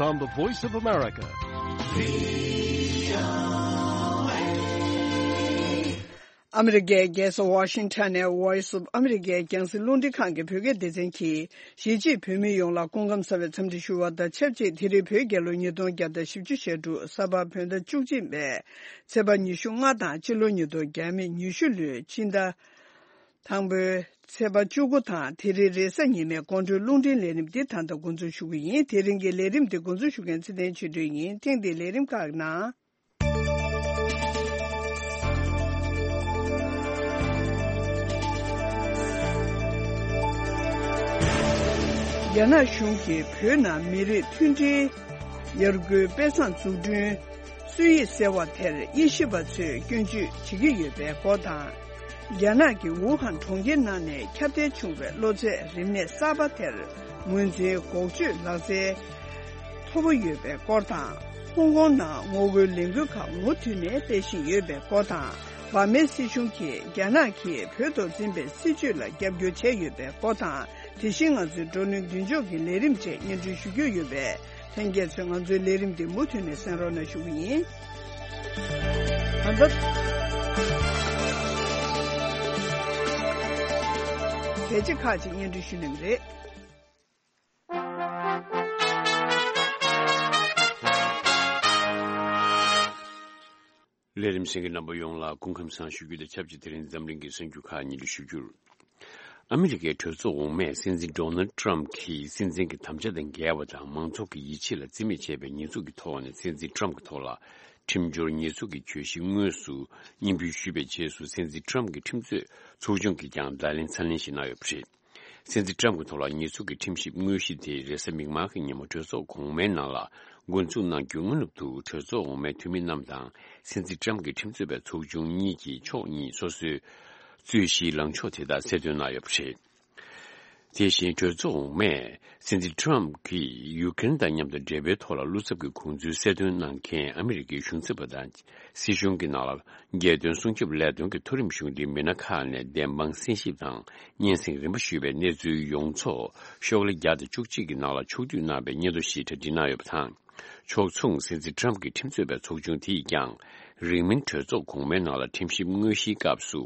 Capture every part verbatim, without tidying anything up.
on the Voice of America. ཨ་མི་རི་ཀའི་རྒྱལ་ས་ཝ་ཤིང་ཊོན་ནས་Voice of America རྒྱང་སྲིང་རླུང་འཕྲིན་ཁང་གི་བོད་སྐད་སྡེ་ཚན་གྱིས། གཞིས་བྱེས་བོད་མི་ཡོངས་ལ་སྐུ་ཁམས་བཟང་བའི་འཚམས་འདྲི་ཞུ་བ་དང་ཆབས་ཅིག་དེ་རིང་བོད་རྒྱལ་ལོ་ཉིས་སྟོང་བརྒྱ་དང་བཞི་བཅུ་ཞེ་དྲུག་ས་ཕག་བོད་ཟླ་བཅུ་གཅིག་པའི་ཚེས་པ་ཉི་ཤུ་ལྔ་དང་སྤྱི་ལོ་ཉིས་སྟོང་ཉི་ཤུ་ལོའི་སྤྱི་ཟླ་དང་པོའི་ཚེས་པ་བཅུ་དགུ་དང་དེ་རིང་རེས་གཟའ་ཉི་མའི་དགོང་དྲོའི་རླུང་འཕྲིན་ལས་རིམ་འདི་ད་ལྟ་འགོ་འཛུགས་ཞུ་གི་ཡིན། དེ་རིང་གི་ལས་རིམ་འདི་འགོ་འཛུགས་ཞུ་མཁན་ཚེ་བརྟན་ཆོས་སྒྲོན་ཡིན། ཐེངས་འདིའི་ལས་རིམ་ཁག་ནང་། རྒྱ་ནག་གཞུང་གིས་བོད་ནང་མི་རིགས་མཐུན་སྒྲིལ་ཡར་སྐུལ་དཔེ་བཟང་འཛུགས་སྐྲུན་སྲོལ་ཡིག་ཟེར་བ་དེར་དབྱེ་ཞིབ་པ་ཚོས་སྐྱོན་བརྗོད་བྱེད་ཀྱི་ཡོད་པའི་སྐོར་དང་། རྒྱ་ནག་གི་ཝུ་ཧན་གྲོང་ཁྱེར་ནང་ནས་ཁྱབ་གདལ་བྱུང་བའི་གློ་ཚད་རིམས་ནད་གསར་པ་དེར་ངོས་འཛིན་འགོག་བཅོས་ལག་རྩལ་མཐོ་པོ་ཡོད་པའི་སྐོར་དང་། ཧོང་ཀོང་ནང་ངོ་རྒོལ་ལས་འགུལ་ཁག་མུ་མཐུད་ནས་སྤེལ་བཞིན་ཡོད་པའི་སྐོར་དང་། འབར་མའི་སྲིད་གཞུང་གིས་རྒྱ་ནག་གིས་བོད་ཐོག་འཛིན་པའི་སྲིད་བྱུས་ལ་རྒྱབ་སྐྱོར་བྱས་ཡོད་པའི་སྐོར་དང་། དེ་བཞིན་ང་ཚོའི་བགྲོ་གླེང་མདུན་ལྕོག་གི་ལས་རིམ་བཅས་སྙན་སྒྲོན་ཞུ་རྒྱུ་ཡོད་པས། ལྷན་རྒྱས་ཚོས་ང་ཚོའི་ལས་རིམ་འདི་མུ་མཐུད་ནས་གསན་རོགས་གནང་ཞུ་གི་ཡིན། ད་ལྟ། གལ་ཆེ་ཁག་ཅིག་སྙན་སྒྲོན་ཞུ་གནང་གི་རེད། ལས་རིམ་གསན་མཁན་རྣམ་པ་ཡོངས་ལ་སྐུ་ཁམས་བཟང་ཞུ་རྒྱུ་དང་ཆབས་ཅིག་དེ་རིང་འཛམ་གླིང་གི་གསར་འགྱུར་ཁག་སྙན་སྒྲོན་ཞུ་རྒྱུར། ཨ་མི་རི་ཀའི་གྲོས་ཚོགས་འོག་མས་སྲིད་འཛིན་ཌོ་ནལ་ཊམ་གྱིས་སྲིད་འཛིན་གྱི་དམ་བཅའ་དང་འགལ་བ་དང་མང་ཚོགས་ཀྱི་ཡིད་ཆེས་ལ་བརྩི་མེད་བྱས་པའི་ཉེས་འཛུགས་ཀྱི་ཐོག་ནས་སྲིད་འཛིན་ཊམ་གྱི་ཐོག་ལ་ཁྲིམས་སྦྱོར་ཉེས་འཛུགས་ཀྱི་གྱོད་གཞི་དངོས་སུ་སྙན་འབུལ་ཞུས་པའི་རྗེས་སུ་སྲིད་འཛིན་ཊམ་གྱི་ཁྲིམས་རྩོད་ཚོགས་ཆུང་གིས་ཀྱང་བརྡ་ལན་ཚ་ནན་ཞིག་གནང་ཡོད་པ་རེད། སྲིད་འཛིན་ཊམ་གྱི་ཐོག་ལ་ཉེས་འཛུགས་ཀྱི་ཁྲིམས་ཞིབ་དངོས་གཞི་དེ་རེས་གཟའ་མིག་དམར་གྱི་ཉིན་མོ་གྲོས་ཚོགས་གོང་མའི་ནང་ལ་འགོ་འཛུགས་གནང་རྒྱུའི་སྔ་ནུབ་ཏུ་གྲོས་ཚོགས་འོག་མའི་འཐུས་མི་རྣམས་དང་སྲིད་འཛིན་ཊམ་གྱི་ཁྲིམས་རྩོད་པའི་ཚོགས་ཆུང་གཉིས་ཀྱིས་ཕྱོགས་གཉིས་སོ་སོའི་རྩོད་གཞིའི་ལངས་ཕྱོགས་དེ་དག་གསལ་སྟོན་གནང་ཡོད་པ་རེད། དེ་བཞིན་གྲོས་ཚོགས་འོག་མས་སྲིད་འཛིན་ཊམ་གྱིས་ཡུ་ཀེ་རེན་དང་མཉམ་དུ་འབྲེལ་བའི་ཐོག་ལ་བློ་འཚབ་ཀྱི་དགོངས་ཚུལ་གསལ་སྟོན་གནང་མཁན་ཨ་མི་རི་ཀའི་གཞུང་ཚབ་པ་དང་། སྲིད་གཞུང་གི་ནང་ལ་རྒྱལ་དོན་སྲུང་སྐྱོབ་ལས་དོན་གྱི་མཐོ་རིམ་གཞུང་འབྲེལ་མི་སྣ་ཁག་ནས་བདེན་དཔང་གསན་ཞིབ་དང་སྙན་སེང་རིམ་པ་ཞུས་པའི་གནས་ཚུལ་ཡོངས་རྫོགས་ཤོག་ལྷེ་བརྒྱ་དང་བཅུ་གཅིག་གི་ནང་ལ་ཕྱོགས་བསྡུས་གནང་བའི་སྙན་ཐོ་ཞིག་གྲ་སྒྲིག་གནང་ཡོད་པ་དང་། ཕྱོགས་མཚུངས་སྲིད་འཛིན་ཊམ་གྱི་ཁྲིམས་རྩོད་པའི་ཚོགས་ཆུང་དེས་ཀྱང་རིང་མིན་གྲོས་ཚོགས་གོང་མའི་ནང་ལ་ཁྲིམས་ཞིབ་དངོས་གཞིའི་སྐབས་སུ་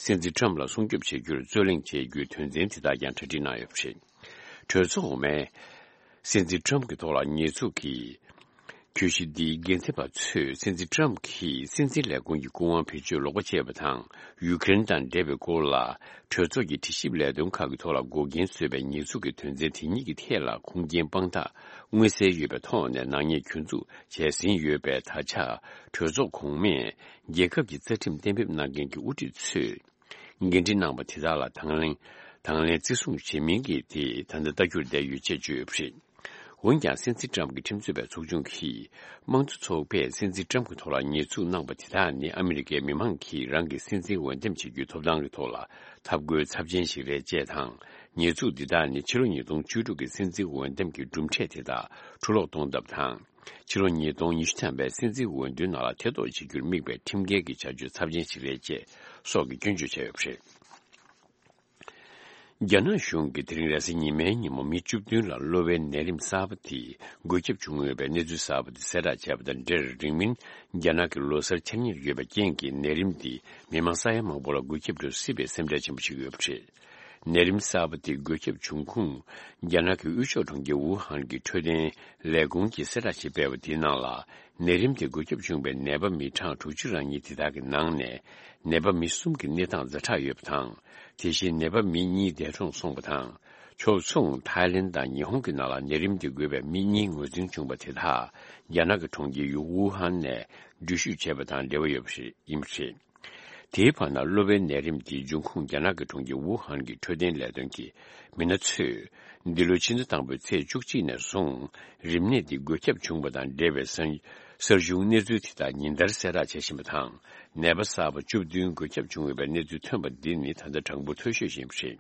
སྲིད་འཛིན་ཊམ་ལ་སྲུང་སྐྱོབ་བྱེད་རྒྱུར་རྩོད་གླེང་བྱེད་རྒྱུའི་དོན་ཚན་དེ་དག་ཀྱང་གྲ་སྒྲིག་གནང་ཡོད་པ་རེད། གྲོས་ཚོགས་འོག་མས་སྲིད་འཛིན་ཊམ་གྱི་ཐོག་ལ་ཉེས་འཛུགས་ཀྱི་གྱོད་གཞི་འདིའི་འགན་འཛིན་པ་ཚོས་སྲིད་འཛིན་ཊམ་གྱིས་སྲིད་འཛིན་ལས་ཁུངས་ཀྱི་སྐུ་དབང་བེད་སྤྱོད་ལོག་པ་བྱས་པ་དང་། ཡུ་ཀེ་རེན་དང་འབྲེལ་བའི་སྐོར་ལ་གྲོས་ཚོགས་ཀྱི་དྲི་ཞིབ་ལས་དོན་ཁག་གི་ཐོག་ལ་འགོག་རྐྱེན་བཟོས་པའི་ཉེས་འཛུགས་ཀྱི་དོན་ཚན་དེ་གཉིས་ཀྱི་ཐད་ལ་ཁུངས་སྐྱེལ་དཔང་རྟགས་མངོན་གསལ་ཡོད་པའི་ཐོག་ནས་ནག་ཉེས་གྱོད་འཛུགས་བྱས་ཟིན་ཡོད་པས། ད་ཆ་གྲོས་ཚོགས་གོང་མས་རྒྱལ་ཁབ་ཀྱི་རྩ་ཁྲིམས་གཏན་འབེབས་གནང་མཁན་གྱི་དབུ་ཁྲིད་ཚོས། འགན་འཁྲི་གནང་བ་དེ་དག་ལ་དང་ལེན། དང་ལེན་བརྩི་སྲུང་བྱེད་མིན་གྱི་དེ་ད་ལྟ་ལྟ་རྒྱུར་བསྡད་ཡོད་ཅེས་བརྗོད་ཡོད་པ་རེད། འོན་ཀྱང་སྲིད་འཛིན་ཊམ་གྱི་ཁྲིམས་རྩོད་པའི་ཚོགས་ཆུང་གིས་དམངས་གཙོ་ཚོགས་པས་སྲིད་འཛིན་ཊམ་གྱི་ཐོག་ལ་ཉེས་འཛུགས་གནང་བ་དེ་དག་ནི་ཨ་མི་རི་ཀའི་མི་མང་གིས་རང་གི་སྲིད་འཛིན་འོས་འདེམས་བྱེད་རྒྱུའི་ཐོབ་ཐང་གི་ཐོག་ལ་འཐབ་རྒོལ་ཚབས་ཆེན་ཞིག་རེད་ཅེས་དང་། ཉེས་འཛུགས་འདི་དག་ནི་ཕྱི་ལོ་ཉིས་སྟོང་བཅུ་དྲུག་གི་སྲིད་འཛིན་འོས་འདེམས་ཀྱི་གྲུབ་འབྲས་དེ་དག་འཁྲུ་སློག་གཏོང་ཐབས་དང་། ཕྱི་ལོ་ཉིས་སྟོང་ཉི་ཤུ་ཐམ་པའི་སྲིད་འཛིན་འོས་བསྡུའི་ནང་ལ་ཐེ་གཏོགས་བྱེད་རྒྱུར་དམིགས་པའི་ཁྲིམས་འགལ་གྱི་བྱ་སྤྱོད་ཚབས་ཆེན་ཞིག་རེད་ཅེས་སོགས་ཀྱི་སྐྱོན་བརྗོད་བྱས་ཡོད་པ་རེད། རྒྱ་ནག་གཞུང་གིས་དེ་རིང་རེས་གཟའ་ཉི་མའི་ཉིན་མོ་མི་བཅུ་བདུན་ལ་གློ་བའི་ནད་རིམས་གསར་པ་དེ་འགོས་ཁྱབ་བྱུང་ཡོད་པའི་གནས་ཚུལ་གསར་པ་དེ་གསལ་བསྒྲགས་བྱས་པ་དང་འབྲེལ། རིང་མིན་རྒྱ་ནག་གི་ལོ་གསར་འཆར་ཉེར་ཡོད་པའི་རྐྱེན་གྱིས་ནད་རིམས་འདི་མི་མང་ས་ཡ་མང་པོ་ལ་འགོས་ཁྱབ་འགྲོ་སྲིད་པའི་སེམས་ཁྲལ་ཆེན་པོ་བྱེད་ཀྱི་ཡོད་པ་རེད། ནད་རིམས་གསར་པ་དེ་འགོས་ཁྱབ་བྱུང་ཁུངས་རྒྱ་ནག་གི་དབུས་ཕྱོགས་གྲོང་ཁྱེར་ཝུ་ཧན་གྱི་འཕྲོད་བསྟེན་ལས་ཁུངས་ཀྱིས་གསལ་བསྒྲགས་ཤིག་སྤེལ་བ་དེའི་ནང་ལ། ནད་རིམས་དེ་འགོས་ཁྱབ་བྱུང་བའི་ནད་པ་མི་གྲངས་དྲུག་ཅུ་རང་གཉིས་དེ་དག་གི་ནང་ནས་ནད་པ་མི་གསུམ་གྱི་གནས་སྟངས་ཛ་དྲག་ཡོད་པ་དང་། དེ་བཞིན་ནད་པ་མི་གཉིས་འདས་གྲོངས་སོང་བ་དང་། ཕྱོགས་མཚུངས་ཐའི་ལེན་དང་ཉི་ཧོང་གི་ནང་ལ་ནད་རིམས་དེ་འགོས་པའི་མི་གཉིས་ངོས་འཛིན་བྱུང་བ་དེ་དག་རྒྱ་ནག་གི་གྲོང་ཁྱེར་ཝུ་ཧན་ནས་འགྲུལ་བཞུད་བྱས་པ་དང་འབྲེལ་བ་ཡོད་པ་རེད། ཡིན་པ་རེད། དེའི་བར་ན་གློ་བའི་ནད་རིམས་དེའི་འབྱུང་ཁུངས་རྒྱ་ནག་གི་གྲོང་ཁྱེར་ཝུ་ཧན་གྱི་འཕྲོད་བསྟེན་ལས་དོན་གྱི་མི་སྣ་ཚོས། འདི་ལོའི་ཕྱི་ཟླ་དང་པོའི་ཚེས་བཅུ་གཅིག་ནས་བཟུང་རིམས་ནད་འདི་འགོས་ཁྱབ་བྱུང་བ་དང་འབྲེལ་བའི་གསར་གསར་བྱུང་གནས་ཚུལ་དེ་དག་ཉིན་ལྟར་གསལ་བསྒྲགས་བྱེད་བཞིན་པ་དང་། ནད་པ་གསར་པ་བཅུ་བདུན་འགོས་ཁྱབ་བྱུང་ཡོད་པའི་གནས་ཚུལ་ཐོན་པ་འདི་ནི་ད་ལྟ་གྲངས་འབོར་མཐོ་ཤོས་ཤིག་ཡིན་པ་རེད།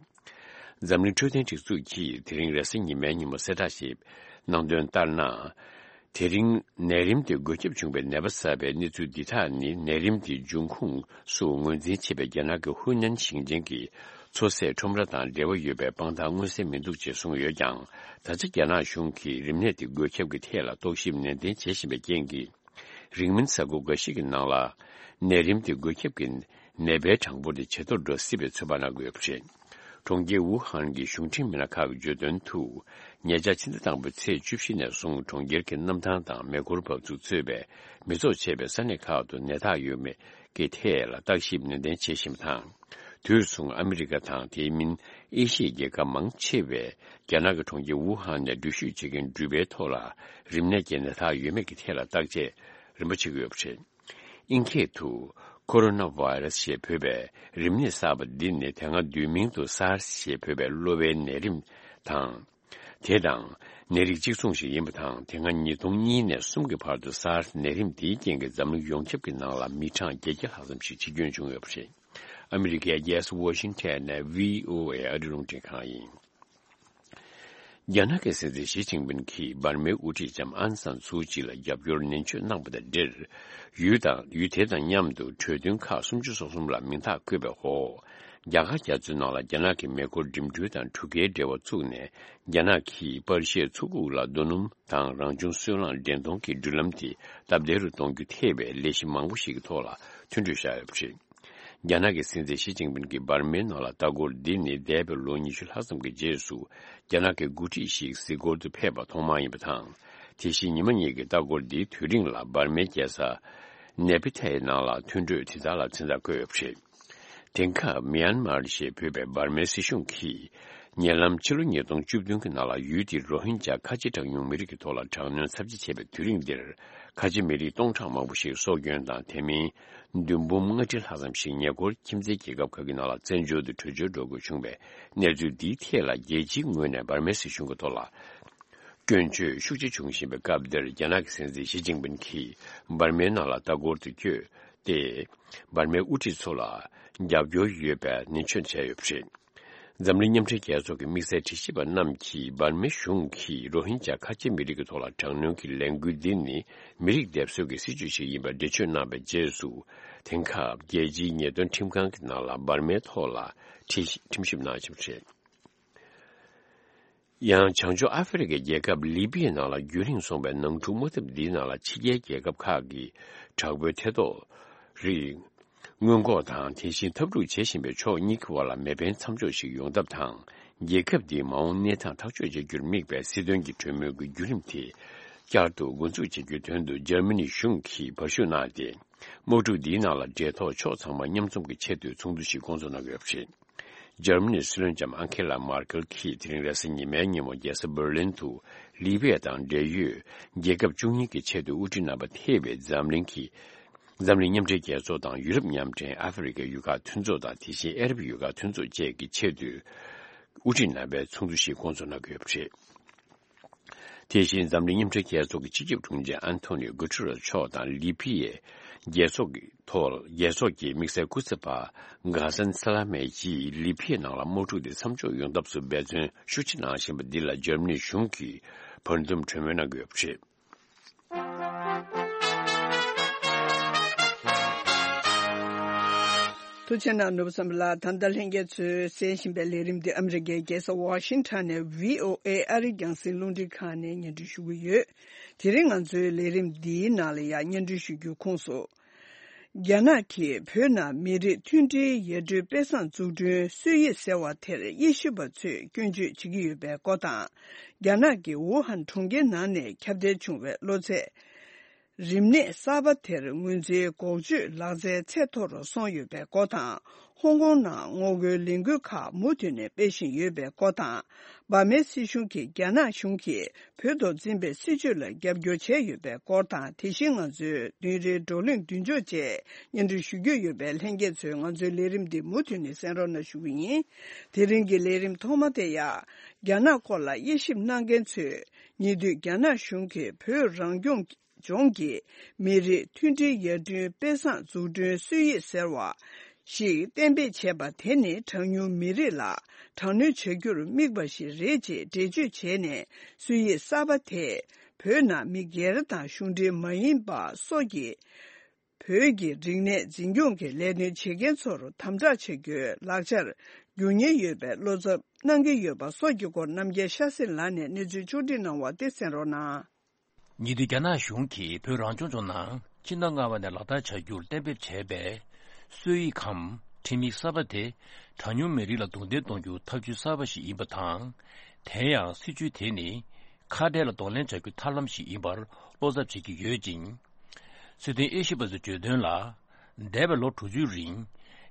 འཛམ་གླིང་འཕྲོད་བསྟེན་སྒྲིག་འཛུགས་ཀྱིས་དེ་རིང་རེས་གཟའ་ཉི་མའི་ཉིན་མོ་གསལ་བསྒྲགས་ཤིག་གནང་དོན་ལྟར་ན། དེ་རིང་ནད་རིམས་དེ་འགོས་ཁྱབ་བྱུང་བའི་ནད་པ་གསར་པའི་གནས་ཚུལ་འདི་དག་ནི་ནད་རིམས་དེའི་འབྱུང་ཁུངས་སུ་ངོས་འཛིན་བྱེད་པའི་རྒྱ་ནག་གི་ཧུའུ་ནན་ཞིང་ཆེན་གྱི་ མཚོ་ཟས་ཁྲོམ་ར་དང་འབྲེལ་བ་ཡོད་པའི་དཔང་རྟགས་མངོན་གསལ་མི་འདུག་ཅེས་གསུངས་ཡོད་ཀྱང་། ད་ཆ་རྒྱ་ནག་གཞུང་གིས་རིམས་ནད་དེ་འགོས་ཁྱབ་ཀྱི་ཐད་ལ་རྟོག་ཞིབ་ནན་ཏན་བྱེད་བཞིན་པའི་རྐྱེན་གྱིས། རིང་མིན་གཟའ་འཁོར་འགའ་ཞིག་གི་ནང་ལ་ནད་རིམས་དེ་འགོས་ཁྱབ་ཀྱི་ནད་པའི་གྲངས་འབོར་དེ་ཇེ་མཐོར་འགྲོ་སྲིད་པའི་ཚོད་དཔག་གནང་གི་ཡོད་པ་རེད། གྲོང་ཁྱེར་ཝུ་ཧན་གྱི་གཞུང་འབྲེལ་མི་སྣ་ཁག་གིས་བརྗོད་དོན་དུ། ཉེ་ཆར་ཕྱི་ཟླ་དང་པོའི་ཚེས་བཅུ་བཞི་ནས་བཟུང་གྲོང་ཁྱེར་གྱི་གནམ་ཐང་དང་མེ་འཁོར་འབབ་ཚུགས་གཙོས་པའི་མི་ཚོགས་ཆེ་བའི་ས་གནས་ཁག་ཏུ་ནད་རྟགས་ཡོད་མེད་ཀྱི་ཐད་ལ་བརྟག་ཞིབ་ནན་ཏན་བྱེད་བཞིན་པ་དང་། དུས་མཚུངས་ཨ་མི་རི་ཀ་དང་དེ་མིན་ཨེ་ཤི་ཡའི་རྒྱལ་ཁབ་མང་ཆེ་བས་རྒྱ་ནག་གི་གྲོང་ཁྱེར་ཝུ་ཧན་ནས་འགྲུལ་བཞུད་བྱེད་མཁན་འགྲུལ་པའི་ཐོག་ལ་རིམས་ནད་ཀྱི་ནད་རྟགས་ཡོད་མེད་ཀྱི་ཐད་ལ་བརྟག་དཔྱད་རིམ་པ་བྱེད་ཀྱི་ཡོད་པ་རེད། ཨིན་སྐད་དུ་ཁོ་རོ་ན་བྷ་ཡི་ར་སི་ཞེས་འབོད་པའི་རིམས་ནད་གསར་པ་འདི་ནི་དེ་སྔ་བསྡུས་མིང་དུ་སཱར་སི་ཞེས་འབོད་པའི་གློ་བའི་ནད་རིམས་དང་། དེ་དང་ནད་རིགས་གཅིག་མཚུངས་ཤིག་ཡིན་པ་དང་། དེ་སྔ་ཉིས་སྟོང་གཉིས་ནས་གསུམ་གྱི་བར་དུ་སཱར་སི་ནད་རིམས་འདིའི་རྐྱེན་གྱིས་འཛམ་གླིང་ཡོངས་ཁྱབ་ཀྱི་ནང་ལ་མི་གྲངས་བརྒྱད་བརྒྱ་ལྷག་ཙམ་ཞིག་འཆི་སྐྱོན་བྱུང་ཡོད་པ་རེད། ཨ་མི་རི་ཀའི་རྒྱལ་ས་ཝ་ཤིང་ཊོན་ནས་བྷི་ཨོ་ཨེ་ཨ་རི་རླུང་འཕྲིན་ཁང་ཡིན། རྒྱ་ནག་གི་སྲིད་འཛིན་ཞི་ཅིན་ཕིན་གྱིས་འབར་མའི་དབུ་ཁྲིད་ལྕམ་ཨང་སན་སུའུ་ཅི་ལ་རྒྱབ་སྐྱོར་ནན་བརྗོད་གནང་པ་དང་འབྲེལ། ཡུལ་དང་ཡུལ་དེ་དང་མཉམ་དུ་གྲོས་མཐུན་ཁག་སུམ་ཅུ་སོ་གསུམ་ལ་མིང་རྟགས་བཀོད་པའི་འོག་རྒྱ་གར་རྒྱ་མཚོའི་ནང་ལ་རྒྱ་ནག་གི་མེ་འཁོར་འགྲིམ་འགྲུལ་དང་གྲུ་ཁའི་འབྲེལ་བ་བཙུགས་ནས། རྒྱ་ནག་གིས་པར་ཤའི་མཚོ་ཁུག་ལ་རྡོ་སྣུམ་དང་རང་བྱུང་སོལ་རླངས་འདྲེན་གཏོང་གི་འགྲུལ་ལམ་དེ་སྟབས་བདེ་རུ་གཏོང་རྒྱུ་ཐེ་བའི་ལས་གཞི་མང་པོ་ཞིག་གི་ཐོག་ལ་མཐུན་གྲོས་བཞག་ཡོད་པ་རེད། རྒྱ་ནག་གི་སྲིད་འཛིན་ཞི་ཅིན་ཕིན་གྱིས་འབར་མའི་ནང་ལ་ལྟ་སྐོར་འདི་ནི་འདས་པའི་ལོ་ཉི་ཤུ་ལྷག་ཙམ་གྱི་རྗེས་སུ་རྒྱ་ནག་གི་འགོ་ཁྲིད་ཞིག་གཟིགས་སྐོར་དུ་ཕེབས་པ་ཐོག་མ་ཡིན་པ་དང་། དེ་བཞིན་ཉི་མ་གཉིས་ཀྱི་ལྟ་སྐོར་འདིའི་དུས་རིང་ལ་འབར་མའི་རྒྱལ་ས་ནེ་པི་ཐའི་ནང་ལ་མཐུན་གྲོས་དེ་དག་ལ་མཚན་རྟགས་བཀོད་ཡོད་པ་རེད། དེང་སྐབས་མི་ཡན་མར་ཞེས་འབོད་པའི་འབར་མའི་སྲིད་གཞུང་གིས། ཉེ་ལམ་ཕྱི་ལོ་ཉིས་སྟོང་བཅུ་བདུན་གྱི་ནང་ལ་ཡུལ་དེའི་རོ་ཧིན་ཇཱ་ཁ་ཆེ་གྲངས་ཉུང་མི་རིགས་ཀྱི་ཐོག་ལ་དྲག་གནོན་ཚབས་ཆེ་བྱས་པའི་དུས་རིང་འདིར། ཁ་ཆེ་མི་རིགས་སྟོང་ཕྲག་མང་པོ་ཞིག་སྲོག་སྐྱོན་དང་། དེ་མིན་བདུན་འབུམ་ལྔ་ཁྲི་ལྷག་ཙམ་ཞིག་ཉེ་འཁོར་ཁྱིམ་མཚེས་རྒྱལ་ཁབ་ཁག་གི་ནང་ལ་བཙན་བྱོལ་དུ་བྲོས་བྱོལ་འགྲོ་དགོས་བྱུང་བའི་གནས་ཚུལ་འདིའི་ཐད་ལ། རྒྱལ་སྤྱིའི་ངོས་ནས་འབར་མའི་སྲིད་གཞུང་གི་ཐོག་ལ་སྐྱོན་བརྗོད་ཤུགས་ཆེ་བྱུང་བཞིན་པའི་སྐབས་འདིར། རྒྱ་ནག་གི་སྲིད་འཛིན་ཞི་ཅིན་ཕིན་གྱིས་འབར་མའི་ནང་ལ་ལྟ་སྐོར་དུ་བསྐྱོད་དེ། འབར་མའི་དབུ་ཁྲིད་ཚོ་ལ་རྒྱབ་སྐྱོར་ཡོད་པའི་ནན་བརྗོད་བྱས་ཡོད་པ་རེད། འཛམ་གླིང་མཉམ་འབྲེལ་རྒྱལ་ཚོགས་ཀྱི་དམིགས་བསལ་དྲི་ཞིབ་པ་རྣམས་ཀྱིས། འབར་མའི་གཞུང་གིས་རོ་ཧིན་ཇཱ་ཁ་ཆེ་མི་རིགས་ཀྱི་ཐོག་ལ་དྲག་གནོན་གྱི་ལས་འགུལ་འདི་ནི་མི་རིགས་སྡེབ་གསོད་ཀྱི་སྲིད་བྱུས་ཤིག་ཡིན་པར་འགྲེལ་བརྗོད་གནང་བའི་རྗེས་སུ། དེང་སྐབས་རྒྱལ་སྤྱིའི་ཉེས་དོན་ཁྲིམས་ཁང་གི་ནང་ལ་འབར་མའི་ཐོག་ལ་ཁྲིམས་ཞིབ་གནང་བཞིན་པ་རེད། ཡང་། བྱང་ཕྱོགས་ཨ་ཧྥེ་རི་ཁའི་རྒྱལ་ཁབ་ལི་པི་ཡའི་ནང་ལ་རྒྱུན་རིང་སོང་བའི་ནང་འཁྲུག་དམག་འཐབ་འདིའི་ནང་ལ་ཕྱི་རྒྱལ་རྒྱལ་ཁབ་ཁག་གི་དྲག་པོའི་ཐེ་གཏོགས་རིགས་སྔོན་འགོག་དང་། དེ་བཞིན་འཐབ་འཁྲུག་བྱེད་བཞིན་པའི་ཕྱོགས་གཉིས་ཀྱི་བར་ལ་མེ་འཕེན་མཚམས་འཇོག་ཞིག་ཡོང་ཐབས་དང་། རྒྱལ་ཁབ་འདིའི་མ་འོངས་གནས་སྟངས་ཐག་གཅོད་བྱ་རྒྱུར་དམིགས་པའི་སྲིད་དོན་གྱི་གྲོས་མོལ་གྱི་བརྒྱུད་རིམ་དེ་བསྐྱར་དུ་འགོ་འཛུགས་བྱེད་རྒྱུའི་དོན་དུ་འཇར་མ་ནི་གཞུང་གིས་བར་ཞུགས་གནང་སྟེ། དམག་འཁྲུག་འདིའི་ནང་ལ་འབྲེལ་ཐོགས་ཕྱོགས་ཚང་མ་མཉམ་འཛོམས་ཀྱི་ཆེད་དུ་ཚོགས་འདུ་ཞིག་སྐོང་ཚོགས་གནང་གི་ཡོད་པ་རེད། འཇར་མ་ནིའི་སྲིད་བློན་ལྕམ་ཨང་ཁེ་ལ་མར་ཀེལ་གྱིས་དེ་རིང་རེས་གཟའ་ཉི་མའི་ཉིན་མོ་རྒྱལ་ས་འབར་ལིན་དུ་ལི་པི་ཡ་དང་འབྲེལ་ཡོད་རྒྱལ་ཁབ་བཅུ་གཉིས་ཀྱི་ཆེས་མཐོའི་དབུ་ཁྲིད་རྣམ་པ་ཐེ་བའི་འཛམ་གླིང་གི་འཛམ་གླིང་མཉམ་འབྲེལ་རྒྱལ་ཚོགས་དང་ཡུ་རོབ་མཉམ་འབྲེལ་ཨ་ཧྥེ་རི་ཁའི་ཡུལ་ཁག་མཐུན་ཚོགས་དང་། དེ་བཞིན་ཨ་རབ་ཡུལ་ཁག་མཐུན་ཚོགས་བཅས་ཀྱི་ཆེས་མཐོའི་དབུ་ཁྲིད་རྣམ་པའི་ཚོགས་འདུ་ཞིག་སྐོང་ཚོགས་གནང་གི་ཡོད་པ་རེད། དེ་བཞིན་འཛམ་གླིང་མཉམ་འབྲེལ་རྒྱལ་ཚོགས་ཀྱི་སྤྱི་ཁྱབ་དྲུང་ཆེ་ཨན་ཐོ་ནིའོ་གུ་ཏྲེ་རེས་མཆོག་དང་ལི་པི་ཡའི་རྒྱལ་ཚོགས་ཀྱི་ཐོག་རྒྱལ་ཚོགས་ཀྱི་དམིགས་བསལ་སྐུ་ཚབ་པ་གྷ་སན་ས་ལ་མེ་ཀྱིས་ལི་པི་ཡའི་ནང་ལ་དམག་འཁྲུག་དེ་མཚམས་འཇོག་ཡོང་ཐབས་སུ་འབད་བརྩོན་ཤུགས་ཆེ་གནང་བཞིན་པ་འདི་ལ་འཇར་མ་ནི་གཞུང་གིས་བར་འདུམ་གྲོས་མོལ་གནང་གི་ཡོད་པ་རེད། ཐུགས་རྗེ་གནང་། ནོར་བུ་བསམ་འཕེལ་ལགས། ད་ལྟ་ལྷན་རྒྱས་ཚོས་གསན་བཞིན་པའི་ལས་རིམ་འདི་ཨ་མི་རི་ཀའི་རྒྱལ་ས་ཝ་ཤིང་ཊོན་ནས་བྷི་ཨོ་ཨེ་ཨ་རིའི་རྒྱང་སྲིང་རླུང་འཕྲིན་ཁང་ནས་སྙན་སྒྲོན་ཞུ་གི་ཡོད། དེ་རིང་ང་ཚོའི་ལས་རིམ་འདིའི་ནང་ལ་ཡང་སྙན་སྒྲོན་ཞུ་རྒྱུའི་ཁོངས་སུ། རྒྱ་ནག་གིས་བོད་ནང་མི་རིགས་མཐུན་སྒྲིལ་ཡར་ཐོན་དཔེ་བཟང་འཛུགས་སྐྲུན་སྲོལ་ཡིག་ཟེར་བ་དེར་དབྱེ་ཞིབ་པ་ཚོས་སྐྱོན་བརྗོད་བྱེད་ཀྱི་ཡོད་པའི་སྐོར་དང་། རྒྱ་ནག་གི་ཝུ་ཧན་གྲོང་ཁྱེར་ནང་ནས་ཁྱབ་གདལ་བྱུང་བའི་གློ་ཚད། རིམས་ནད་གསར་པ་དེར་ངོས་འཛིན་འགོག་བཅོས་ལག་རྩལ་ཚད་མཐོ་རུ་སོང་ཡོད་པའི་སྐོར་དང་། ཧོང་ཀོང་ནང་ངོ་རྒོལ་ལས་འགུལ་ཁག་མུ་མཐུད་ནས་སྤེལ་བཞིན་ཡོད་པའི་སྐོར་དང་། འབར་མའི་སྲིད་གཞུང་གིས་རྒྱ་ནག་གཞུང་གིས་བོད་ཐོག་འཛིན་པའི་སྲིད་བྱུས་ལ་རྒྱབ་སྐྱོར་བྱས་ཡོད་པའི་སྐོར་དང་། དེ་བཞིན་ང་ཚོའི་བདུན་རེའི་བགྲོ་གླེང་མདུན་ལྕོག་བཅས་སྙན་སྒྲོན་ཞུ་རྒྱུ་ཡོད་པས། ལྷན་རྒྱས་ཚོས་ང་ཚོའི་ལས་རིམ་འདི་མུ་མཐུད་ནས་གསན་རོགས་གནང་ཞུ་གི་ཡིན། དེ་རིང་གི་ལས་རིམ་ཐོག་མ་དེ་ཡང་རྒྱ་ནག་སྐོར་ལ་དབྱེ་ཞིབ་གནང་མཁན་ཚོས་ཉེ་དུས་རྒྱ་ནག་གཞུང་གིས་བོད་རང་སྐྱོང་ལྗོངས་ཀྱི་མི་རིགས་མཐུན་སྒྲིལ་ཡར་ཐོན་དཔེ་བཟང་འཛུགས་སྐྲུན་སྲོལ་ཡིག་ཟེར་བ་ཞིག་གཏན་འབེབས་བྱས་པ་དེ་ནི་གྲངས་ཉུང་མི་རིགས་ལ་དྲག་གནོན་བྱ་རྒྱུར་དམིགས་པ་ཞིག་རེད་ཅེས་འགྲེལ་བརྗོད་བྱས་ནས། སྲོལ་ཡིག་གསར་པ་དེས་བོད་ནང་མི་སྒེར་དང་གཞུང་འབྲེལ་མ་ཡིན་པ་སོགས་ཀྱི་ བོད་ཀྱི་རིག་གནས་འཛིན་སྐྱོང་གི་ལས་དོན་བྱེད་མཁན་ཚོར་དམ་དྲག་བྱ་རྒྱུའི་ལག་ཆར་འགྱུར་ཉེན་ཡོད་པའི་བློ་འཚབ་གནང་གི་ཡོད་པ་སོགས་ཀྱི་སྐོར་རྣམ་རྒྱལ་ཤ་སྲིན་ལགས་ནས་གནས་ཚུལ་ཕྱོགས་སྒྲིག་གནང་བ་དེ་གསན་རོགས་གནང་། ཉེ་དུས་རྒྱ་ནག་གཞུང་གིས་བོད་རང་སྐྱོང་ལྗོངས་ནང་ཕྱི་ཟླ་ལྔ་པ་ནས་ལག་བསྟར་བྱ་རྒྱུར་གཏན་འབེབས་བྱས་པའི་སྲོལ་ཡིག་གམ་ཁྲིམས་ཡིག་གསར་པ་དེ་གྲངས་ཉུང་མི་རིགས་ལ་རྡུང་རྡེག་གཏོང་རྒྱུའི་ཐབས་ཇུས་གསར་པ་ཞིག་ཡིན་པ་དང་། དེ་ཡང་སྲིད་ཇུས་དེ་ནི་ཁ་བྲལ་ལ་གདོང་ལེན་བྱ་རྒྱུའི་ཐབས་ལམ་ཞིག་ཡིན་པར་བློ་འཚབ་བྱེད་ཀྱི་ཡོད་ཅིང་། སྲིད་དོན་དབྱེ་ཞིབ་པ་ཚོས་བརྗོད་དོན་ལ། འདས་པའི་ལོ་དྲུག་ཅུའི་རིང་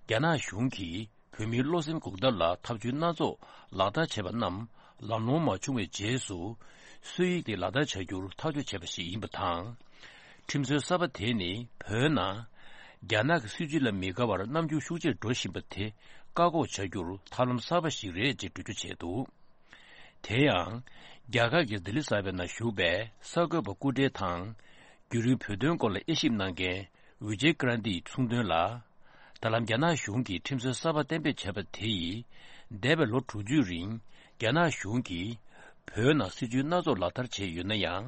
རྒྱ་ནག་གཞུང་གིས་བོད་མིའི་བློ་སེམས་འགུག་ཐབས་ལ་ཐབས་ཇུས་སྣ་ཚོགས་ལག་བསྟར་བྱས་པ་རྣམས་ལམ་ལྷོང་མ་བྱུང་བའི་རྗེས་སུ། སྲོལ་ཡིག་དེ་ལག་བསྟར་བྱ་རྒྱུར་ཐག་གཅོད་བྱས་པ་ཞིག་ཡིན་པ་དང་། ཁྲིམས་སྲོལ་གསར་པ་དེ་ནི་བོད་ནང་རྒྱ་ནག་གི་སྲིད་བྱུས་ལ་མི་དགའ་བར་རྣམ་འགྱུར་ཤུགས་ཆེར་འགྲོ་བཞིན་པ་དེ་བཀག་འགོག་བྱ་རྒྱུར་ཐབས་ལམ་གསར་པ་ཞིག་རེད་ཅེས་འགྲེལ་བརྗོད་བྱས་འདུག་དེ་ཡང་། རྒྱ་གར་གྱི་ལྡི་ལི་གསར་པའི་ནང་བཞུགས་པའི་གསར་འགོད་པ་སྐུ་བགྲེས་དང་། བརྒྱུད་རིམ་བོད་དོན་སྐོར་ལ་དབྱེ་ཞིབ་གནང་མཁན་ཝི་ཇེ་ཀྲན་ཏིས་གསུངས་དོན་ལ། ད་ལམ་རྒྱ་ནག་གཞུང་གིས་ཁྲིམས་སྲོལ་གསར་པ་གཏན་འབེབས་བྱས་པ་དེ་ཡིས། འདས་པའི་ལོ་དྲུག་ཅུའི་རིང་རྒྱ་ནག་གཞུང་གིས་བོད་ནང་སྲིད་ཇུས་སྣ་ཚོགས་ལག་བསྟར་བྱས་ཡོད་ན་ཡང་།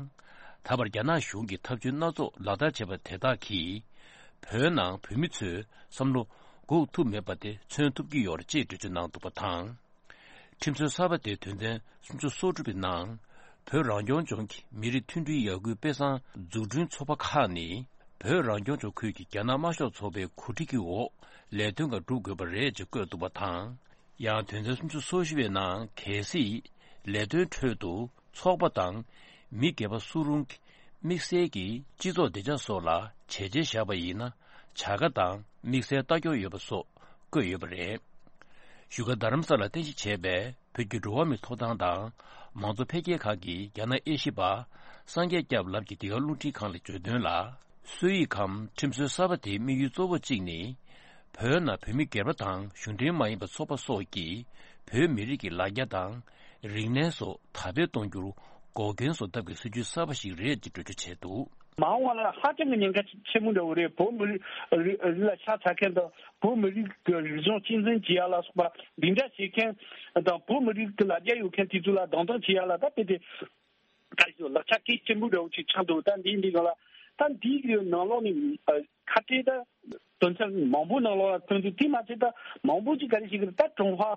ད་བར་རྒྱ་ནག་གཞུང་གིས་ཐབས་ཇུས་སྣ་ཚོགས་ལག་བསྟར་བྱས་པ་དེ་དག་གིས། བོད་ནང་བོད་མི་ཚོའི་བསམ་བློ་འགུག་ཐུབ་མེད་པ་དེ་མཚོན་ཐུབ་ཀྱི་ཡོད་རེད་ཅེས་འགྲེལ་བརྗོད་གནང་འདུག་པ་དང་། ཁྲིམས་སྲོལ་གསར་པ་དེའི་དོན་ཚན་སུམ་ཅུ་སོ་དྲུག་པའི་ནང་། བོད་རང་སྐྱོང་ལྗོངས་ཀྱི་མི་རིགས་མཐུན་སྒྲིལ་ཡར་སྐུལ་དཔེ་བཟང་འཛུགས་སྐྲུན་ཚོགས་པ་ཁག་ནི། བོད་རང་སྐྱོང་ལྗོངས་ཁུལ་གྱི་རྒྱ་ནག་དམར་ཤོག་ཚོགས་པའི་གོ་སྒྲིག་གི་འོག་ལས་དོན་འགའ་སྒྲུབ་དགོས་པ་རེད་ཅེས་བཀོད་འདུག་པ་དང་། ཡང་དོན་ཚན་སུམ་ཅུ་སོ་བཞི་པའི་ནང་། གལ་སྲིད་ལས་དོན་ཁྲོད་དུ་ཚོགས་པ་དང་མི་སྒེར་པ་སུ་རུང་གི་དམིགས་བསལ་གྱི་སྤྱི་ཚོགས་བདེ་འཇགས་སོགས་ལ་བྱས་རྗེས་བཞག་པ་ཡིན་ན། བྱ་དགའ་དང་དམིགས་བསལ་ལྟ་སྐྱོང་ཡོད་པ་སོགས་བཀོད་ཡོད་པ་རེད། བཞུགས་སྒར་རྡ་རམ་ས་ལར་རྟེན་གཞི་བྱས་པའི་བོད་ཀྱི་འགྲོ་བ་མིའི་ཐོབ་ཐང་དང་མང་གཙོ་འཕེལ་རྒྱས་ཁང་གི་རྒྱ་ནག་དབྱེ་ཞིབ་པ་སངས་རྒྱས་སྐྱབས་ལགས་ཀྱིས་འདི་ག་རླུང་འཕྲིན་ཁང་ལ་བརྗོད་དོན་ལ། སྲོལ་ཡིག་གམ་ཁྲིམས་སྲོལ་གསར་པ་དེའི་དམིགས་ཡུལ་གཙོ་བོ་གཅིག་ནི། བོད་ནང་བོད་མི་སྒེར་པ་དང་གཞུང་འབྲེལ་མ་ཡིན་པ་ཚོགས་པ་སོགས་ཀྱིས་བོད་མི་རིགས་ཀྱི་ལ་རྒྱ་དང་རིག་གནས་སོགས་དར་སྤེལ་གཏོང་རྒྱུར་འགོག་རྐྱེན་བཟོ་ཐབས་ཀྱི་སྲིད་ཇུས་གསར་པ་ཞིག་རེད་ཅེས་འགྲེལ་བརྗོད་བྱས་འདུག་མ་འོངས་པ་ལ་ཧ་ཅང་གི་ཉེན་ཁ་ཆེན་པོ་འདྲ་བོ་རེད། བོད་མི་རིགས་རིགས་ལ་ཤ་ཚ་མཁན་དང་བོད་མི་རིགས་ཀྱི་རིག་གཞུང་གཅེས་འཛིན་བྱེད་ཡ་ལ་སོགས་པ་འདི་འདྲ་བྱེད་མཁན་དང་བོད་མི་རིགས་ཀྱི་ལ་རྒྱ་ཡོད་མཁན་དེ་ཚོ་ལ་རྡུང་རྡེག་བྱེད་ཡ་ལ་ད་དཔེ་དེ་ད་ཞོ་ལག་ཆ་གལ་ཆེན་པོ་འདྲ་བོ་ཅིག་ཆགས་འདུག་ད་འདི་འདི་ག་ལ་ད་འདི་གི་ནང་ལོགས་ནས་ཁ་བྲལ་ད་དོན་ཚན་མང་པོ་ནང་ལོགས་ལ་ཐོན་འདུག་དེ་མ་ཚད་ད་མང་པོ་ཅིག་ག་རེ་ཞིག་གི་ད་ཀྲུང་ཧྭ་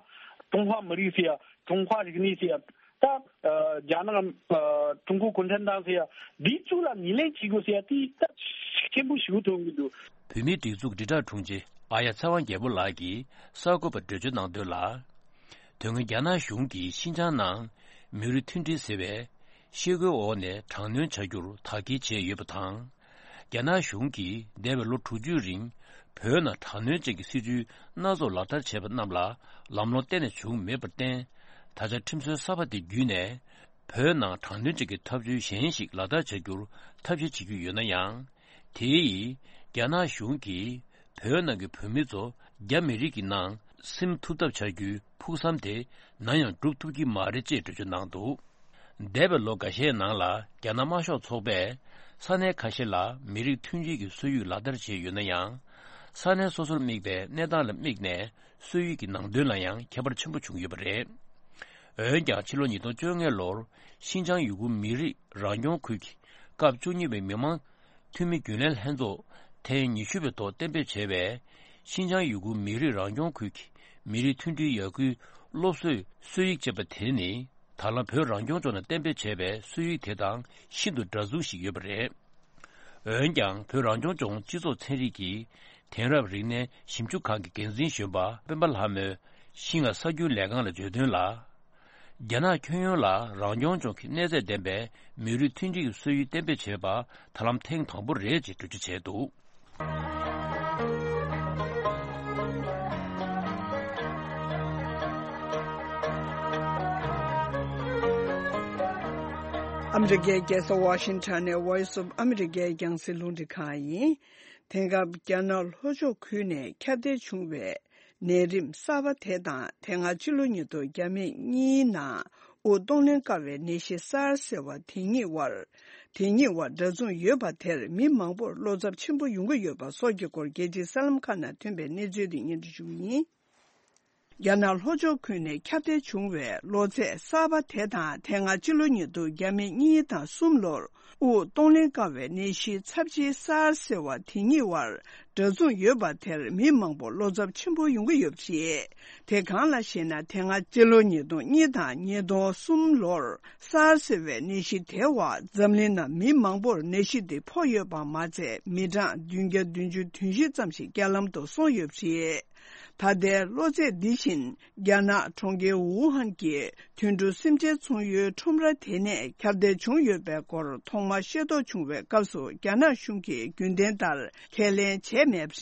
ཀྲུང་ཧྭ་མི་རིགས་ཟེར་ཡ་ཀྲུང་ཧྭ་རིག་གནས་ཟེར་ཡ། ད་རྒྱ་ནག་ཀྲུང་གོ་གུང་ཁྲན་ཏང་ཟེར་ཡ་འདི་ཚོ་ལ་ངོས་ལེན་བྱེད་དགོས་ཟེར་ཡ་དེ་ད་ཤུགས་ཆེན་པོ་ཞིག་མཐོང་གི་འདུག་བོད་མིའི་སྒྲིག་འཛུགས་དྲིལ་བསྒྲགས་དྲུང་ཆེ་ཨ་ཡ་ཚེ་དབང་རྒྱལ་པོ་ལགས་ཀྱིས་གསར་འགོད་པར་འགྲེལ་བརྗོད་གནང་དོན་ལ། དོན་ངོ་རྒྱ་ནག་གཞུང་གིས་ཤིན་ཅང་ནང་མི་རིགས་མཐུན་སྒྲིལ་ཟེར་བའི་ཤེལ་སྒོའི་འོག་ནས་དྲག་གནོན་བྱ་རྒྱུར་དག་སྐྱེལ་བྱས་ཡོད་པ་དང་། རྒྱ་ནག་གཞུང་གིས་འདས་པའི་ལོ་དྲུག་ཅུའི་རིང་བོད་ནང་དྲག་གནོན་ཅན་གྱི་སྲིད་ཇུས་སྣ་ཚོགས་ལག་བསྟར་བྱས་པ་རྣམས་ལ་ལམ་ལྷོང་གཏན་ནས་བྱུང་མེད་པར་བརྟེན། ད་ཆ་ཁྲིམས་སྲོལ་གསར་པ་དེ་བརྒྱུད་ནས་བོད་ནང་དྲག་གནོན་ཅན་གྱི་ཐབས་ཇུས་གཞན་ཞིག་ལག་བསྟར་བྱ་རྒྱུར་ཐབས་ཤེས་བྱེད་ཀྱི་ཡོད་ན་ཡང་། དེ་ཡིས་རྒྱ་ནག་གཞུང་གིས་བོད་ནང་གི་བོད་མི་ཚོ་རྒྱ་མི་རིགས་ཀྱི་ནང་སིམ་ཐུབ་ཐབས་བྱ་རྒྱུའི་ཕུགས་བསམ་དེ་ནམ་ཡང་འགྲུབ་ཐུབ་ཀྱི་མ་རེད་ཅེས་འགྲེལ་བརྗོད་གནང་འདུག་འདས་པའི་ལོ་འགའ་ཤས་ནང་ལ་རྒྱ་ནག་དམར་ཤོག་ཚོགས་པས་ས་གནས་ཁ་ཤས་ལ་མི་རིགས་མཐུན་སྒྲིལ་གྱི་སྲོལ་ཡིག་ལག་བསྟར་བྱས་ཡོད་ན་ཡང་། ས་གནས་སོ་སོར་དམིགས་པའི་གནས་སྟངས་ལ་དམིགས་ནས་སྲོལ་ཡིག་གི་ནང་དོན་ལ་ཡང་ཁྱད་པར་ཆེན་པོ་བྱུང་ཡོད་པ་རེད། འོན་ཀྱང་ཕྱི་ལོ་ཉིས་སྟོང་བཅོ་ལྔ་ལོར་ཤིན་ཅང་ཡུ་གུར་མི་རིགས་རང་སྐྱོང་ཁུལ་གྱི་སྐབས་བཅུ་གཉིས་པའི་མི་དམངས་འཐུས་མི་རྒྱུན་ལས་ལྷན་ཚོགས་ཐེངས་ཉི་ཤུ་པའི་ཐོག་གཏན་འབེབས་བྱས་པའི་ཤིན་ཅང་ཡུ་གུར་མི་རིགས་རང་སྐྱོང་ཁུལ་གྱི་མི་རིགས་མཐུན་སྒྲིལ་ཡར་སྐུལ་སློབ་གསོའི་སྲོལ་ཡིག་ཅེས་པ་དེ་ནི་ད་ལམ་བོད་རང་སྐྱོང་ལྗོངས་ནང་གཏན་འབེབས་བྱས་པའི་སྲོལ་ཡིག་དེ་དང་ཤིན་ཏུ་འདྲ་མཚུངས་ཤིག་ཡོད་པ་རེད། འོན་ཀྱང་བོད་རང་སྐྱོང་ལྗོངས་སྤྱི་ཚོགས་ཚན་རིག་གི་དེང་རབས་རིག་གནས་ཞིབ་འཇུག་ཁང་གི་འགན་འཛིན་གཞོན་པ་སྤེན་པ་ལྷ་མོས་ཤིན་ཧྭ་གསར་འགྱུར་ལས་ཁང་ལ་བརྗོད་དོན་ལ། རྒྱ་ནག་ཁྱོན་ཡོངས་ལ་རང་སྐྱོང་ལྗོངས་ཀྱི་གནས་ཚད་ལྡན་པའི་མི་རིགས་མཐུན་སྒྲིལ་གྱི་སྲོལ་ཡིག་གཏན་འབེབས་བྱས་པ་ད་ལམ་ཐེངས་དང་པོ་རེད་ཅེས་འགྲེལ་བརྗོད་བྱས་འདུག་ཨ་མི་རི་ཀའི་རྒྱལ་ས་ཝ་ཤིང་ཊོན་ནས་Voice of America རྒྱང་སྲིང་རླུང་འཕྲིན་ཁང་ཡིན། དེང་སྐབས་རྒྱ་ནག་ལྷོ་ཕྱོགས་ཁུལ་ནས་ཁྱབ་གདལ་བྱུང་བའི་ནད་རིམས་གསར་པ་དེ་དང་དེ་སྔ་ཕྱི་ལོ་ཉིས་སྟོང་བརྒྱ་མེད་གཉིས་ནང་དབུགས་གཏོང་ལེན་དཀའ་བའི་ནད་གཞི་སཱར་ཟེར་བ་དེ་གཉིས་བར་དེ་གཉིས་བར་འདྲ་མཚུངས་ཡོད་པ་དེར་མི་མང་པོར་བློ་འཚབ་ཆེན་པོ་ཡོང་གི་ཡོད་པ་སོགས་ཀྱི་སྐོར་རྒྱལ་སྤྱིའི་གསར་ལམ་ཁག་ནང་ཐོན་པའི་གནས་ཚུལ་དེ་སྙན་སྒྲོན་ཞུ་གི་ཡིན། རྒྱ་ནག་ལྷོ་ཕྱོགས་ཁུལ་ནས་ཁྱབ་གདལ་བྱུང་བའི་གློ་ཚད་གསར་པ་དེ་དང་། དེ་སྔ་ཕྱི་ལོ་ཉིས་སྟོང་ཉེར་གཉིས་དང་གསུམ་ལོར་དབུགས་གཏོང་ལེན་དཀའ་བའི་ནད་གཞི་ཚབས་ཆེའི་སཱར་ཟེར་བ་དེ་གཉིས་བར་འདྲ་མཚུངས་ཡོད་པ་དེར་མི་མང་པོ་བློ་འཚབ་ཆེན་པོ་ཡོང་གི་ཡོད་པ་རེད། དེ་གང་ལགས་ཤེ་ན། དེ་སྔ་སྤྱི་ལོ་ཉིས་སྟོང་གཉིས་དང་ཉིས་སྟོང་གསུམ་ལོར་སཱར་ཟེར་བའི་ནད་གཞི་དེ་བ་འཛམ་གླིང་ནང་མི་མང་པོར་ནད་གཞི་དེ་ཕོག་ཡོད་པ་མ་ཚད། མི་གྲངས་བདུན་བརྒྱ་བདུན་ཅུ་དོན་བཞི་ཙམ་ཞིག་རྐྱེན་ལམ་དུ་སོང་ཡོད་པ་རེད། ད་ལྟའི་གློ་ཚད་འདི་བཞིན་རྒྱ་ནག་གྲོང་ཁྱེར་ཝུ་ཧན་གྱི་དུད་འགྲོ་སེམས་ཅན་ཚོང་ཡུལ་ཁྲོམ་ར་དེ་ནས་ཁྱབ་གདལ་བྱུང་ཡོད་པའི་སྐོར་ཐོག་མར་ཤེས་རྟོགས་བྱུང་བའི་སྐབས་སུ། རྒྱ་ནག་གཞུང་གིས་རྒྱུན་ལྡན་ལྟར་ཁས་ལེན་བྱས་མེད་པ་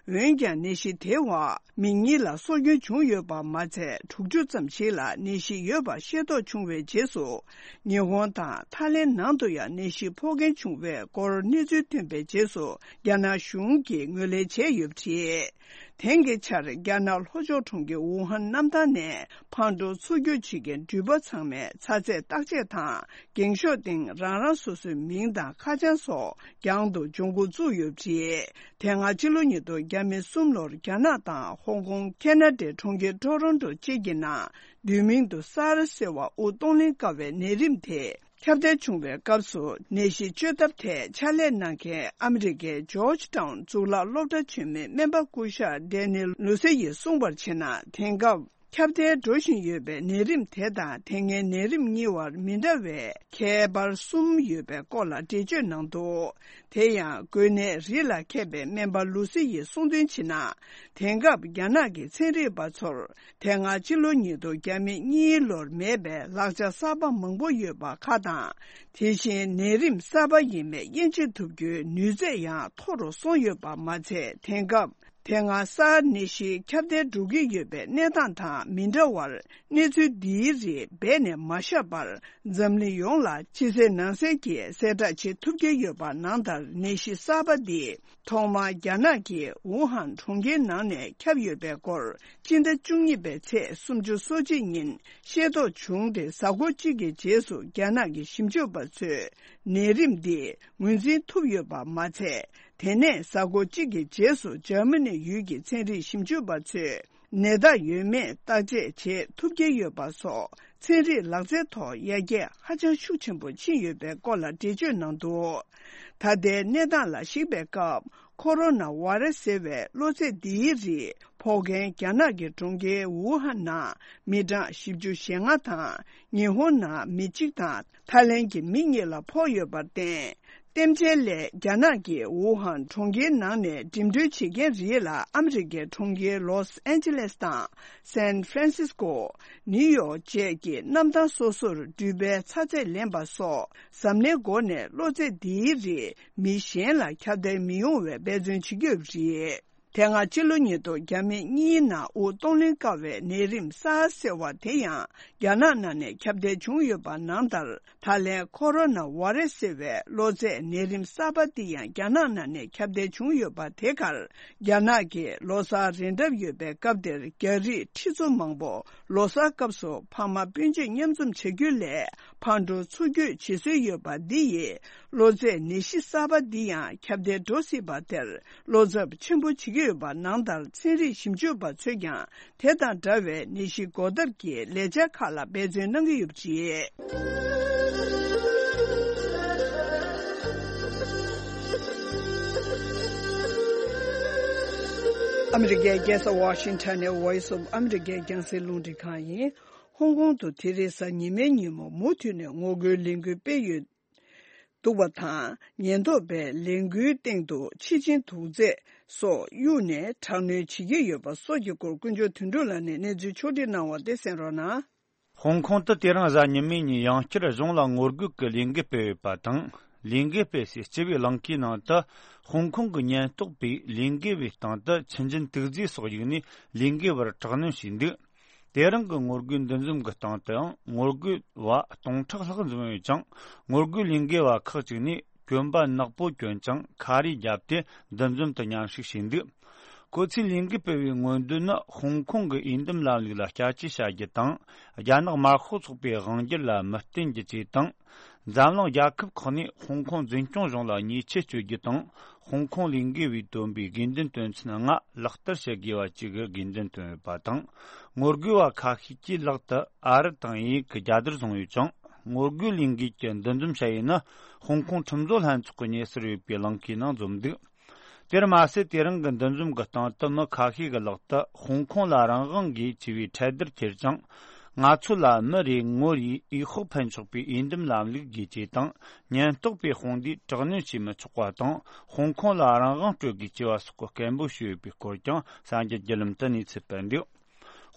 རེད། འོན་ཀྱང་ནད་གཞི་དེ་བ་མི་གཉིས་ལ་སྲོག་སྐྱོན་བྱུང་ཡོད་པ་མ་ཚད། དྲུག་ཅུ་ཙམ་ཞིག་ལ་ནད་གཞི་ཡོད་པ་ཤེས་རྟོགས་བྱུང་བའི་རྗེས་སུ། ཉི་ཧོང་དང་ཐའི་ལེན་ནང་དུ་ཡང་ནད་གཞི་ཕོག་མཁན་བྱུང་བའི་སྐོར་གནས་ཚུལ་ཐོན་པའི་རྗེས་སུ། རྒྱ་ནག་གཞུང་གིས་ངོས་ལེན་བྱས་ཡོད་པ་རེད། དེང་གི་ཆར་རྒྱ་ནག་ལྷོ་ཕྱོགས་གྲོང་ཁྱེར་ཝུ་ཧན་གནམ་ཐང་ནས་ཕར་འགྲོ་ཚུར་སྐྱོད་བྱེད་མཁན་འགྲུལ་པ་ཚང་མས་ཚ་ཚད་བརྟག་དཔྱད་དང་། འགེངས་ཤོག་སྟེང་རང་རང་སོ་སོའི་མིང་དང་ཁ་བྱང་སོགས་རྒྱང་དུ་ལྗོངས་མགོ་བཙུགས་ཡོད་པ་རེད། དེ་སྔ་ཕྱི་ལོ་ཉིས་སྟོང་ཉེར་གསུམ་ལོར་རྒྱ་ནག་དང་ཧོང་ཀོང་། ཁེ་ན་ཌའི་གྲོང་ཁྱེར་ཊོ་རོན་ཊོ་བཅས་ཀྱི་ནང་བསྡུས་མིང་དུ་སཱར་ཟེར་བ་དབུགས་གཏོང་ལེན་དཀའ་བའི་ནད་རིམས་དེ་ཁྱབ་གདལ་བྱུང་བའི་སྐབས་སུ། ནད་གཞི་བཅོས་ཐབས་ཐད་ཕྱག་ལས་གནང་མཁན་ཨ་མི་རི་ཀའི་ཇོརྗ་ཊའུན་གཙུག་ལག་སློབ་གྲྭ་ཆེན་མོའི་སྨན་པ་སྐུ་ཞབས་ཌེ་ནི་ལུ་སེ་ཡིས་གསུངས་པར་བྱས་ན། དེང་སྐབས་ཁྱབ་གདལ་འགྲོ་བཞིན་ཡོད་པའི་ནད་རིམས་དེ་དང་དེ་སྔའི་ནད་རིམས་གཉིས་བར་མི་འདྲ་བའི་ཁྱད་པར་གསུམ་ཡོད་པའི་སྐོར་ལ་འགྲེལ་བརྗོད་གནང་འདུག་དེ་ཡང་འགོས་ནད་རིགས་ལ་མཁས་པའི་སྨན་པ་ལུ་སི་ཡིས་གསུངས་དོན་བྱས་ན། དེང་སྐབས་རྒྱ་ནག་གི་ཚན་རིག་པ་ཚོར་དེ་སྔ་ཕྱི་ལོ་ཉིས་སྟོང་ཉེར་གཉིས་ལོར་མེད་པའི་ལག་ཆ་གསར་པ་མང་པོ་ཡོད་པ་ཁག་དང་། དེ་བཞིན་ནད་རིམས་གསར་པ་ཡིན་མིན་དབྱེ་འབྱེད་ཐུབ་རྒྱུའི་ནུས་ཚད་ཡང་མཐོ་རུ་སོང་ཡོད་པ་མ་ཚད། དེང་སྐབས་དེ་སྔ་སཱར་ནད་གཞི་ཁྱབ་གདལ་འགྲོ་གི་ཡོད་པའི་གནས་སྟངས་དང་མི་འདྲ་བར། གནས་ཚུལ་འདིའི་རིགས་རྦད་ནས་མ་བཞག་པར། འཛམ་གླིང་ཡོངས་ལ་ཕྱི་གསལ་ནང་གསལ་གྱིས་གསལ་བསྒྲགས་བྱེད་ཐུབ་ཀྱི་ཡོད་པ་ནང་ལྟར། ནད་གཞི་གསར་པ་འདི་ཐོག་མར་རྒྱ་ནག་གི་ཝུ་ཧན་གྲོང་ཁྱེར་ནང་ནས་ཁྱབ་ཡོད་པའི་སྐོར། སྤྱི་ཟླ་བཅུ་གཉིས་པའི་ཚེས་སུམ་ཅུ་སོ་གཅིག་ཉིན་ཤེས་རྟོགས་བྱུང་སྟེ། གཟའ་འཁོར་གཅིག་གི་རྗེས་སུ་རྒྱ་ནག་གི་ཞིབ་འཇུག་པ་ཚོས་ནད་རིམས་འདི་ངོས་འཛིན་ཐུབ་ཡོད་པ་མ་ཚད། དེ་ནས་གཟའ་འཁོར་གཅིག་གི་རྗེས་སུ་འཇར་མ་ནི་ཡུལ་གྱི་ཚན་རིག་ཞིབ་འཇུག་པ་ཚོས་ནད་རྟགས་ཡོད་མེད་བརྟག་དཔྱད་བྱེད་ཐུབ་ཀྱི་ཡོད་པ་སོགས། ཚན་རིག་ལག་རྩལ་ཐོག་ཡར་རྒྱས་ཧ་ཅང་ཤུགས་ཆེན་པོ་ཕྱིན་ཡོད་པའི་སྐོར་ལ་འགྲེལ་བརྗོད་གནང་འདུག་ད་ལྟའི་གནས་སྟངས་ལ་གཞིགས་པའི་སྐབས། ཁོ་རོ་ན་བྷ་ར་སི་ཟེར་བའི་གློ་ཚད་འདིའི་རིགས་ཕོག་མཁན་རྒྱ་ནག་གི་གྲོང་ཁྱེར་ཝུ་ཧན་ནང་མི་གྲངས་བཞི་བཅུ་ཞེ་ལྔ་དང་། ཉི་ཧོང་ནང་མི་གཅིག་དང་། ཐའི་ལེན་གྱི་མི་གཉིས་ལ་ཕོག་ཡོད་པར་བརྟེན། རྟེན་འབྲེལ་སླད་རྒྱ་ནག་གི་ཝུ་ཧན་གྲོང་ཁྱེར་ནང་ནས་འགྲིམ་འགྲུལ་བྱེད་མཁན་རིགས་ལ་ཨ་མི་རི་ཀའི་གྲོང་ཁྱེར་ལོས་ཨན་ཇེ་ལེས་དང་སན་ཧྥ་རན་སིས་ཀོ། ནིའུ་ཡོག་བཅས་ཀྱི་གནམ་ཐང་སོ་སོར་འགྲུལ་པའི་ཚ་ཚད་ལེན་པ་སོགས། གཟབ་ནན་སྒོ་ནས་གློ་ཚད་འདིའི་རིགས་མི་གཞན་ལ་ཁྱབ་གདལ་མི་ཡོང་བའི་འབད་བརྩོན་བྱེད་ཀྱི་ཡོད་པ་རེད། དེ་སྔ་ཕྱི་ལོ་ཉིས་སྟོང་ཉེར་གཉིས་ནང་དབུགས་གཏོང་ལེན་དཀའ་བའི་ནད་རིམས་སཱར་ཟེར་བ་དེ་ཡང་རྒྱ་ནག་ནང་ནས་ཁྱབ་གདལ་བྱུང་ཡོད་པ་ནང་ལྟར། ད་ལན་ཁོ་རོ་ན་བྷ་ར་སི་ཟེར་བའི་གློ་ཚད་ནད་རིམས་གསར་པ་འདི་ཡང་རྒྱ་ནག་ནང་ནས་ཁྱབ་གདལ་བྱུང་ཡོད་པ་དེ་གར། རྒྱ་ནག་གི་ལོ་གསར་རན་གྲབས་ཡོད་པའི་སྐབས་དེར། རྒྱ་རིགས་ཁྲི་ཚོ་མང་པོ་ལོ་གསར་སྐབས་སུ་ཕ་མ་སྤུན་མཆེད་མཉམ་འཛོམས་བྱ་རྒྱུ་ལས་ཕར་འགྲོ་ཚུར་སྐྱོད་བྱེད་སྲོལ་ཡོད་པ་འདི་ཡིས། གློ་ཚད་ནད་གཞི་གསར་པ་འདི་ཡང་ཁྱབ་གདལ་འགྲོ་སྲིད་པ་དེར་བློ་འཚབ་ཆེན་པོ་བྱེད་ཀྱི་ཡོད་པ་ནང་ལྟར། ཚན་རིག་ཞིབ་འཇུག་པ་ཚོས་ཀྱང་དེ་དང་འདྲ་བའི་ནད་གཞི་འགོག་ཐབས་ཀྱི་ལས་འཆར་ཁག་ལ་འབད་བརྩོན་གནང་གི་ཡོད་པ་རེད། ཨ་མི་རི་ཀའི་རྒྱལ་ས་ཝ་ཤིང་ཊོན་ནས་Voice of America རྒྱང་སྲིང་རླུང་འཕྲིན་ཁང་ཡིན། ཧོང་ཀོང་དུ་དེ་རིང་གཟའ་ཉི་མའི་ཉིན་མོ་མུ་མཐུད་ནས་ངོ་རྒོལ་ལས་འགུལ་སྤེལ་ཡོད་འདུག་པ་དང་། ཉེན་རྟོག་པས་ལས་འགུལ་སྟེང་དུ་འཆི་སྦྱིན་དུག་རྫས་སོགས་གཡུགས་ནས་དྲག་གནོན་བྱེད་ཀྱི་ཡོད་པ་སོགས་ཀྱི་སྐོར་ཀུན་འབྱུང་དོན་གྲུབ་ལགས་ནས་གནས་ཚུལ་ཕྱོགས་སྒྲིག་གནང་བ་དེ་གསན་རོགས་གནང་། ཧོང་ཀོང་དུ་དེ་རིང་གཟའ་ཉི་མའི་ཉིན་ཡང་བསྐྱར་གཞུང་ལ་ངོ་རྒོལ་གྱི་ལས་འགུལ་སྤེལ་ཡོད་པ་དང་། ལས་འགུལ་སྤེལ་སའི་སྤྱི་པའི་གླིང་གའི་ནང་དུ་ཧོང་ཀོང་གི་ཉེན་རྟོག་པས་ལས་འགུལ་བའི་སྟེང་དུ་འཆི་སྦྱིན་དུག་རྫས་སོགས་གཡུགས་ནས་ལས་འགུལ་བར་དྲག་གནོན་བྱས་འདུག་དེ་རིང་གི་ངོ་རྒོལ་འདུ་འཛོམས་ཀྱི་སྟེང་དུའང་ངོ་རྒོལ་བ་སྟོང་ཕྲག་ལྷག་འཛོམས་ཡོད་ཅིང་། ངོ་རྒོལ་ལས་འགུལ་བ་ཁག་ཅིག་ནས་གྱོན་པ་ནག་པོ་གྱོན་ཅིང་ཁ་རས་བརྒྱབ་སྟེ་འདུ་འཛོམས་དང་མཉམ་ཞུགས་བྱས་འདུག་ཁོ་ཚོས་ལས་འགུལ་སྤེལ་བའི་མངོན་འདོད་ནི་ཧོང་ཀོང་གི་འོས་འདེམས་ལམ་ལུགས་ལ་བསྐྱར་བཅོས་བྱ་རྒྱུ་དང་། རྒྱ་ནག་དམར་ཤོག་ཚོགས་པའི་དབང་སྒྱུར་ལ་མི་བརྟེན་རྒྱུ་བཅས་དང་། འཛམ་གླིང་རྒྱལ་ཁབ་ཁག་ནས་ཧོང་ཀོང་འཛིན་སྐྱོང་གཞུང་ལ་ཉེས་ཆད་གཅོད་རྒྱུ་དང་། ཧོང་ཀོང་ལས་འགུལ་བས་བཏོན་པའི་དགོས་འདུན་དོན་ཚན་ལྔ་ལག་བསྟར་བྱེད་དགོས་པ་བཅས་ཀྱི་དགོས་འདུན་བཏོན་ཡོད་པ་དང་། ངོ་རྒོལ་བ་ཁ་ཤས་ཀྱིས་ལག་ཏུ་ཨ་རི་དང་དབྱིན་ཡིག་གི་རྒྱལ་དར་བཟུང་ཡོད་ཅིང་། ངོ་རྒོལ་ལས་འགུལ་གྱི་འདུ་འཛོམས་བྱ་ཡུལ་ནི་ཧོང་ཀོང་ཁྲིམས་བཟོ་ལྷན་ཚོགས་ཀྱི་ཉེ་སར་ཡོད་པའི་ལམ་ཁའི་ནང་འཛོམས་འདུག་དེར་མ་ཟད། དེ་རིང་གི་འདུ་འཛོམས་ཀྱི་སྟེང་དུ་མི་ཁ་ཤས་ཀྱི་ལག་ཏུ་ཧོང་ཀོང་ལ་རང་དབང་དགོས་ཅེས་པའི་འཕྲེད་དར་ཁྱེར་ཅིང་། ང་ཚོ་ལ་མི་རེ་ངོ་རེའི་འོས་ཤོག་འཕེན་ཆོག་པའི་འོས་འདེམས་ལམ་ལུགས་དགོས་ཅེས་དང་། ཉེན་རྟོག་པས་དཔུང་སྡེས་དྲག་གནོན་བྱེད་མི་ཆོག་པ་དང་། ཧོང་ཀོང་ལ་རང་དབང་སྤྲོད་དགོས་ཅེས་པ་སོགས་ཀྱི་སྐད་འབོད་ཞུས་ཡོད་པའི་སྐོར་ཀྱང་གསར་འགྱུར་བརྒྱུད་ལམ་དུ་གནས་ཚུལ་སྤེལ་འདུག་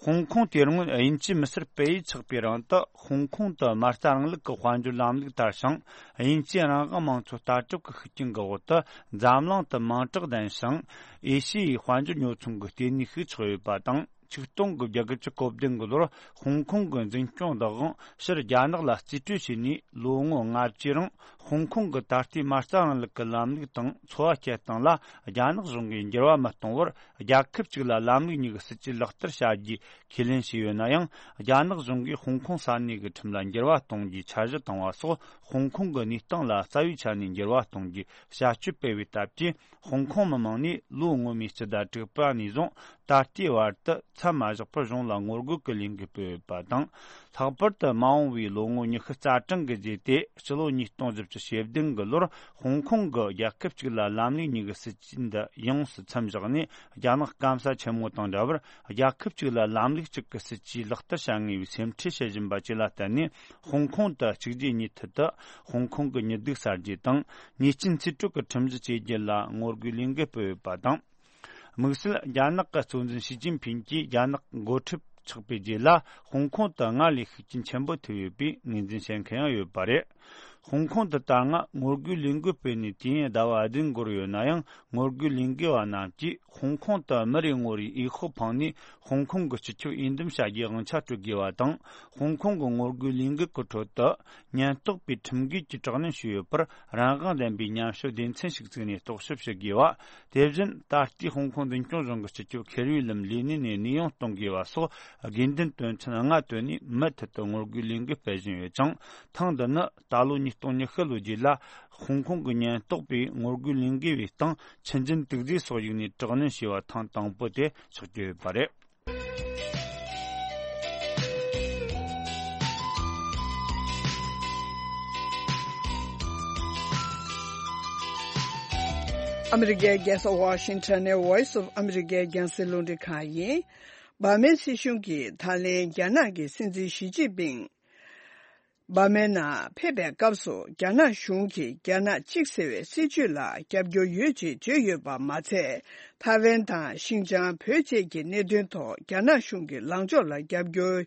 ཧོང་ཀོང་དེ་སྔོན་དབྱིན་ཇི་མི་སེར་སྤེལ་ཡུལ་ཆགས་པའི་རིང་དུ། ཧོང་ཀོང་དུ་མ་རྩ་རིང་ལུགས་ཀྱི་དཔལ་འབྱོར་ལམ་ལུགས་དར་ཞིང་། དབྱིན་ཇིའི་རང་དབང་དམངས་གཙོ་ལྟ་གྲུབ་ཀྱི་ཤུགས་རྐྱེན་གྱི་འོག་ཏུ། འཛམ་གླིང་དུ་མིང་གྲགས་ལྡན་ཞིང་། ཨེ་ཤི་ཡའི་དཔལ་འབྱོར་ཉོ་ཚོང་གི་ལྟེ་གནས་ཤིག་ཆགས་ཡོད་པ་དང་། ཆིག་སྟོང་དགུ་བརྒྱ་གོ་བདུན་གྱི་ལོར་ཧོང་ཀོང་གི་འཛིན་སྐྱོང་བདག་དབང་ཕྱིར་རྒྱ་ནག་ལ་རྩིས་སྤྲོད་བྱས་ནས་ལོ་ངོ་ལྔ་བཅུའི་རིང་། ཧོང་ཀོང་གི་ད་ལྟའི་མ་རྩ་རིང་ལུགས་ཀྱི་ལམ་ལུགས་དང་འཚོ་བ་སྐྱེལ་སྟངས་ལ་རྒྱ་ནག་གཞུང་གིས་འགྱུར་བ་མི་གཏོང་བར། རྒྱལ་ཁབ་གཅིག་ལ་ལམ་ལུགས་གཉིས་ཀྱི་སྲིད་ཇུས་ལག་བསྟར་བྱ་རྒྱུའི་ཁས་ལེན་བྱས་ཡོད་ན་ཡང་། རྒྱ་ནག་གཞུང་གིས་ཧོང་ཀོང་ས་གནས་ཀྱི་ཁྲིམས་ལ་འགྱུར་བ་གཏོང་རྒྱུའི་འཆར་གཞི་བཏིང་བ་སོགས། ཧོང་ཀོང་གི་གནས་སྟངས་ལ་རྩ་བའི་ཆ་ནས་འགྱུར་བ་གཏོང་རྒྱུའི་བྱ་སྤྱོད་སྤེལ་བའི་སྟབས་ཀྱིས། ཧོང་ཀོང་མི་མང་ནས་ལོ་སྔོན་མའི་སྤྱི་ཟླ་དྲུག་པ་ནས་བཟུང་། ད་ལྟའི་བར་དུ་མཚམས་མ་བཞག་པར་གཞུང་ལ་ངོ་རྒོལ་གྱི་ལས་འགུལ་སྤེལ་ཡོད་པ་དང་། ལྷག་པར་དུ་མ་འོངས་པའི་ལོ་ངོ་ཉི་ཤུ་རྩ་གྲངས་ཀྱི་རྗེས་ཏེ། ཕྱི་ལོ་ཉིས་སྟོང་བཞི་བཅུ་ཞེ་བདུན་གྱི་ལོར། ཧོང་ཀོང་གི་རྒྱལ་ཁབ་གཅིག་ལ་ལམ་ལུགས་གཉིས་ཀྱི་སྲིད་ཇུས་འདི་ཡོངས་སུ་མཚམས་བཞག་ནས། རྒྱ་ནག་སྐམ་ས་ཆེན་མོ་དང་འདྲ་བར། རྒྱལ་ཁབ་གཅིག་ལ་ལམ་ལུགས་གཅིག་གི་སྲིད་ཇུས་ལག་བསྟར་བྱ་ངེས་པའི་སེམས་ཁྲལ་བྱེད་བཞིན་པ་བཅས་ལ་བརྟེན་ནས། ཧོང་ཀོང་དུ་གཅིག་རྗེས་གཉིས་མཐུད་དུ་ཧོང་ཀོང་གི་ཉི་གདུགས་གསར་བརྗེ་དང་། ཉེས་ཅན་རྩིས་སྤྲོད་ཀྱི་ཁྲིམས་གཞི་བཅོས་རྒྱུ་ལ་ངོ་རྒོལ་ལས་འགུལ་སྤེལ་ཡོད་པ་དང་། དམིགས་བསལ་རྒྱ་ནག་གི་གཙོ་འཛིན་ཞི་ཅིན་ཕིང་གིས་རྒྱ་ནག་འགོ་ཁྲིད་ཆགས་པའི་རྗེས་ལ། ཧོང་ཀོང་དུ་སྔར་ལས་ཤུགས་རྐྱེན་ཆེན་པོ་ཐེབས་ཡོད་པའི་ངོས་འཛིན་བྱེད་མཁན་ཡང་ཡོད་པ་རེད། ཧོང་ཀོང་དུ་ད་སྔ་ངོ་རྒོལ་ལས་འགུལ་སྤེལ་ནས་དུས་ཡུན་ཟླ་བ་བདུན་འགོར་ཡོད་ན་ཡང་། ངོ་རྒོལ་ལས་འགུལ་བ་རྣམས་ཀྱིས་ཧོང་ཀོང་དུ་མི་རེ་ངོ་རེའི་འོས་ཤོག་འཕངས་ནས། ཧོང་ཀོང་གི་སྤྱི་ཁྱབ་འོས་འདེམས་བྱ་རྒྱུའི་དབང་ཆ་སྤྲོད་དགོས་པ་དང་། ཧོང་ཀོང་གི་ངོ་རྒོལ་ལས་འགུལ་གྱི་ཁྲོད་དུ། ཉེན་རྟོག་པས་ཁྲིམས་འགལ་གྱིས་དྲག་གནོན་བྱས་ཡོད་པར། རང་དབང་ལྡན་པའི་ཉམས་ཞིབ་སྡེ་ཚན་ཞིག་བཙུགས་ནས་རྟོག་ཞིབ་བྱེད་དགོས་པ། དེ་བཞིན་ད་ལྟའི་ཧོང་ཀོང་འཛིན་སྐྱོང་གཞུང་གི་སྤྱི་ཁྱབ་ཁེར་ཡུའི་ལམ་ལས་གནས་ནས་གནས་དབྱུང་གཏོང་དགོས་པ་སོགས། དགོས་འདུན་དོན་ཚན་ལྔ་བཏོན་ནས་མུ་མཐུད་དུ་ངོ་རྒོལ་ལས་འགུལ་སྤེལ་བཞིན་ཡོད་ཅིང་། ཐེངས་འདི་ནི་ད་ལོ་ཉིས་སྟོང་ཉི་ཤུ་ལོ་རྗེས་ལ། ཧོང་ཀོང་གི་ཉེན་རྟོག་པས་ངོ་རྒོལ་ལས་འགུལ་བའི་སྟེང་ཆུ་འཛིན་དུག་རྫས་སོགས་བྱུགས་ནས་དྲག་གནོན་བྱས་པ་ཐེངས་དང་པོ་དེ་ཆགས་ཀྱི་ཡོད་པ་རེད། ཨ་མི་རི་ཀའི་རྒྱལ་ས་ཝ་ཤིང་ཊོན་ནས་Voice of America རྒྱང་སྲིང་རླུང་འཕྲིན་ཁང་ཡིན། འབར་མའི་སྲིད་གཞུང་གིས་ད་ལན་རྒྱ་ནག་གི་སྲིད་འཛིན་ཞི་ཅིན་ཕིང་འབར་མའི་ནང་ཕེབས་པའི་སྐབས་སུ། རྒྱ་ནག་གཞུང་གིས་རྒྱ་ནག་གཅིག་ཟེར་བའི་སྲིད་བྱུས་ལ་རྒྱབ་སྐྱོར་ཡོད་ཅེས་བརྗོད་ཡོད་པ་མ་ཚད། ཐའེ་ཝན་དང་ཤིན་ཅང་བོད་བཅས་ཀྱི་གནད་དོན་ཐོག་རྒྱ་ནག་གཞུང་གི་ལངས་ཕྱོགས་ལ་རྒྱབ་སྐྱོར་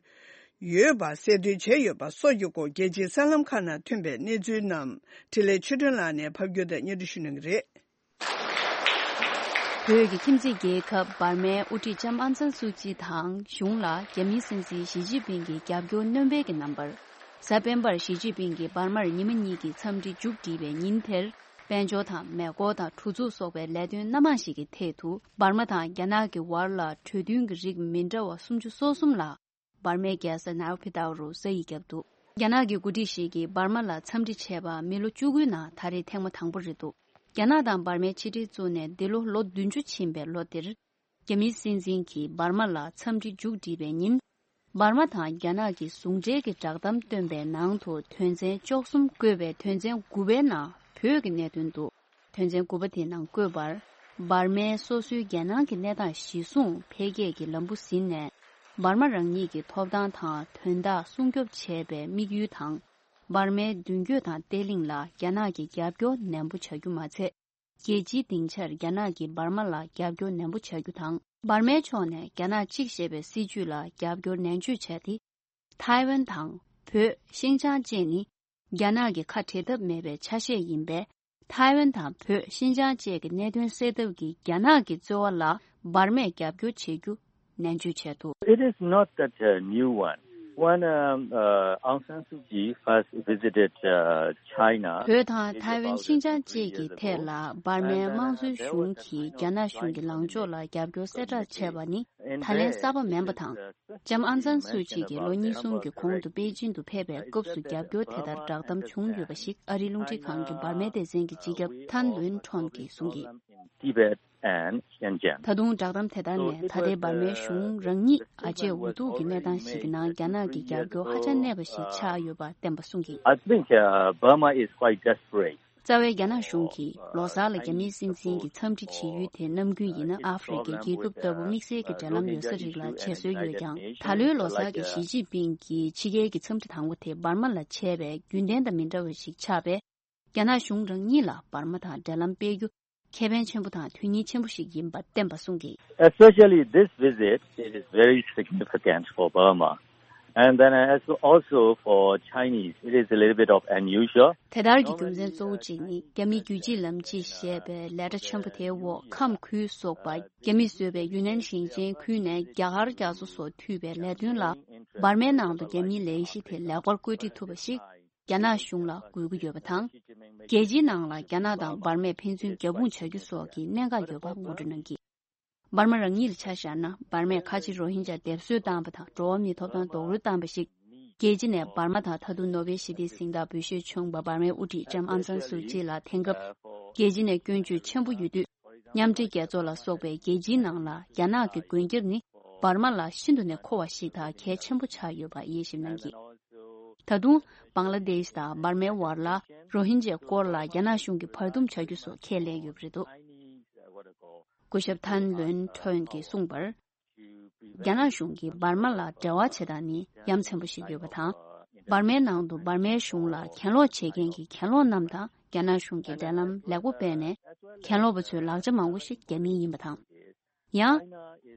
ཡོད་པ་གསལ་སྟོན་བྱས་ཡོད་པ་སོགས་ཀྱི་སྐོར། རྒྱལ་སྤྱིའི་གསར་ལམ་ཁག་ནང་ཐོན་པའི་གནས་ཚུལ་རྣམས་འཕྲིན་ལས་ཆོས་སྒྲོན་ལགས་ནས་ཕབ་སྒྱུར་དང་སྙན་སྒྲོན་ཞུ་གནང་གི་རེད། བོད་ཀྱི་ཁྱིམ་མཚེས་རྒྱལ་ཁབ་འབར་མའི་དབུ་ཁྲིད་ལྕམ་ཨང་སན་སུའུ་ཅི་དང་གཞུང་ལ་རྒྱ་མིའི་སྲིད་འཛིན་ཞི་ཅིན་ཕིང་གིས་རྒྱབ་སྐྱོར་སྣོན་སྤེལ་གྱི་རྣམ་པར། གཟའ་སྤེན་པར་ཞི་ཅིན་ཕིང་གིས་འབར་མར་ཉི་མ་གཉིས་ཀྱི་འཚམས་འདྲི་མཇུག་བསྒྲིལ་བའི་ཉིན་དེར། དཔལ་འབྱོར་དང་མེ་འཁོར་དང་གྲུ་ཚུགས་སོགས་པའི་ལས་དོན་སྣ་མང་ཞིག་གི་ཐད་དུ། འབར་མ་དང་རྒྱ་ནག་གི་བར་ལ་གྲོས་མཐུན་གྱི་རིགས་མི་འདྲ་བ་སུམ་ཅུ་སོ་གསུམ་ལ། འབར་མའི་རྒྱལ་ས་ནའོ་ཕི་ཏའུ་རུ་ས་ཡིག་བརྒྱབ་འདུག་རྒྱ་ནག་གི་འགོ་ཁྲིད་ཞིག་གིས་འབར་མ་ལ་འཚམས་འདྲི་བྱས་པ་མི་ལོ་བཅུ་དགུའི་ནང་ད་རེས་ཐེངས་མ་དང་པོ་རེད་འདུག་རྒྱ་ནག་དང་འབར་མའི་ཕྱི་འབྲེལ་བཙུགས་ནས་འདི་ལོ་ལོ་བདུན་ཅུ་ཕྱིན་པའི་ལོ་འདིར། རྒྱ་མིའི་སྲིད་འཛིན་གྱིས་འབར་མ་ལ་འཚམས་འདྲི་མཇུག་བསྒྲིལ་བའི་ཉིན། འབར་མ་དང་རྒྱ་ནག་གི་ཟུང་འབྲེལ་གྱི་བསྒྲགས་གཏམ་བཏོན་པའི་ནང་དུ། དོན་ཚན་བཅུ་གསུམ་བཀོད་པའི་དོན་ཚན་དགུ་པའི་ནང་བོད་ཀྱི་གནད་དོན་འདུག་དོན་ཚན་དགུ་པ་དེའི་ནང་བཀོད་པར། འབར་མས་སོ་སོའི་རྒྱལ་ནང་གི་གནས་སྟངས་གཞིར་བཟུང་འཕེལ་རྒྱས་ཀྱི་ལམ་བུ་ཟིན་ནས། འབར་མ་རང་ཉིད་ཀྱི་ཐོབ་ཐང་དང་དོན་དག་སྲུང་སྐྱོབ་བྱེད་པའི་དམིགས་ཡུལ་དང་། འབར་མའི་མདུན་སྐྱོད་དང་བརྟན་ལྷིང་ལ་རྒྱ་ནག་གིས་རྒྱབ་སྐྱོར་ནན་པོ་བྱ་རྒྱུ་མ་ཚད། རྒྱལ་སྤྱིའི་སྡིངས་ཆར་རྒྱ་ནག་གིས་འབར་མ་ལ་རྒྱབ་སྐྱོར་ནན་པོ་བྱ་རྒྱུ་དང་། འབར་མའི་ཕྱོགས་ནས་རྒྱ་ནག་གཅིག་ཞེས་པའི་སྲིད་བྱུས་ལ་རྒྱབ་སྐྱོར་ནན་བརྗོད་བྱས་ཏེ། ཐའེ་ཝན་དང་། བོད། ཤིན་ཅང་བཅས་ནི། རྒྱ་ནག་གི་ཁ་བྲལ་ཐབས་མེད་པའི་ཆ་ཤས་ཡིན་པས། ཐའེ་ཝན་དང་བོད། ཤིན་ཅང་བཅས་ཀྱི་གནད་དོན་སེལ་ཐབས་ཀྱི་རྒྱ་ནག་གི་རྩོལ་བ་ལ་འབར་མས་རྒྱབ་སྐྱོར་བྱེད་རྒྱུ་ནན་བརྗོད་བྱས་འདུག It is not that a new one. When um, uh, Aung San Suu Kyi first visited uh, China, བོད་དང་ཐའེ་ཝན་ཤིན་ཅང་བཅས་ཀྱི་ཐད་ལ་འབར་མའི་དམངས་གཙོའི་གཞུང་གིས་རྒྱ་ནག་གཞུང་གི་ལངས་ཕྱོགས་ལ་རྒྱབ་སྐྱོར་གསལ་བསྒྲགས་བྱས་པ་ནི་ད་ལན་གསར་པ་མིན་པ་དང་། ལྕམ་ཨང་སན་སུའུ་ཅི་གིས་ལོ་གཉིས་གསུམ་གྱི་གོང་དུ་པེ་ཅིན་དུ་ཕེབས་པའི་སྐབས་སུ་རྒྱབ་སྐྱོར་དེ་ལྟར་བསྒྲགས་གཏམ་བྱུང་ཡོད་པ་ཞིག་ཨ་རིའི་རླུང་འཕྲིན་ཁང་གི་འབར་མའི་སྡེ་ཚན་གྱི་སྤྱི་ཁྱབ་ཐན་ལུན་ཁྲོན་གྱིས་གསུངས་ཀྱི། Tibet and Xinjiang. ད་དུང་བསྒྲགས་གཏམ་དེ་ལྟར་ནས་ད་ལྟའི་འབར་མའི་གཞུང་རང་ཉིད་ཨ་ཅེ་འུ་ཐུག་གི་གནས་སྟངས་ཤིག་གི་ནང་རྒྱ་ནག་གི་རྒྱབ་སྐྱོར་ཧ་ཅང་གནས་པ་ཞིག་ཆགས་ཡོད་པ་བསྟན་པ་གསུངས་ཀྱིས། I think uh, Burma is quite desperate. རྩ་བའི་རྒྱ་ནག་གཞུང་གིས་ལོ་གསར་ལ་རྒྱ་མིའི་སྲིད་འཛིན་གྱི་འཚམས་འདྲི་བྱེད་ཡུལ་དེ་ནམ་རྒྱུན་ཡིན་ན་ཨ་ཧྥེ་རི་ཁའི་རྒྱལ་ཁབ་ལྟ་བུ་དམིགས་བསལ་གྱི་འབྲེལ་ལམ་ཡོད་ས་རིགས་ལ་བྱེད་སྲོལ་ཡོད་ཀྱང་། ད་ལོའི་ལོ་གསར་གྱི་ཞི་ཅིན་ཕིང་གི་ཕྱི་རྒྱལ་གྱི་འཚམས་འདྲི་དང་པོ་དེ་འབར་མ་ལ་བྱས་པས་རྒྱུན་ལྡན་དང་མི་འདྲ་བ་ཞིག་ཆགས་པས། རྒྱ་ནག་གཞུང་རང་ཉིད་ལ་འབར་མ་དང་འབྲེལ་ལམ་སྤེལ་རྒྱུ་ཁེ་ཕན་ཆེན་པོ་དང་དོན་སྙིང་ཆེན་པོ་ཞིག་ཡིན་པ་བསྟན་པ་གསུངས་ཀྱིས། Especially this visit, it is very significant for Burma. And then as also for Chinese, it is a little bit of unusual. དེ་ལྟར་གྱི་རྒྱུ་མཚན་གཙོ་བོ་གཅིག་ནི་རྒྱ་མིའི་རྒྱུད་གཅིག་ལམ་གཅིག་ཞེས་པའི་ལས་གྲྭ་ཆེན་པོ་དེའི་འོག་ཁམས་ཁུལ་སོགས་པ་རྒྱ་མིས་བཟོས་པའི་ཡུན་ནན་ཞིང་ཆེན་ཁུལ་ནས་རྒྱ་གར་རྒྱ་མཚོ་སོགས་མཐུད་པའི་ལས་དོན་ལ་འབར་མའི་ནང་དུ་རྒྱ་མིའི་ལས་གཞི་དེ་ལེགས་པར་བཀོད་སྒྲིག་ཐུབ་པ་ཞིག་རྒྱ་ནག་གཞུང་ལ་དགོས་ཀྱི་ཡོད་པ་དང་། རྒྱལ་སྤྱིའི་ནང་ལ་རྒྱ་ནག་དང་འབར་མས་ཕན་ཚུན་རྒྱབ་དཔུང་བྱ་རྒྱུ་སོགས་ཀྱི་གནད་འགག་ཡོད་པ་ངོ་སྤྲོད་གནང་གིས། འབར་མ་རང་ཉིད་ལ་ཆ་བཞག་ན་འབར་མས་ཁ་ཆེ་རོ་ཧིན་ཇཱ་སྡེབ་གསོད་བཏང་བ་དང་འགྲོ་བ་མིའི་ཐོབ་ཐང་རྡོག་རོལ་བཏང་བ་ཞིག་རྒྱལ་སྤྱི་ནས་འབར་མ་དང་ད་དུང་ནོ་བེལ་ཞི་བདེའི་གཟེངས་རྟགས་འབུལ་བཞེས་བྱུང་བ་འབར་མའི་དབུ་ཁྲིད་ལྕམ་ཨང་སན་སུའུ་ཅི་ལ་དེང་སྐབས་རྒྱལ་སྤྱི་ནས་སྐྱོན་བརྗོད་ཆེན་པོ་ཡོད་དུས། མཉམ་འབྲེལ་རྒྱལ་ཚོགས་ལ་སོགས་པའི་རྒྱལ་སྤྱིའི་ནང་ལ་རྒྱ་ནག་གི་མགོན་སྐྱབས་ནི་འབར་མ་ལ་ཤིན་ཏུ་ནས་མཁོ་བ་ཞིག་དང་གལ་ཆེན་པོ་ཆགས་ཡོད་པ་དབྱེ་ཞིབ་གནང་གིས། ད་དུང་བང་ལ་དེཤ་དང་འབར་མའི་བར་ལ་རོ་ཧིན་ཇའི་སྐོར་ལ་རྒྱ་ནག་གཞུང་གིས་བར་འདུམ་བྱ་རྒྱུ་སོགས་ཁས་ལེན་ཡོད་པ་རེད་འདུག་སྐུ་ཞབས་ཐན་ལོན་ཁྲོན་གྱིས་གསུངས་པར། རྒྱ་ནག་གཞུང་གིས་འབར་མ་ལ་འབྲེལ་བ་བྱེད་སྟངས་ནི་ཡ་མཚན་པོ་ཞིག་ཡོད་པ་དང་། འབར་མའི་ནང་དུ་འབར་མའི་གཞུང་ལ་གྱེན་ལོག་བྱེད་མཁན་གྱི་གྱེན་ལོག་རྣམས་དང་རྒྱ་ནག་གཞུང་གིས་འབྲེལ་ལམ་ལེགས་པོ་སྤེལ་ནས། གྱེན་ལོག་པ་ཚོའི་ལག་ཆ་མང་པོ་ཞིག་རྒྱ་མིའི་ཡིན་པ་དང་། ཡང་།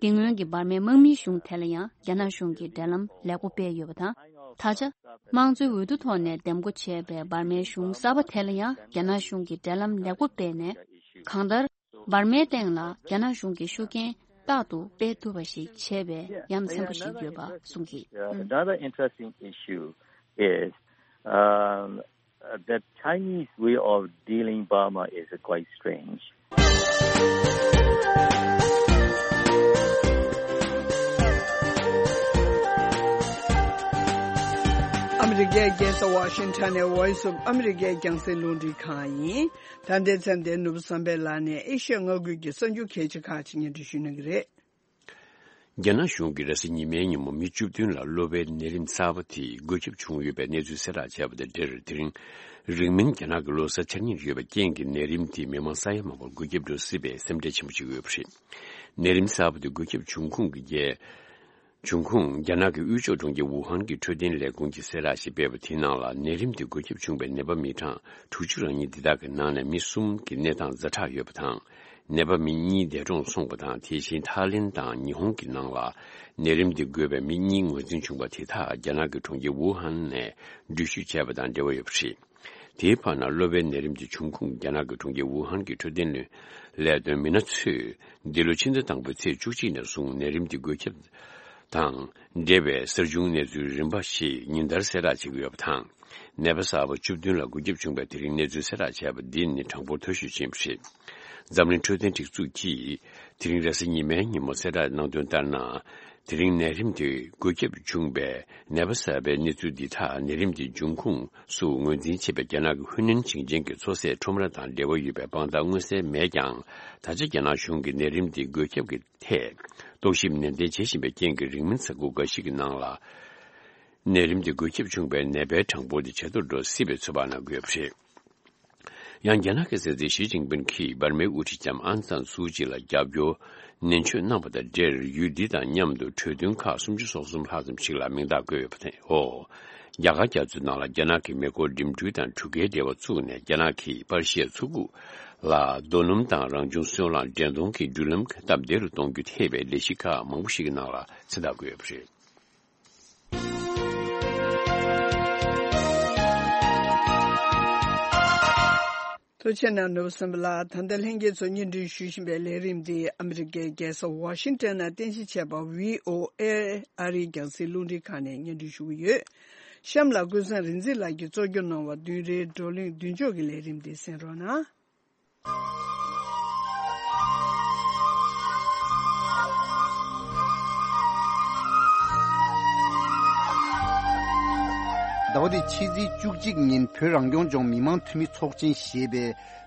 དེ་སྔོན་གྱི་འབར་མའི་དམག་མིའི་གཞུང་དེ་ལ་ཡང་རྒྱ་ནག་གཞུང་གིས་འབྲེལ་ལམ་ལེགས་པོ་སྤེལ་ཡོད་པ་དང་། ད་ཆ། དམངས་གཙོའི་འོས་བསྡུ་ཐོག་ནས་འདེམས་བསྐོ་བྱས་པའི་འབར་མའི་གཞུང་གསར་པ་དེ་ལ་ཡང་རྒྱ་ནག་གཞུང་གིས་འབྲེལ་ལམ་ལེགས་པོ་སྤེལ་ནས། གང་ལྟར། འབར་མའི་སྟེང་ལ་རྒྱ་ནག་གཞུང་གི་ཤུགས་རྐྱེན་རྟག་ཏུ་སྤེལ་ཐུབ་པ་ཞིག་བྱས་པའི་ཡ་མཚན་པོ་ཞིག་ཡོད་པ་གསུངས་ཀྱིས། Another interesting issue is um, the Chinese way of dealing Burma is quite strange. ཨ་མི་རི་ཀའི་རྒྱལ་ས་ཝ་ཤིང་ཊོན་ནས་Voice of America རྒྱང་སྲིང་རླུང་འཕྲིན་ཁང་ཡིན། ད་ལྟའི་མཚམས་དེར་ནོར་བུ་བསམ་འཕེལ་ལགས་ནས་ཨེ་ཤི་ཡ་མངའ་ཁུལ་གྱི་གསར་འགྱུར་གལ་ཆེ་ཁག་ཅིག་སྙན་སྒྲོན་ཞུ་གནང་གི་རེད། རྒྱ་ནག་གཞུང་གིས་རེས་གཟའ་ཉི་མའི་ཉིན་མོ་མི་བཅུ་བདུན་ལ་གློ་བའི་ནད་རིམས་གསར་པ་དེ་འགོས་ཁྱབ་བྱུང་ཡོད་པའི་གནས་ཚུལ་གསལ་བསྒྲགས་བྱས་པ་དང་འབྲེལ། དེ་རིང་རིང་མིན་རྒྱ་ནག་གི་ལོ་གསར་འཆར་ཉེར་ཡོད་པའི་རྐྱེན་གྱིས་ནད་རིམས་དེས་མི་མང་ས་ཡ་མང་པོར་འགོས་ཁྱབ་འགྲོ་སྲིད་པའི་སེམས་ཁྲལ་ཆེན་པོ་བྱེད་ཀྱི་ཡོད་པ་རེད། ནད་རིམས་གསར་པ་དེ་འགོས་ཁྱབ་བྱུང་ཁུངས་ཀྱི་རྒྱལ། བྱུང་ཁུངས་རྒྱ་ནག་གི་དབུས་ཕྱོགས་གྲོང་ཁྱེར་ཝུ་ཧན་གྱི་འཕྲོད་བསྟེན་ལས་ཁུངས་ཀྱིས་གསལ་བསྒྲགས་ཤིག་སྤེལ་བ་དེའི་ནང་ལ། ནད་རིམས་དེ་འགོས་ཁྱབ་བྱུང་བའི་ནད་པ་མི་གྲངས་དྲུག་ཅུ་རང་གཉིས་འདི་དག་གི་ནང་ནས་མི་གསུམ་གྱི་གནས་སྟངས་ཛ་དྲག་ཡོད་པ་དང་། ནད་པ་མི་གཉིས་འདས་གྲོངས་སོང་བ་དང་། དེ་བཞིན་ཐའི་ལེན་དང་ཉི་ཧོང་གི་ནང་ལ་ནད་རིམས་དེ་འགོས་པའི་མི་གཉིས་ངོས་འཛིན་བྱུང་བ་དེ་དག་རྒྱ་ནག་གི་གྲོང་ཁྱེར་ཝུ་ཧན་ནས་འགྲུལ་བཞུད་བྱས་པ་དང་འབྲེལ་བ་ཡོད་པ་རེད། དེའི་བར་ན་གློ་བའི་ནད་རིམས་ཀྱི་འབྱུང་ཁུངས་རྒྱ་ནག་གི་གྲོང་ཁྱེར་ཝུ་ཧན་གྱི་འཕྲོད་བསྟེན་ལས་དོན་མི་སྣ་ཚོས་འདི་ལོའི་ཕྱི་ཟླ་དང་པོའི་ཚེས་བཅུ་གཅིག་ནས་བཟུང་ནད་རིམས་ཀྱི་འགོས་ཁྱབ་དང་འབྲེལ་བའི་གསར་བྱུང་གནས་ཚུལ་རིམ་པ་ཞིག་ཉིན་ལྟར་གསལ་བསྒྲགས་བྱེད་ཀྱི་ཡོད་པ་དང་། ནད་པ་གསར་པ་བཅུ་བདུན་ལ་འགོས་ཁྱབ་བྱུང་བའི་དེ་རིང་གནས་ཚུལ་གསལ་བསྒྲགས་བྱས་པ་འདི་ནི་གྲངས་འབོར་མཐོ་ཤོས་ཅིག་ཡིན་པ་རེད། འཛམ་གླིང་འཕྲོད་བསྟེན་སྒྲིག་འཛུགས་ཀྱིས་དེ་རིང་རེས་གཟའ་ཉི་མའི་ཉིན་མོ་གསལ་བསྒྲགས་གནང་དོན་ལྟར་ན། དེ་རིང་ནད་རིམས་དེ་འགོས་ཁྱབ་བྱུང་བའི་ནད་པ་གསར་པའི་གནས་ཚུལ་འདི་དག་ནད་རིམས་དེ་འབྱུང་ཁུངས་སུ་ངོས་འཛིན་བྱེད་པའི་རྒྱ་ནག་གི་ཧུའུ་ནན་ཞིང་ཆེན་གྱི་མཚོ་ཟས་ཁྲོམ་ར་དང་འབྲེལ་བ་ཡོད་པའི་དཔང་རྟགས་མངོན་གསལ་མེད་ཀྱང་། ད་ཆ་རྒྱ་ནག་གཞུང་གིས་ནད་རིམས་དེ་འགོས་ཁྱབ་ཀྱི་ཐད་རྟོག་ཞིབ་ནན་ཏན་བྱེད་བཞིན་པའི་རྐྱེན་གྱིས། རིང་མིན་གཟའ་འཁོར་འགའ་ཞིག་གི་ནང་ལ་ནད་རིམས་དེ་འགོས་ཁྱབ་བྱུང་བའི་ནད་པའི་གྲངས་འབོར་དེ་ཇེ་མཐོར་འགྲོ་སྲིད་པའི་ཚོད་དཔག་གནང་གི་ཡོད་པ་རེད། ཡང་རྒྱ་ནག་གི་སྲིད་འཛིན་ཞི་ཅིན་ཕིན་གྱིས་འབར་མའི་དབུ་ཁྲིད་ལྕམ་ཨང་སན་སུའུ་ཅི་ལ་རྒྱབ་སྐྱོར་ནན་བརྗོད་གནང་བ་དང་འབྲེལ། ཡུལ་འདི་དང་མཉམ་དུ་གྲོས་མཐུན་ཁག་སུམ་ཅུ་སོ་གསུམ་ལྷག་ཙམ་ཞིག་ལ་མིང་རྟགས་བཀོད་ཡོད་པ་དེའོ། རྒྱ་གར་རྒྱ་མཚོའི་ནང་ལ་རྒྱ་ནག་གིས་མེ་འཁོར་འགྲིམ་འགྲུལ་དང་གྲུ་ཁའི་འབྲེལ་བ་བཙུགས་ནས། རྒྱ་ནག་གིས་པར་ཤིའི་མཚོ་ཁུག་ལ་རྡོ་སྣུམ་དང་རང་བྱུང་སོལ་རླངས་འདྲེན་གཏོང་གི་འགྲུལ་ལམ་སྟབས་བདེ་རུ་གཏོང་རྒྱུ་ཐེ་བའི་ལས་གཞི་ཁག་མང་པོ་ཞིག་གི་ནང་ལ་མཚན་རྟགས་བཀོད་ཡོད་པ་རེད། ལྷོ་ཆེན་ནང་ནོར་བུ་སེམས་པ་ལགས། ད་ལྟ་ལྷན་རྒྱས་ཚོ་སྙན་སྒྲོན་ཞུ་བཞིན་པའི་ལས་རིམ་འདི་ཨ་མི་རི་ཀའི་རྒྱལ་ས་ཝ་ཤིང་ཏོན་ནང་རྟེན་གཞི་བྱས་པ་བྷི་ཨོ་ཨེ་ཨ་རིའི་རྒྱང་སྲིང་རླུང་འཕྲིན་ཁང་ནས་སྙན་སྒྲོན་ཞུ་གི་ཡོད། གཤམ་ལ་ཀུན་བཟང་རིག་འཛིན་ལགས་ཀྱིས་གཙོ་སྐྱོང་གནང་བ་བདུན་རེའི་བགྲོ་གླེང་མདུན་ལྕོག་གི་ལས་རིམ་འདི་གསན་རོགས་གནང་། ཟླ་བ་འདིའི་ཕྱི་ཚེས་བཅུ་གཅིག་ཉིན་བོད་རང་སྐྱོང་ལྗོངས་མི་དམངས་འཐུས་མི་ཚོགས་ཆེན་ཞེས་པའི་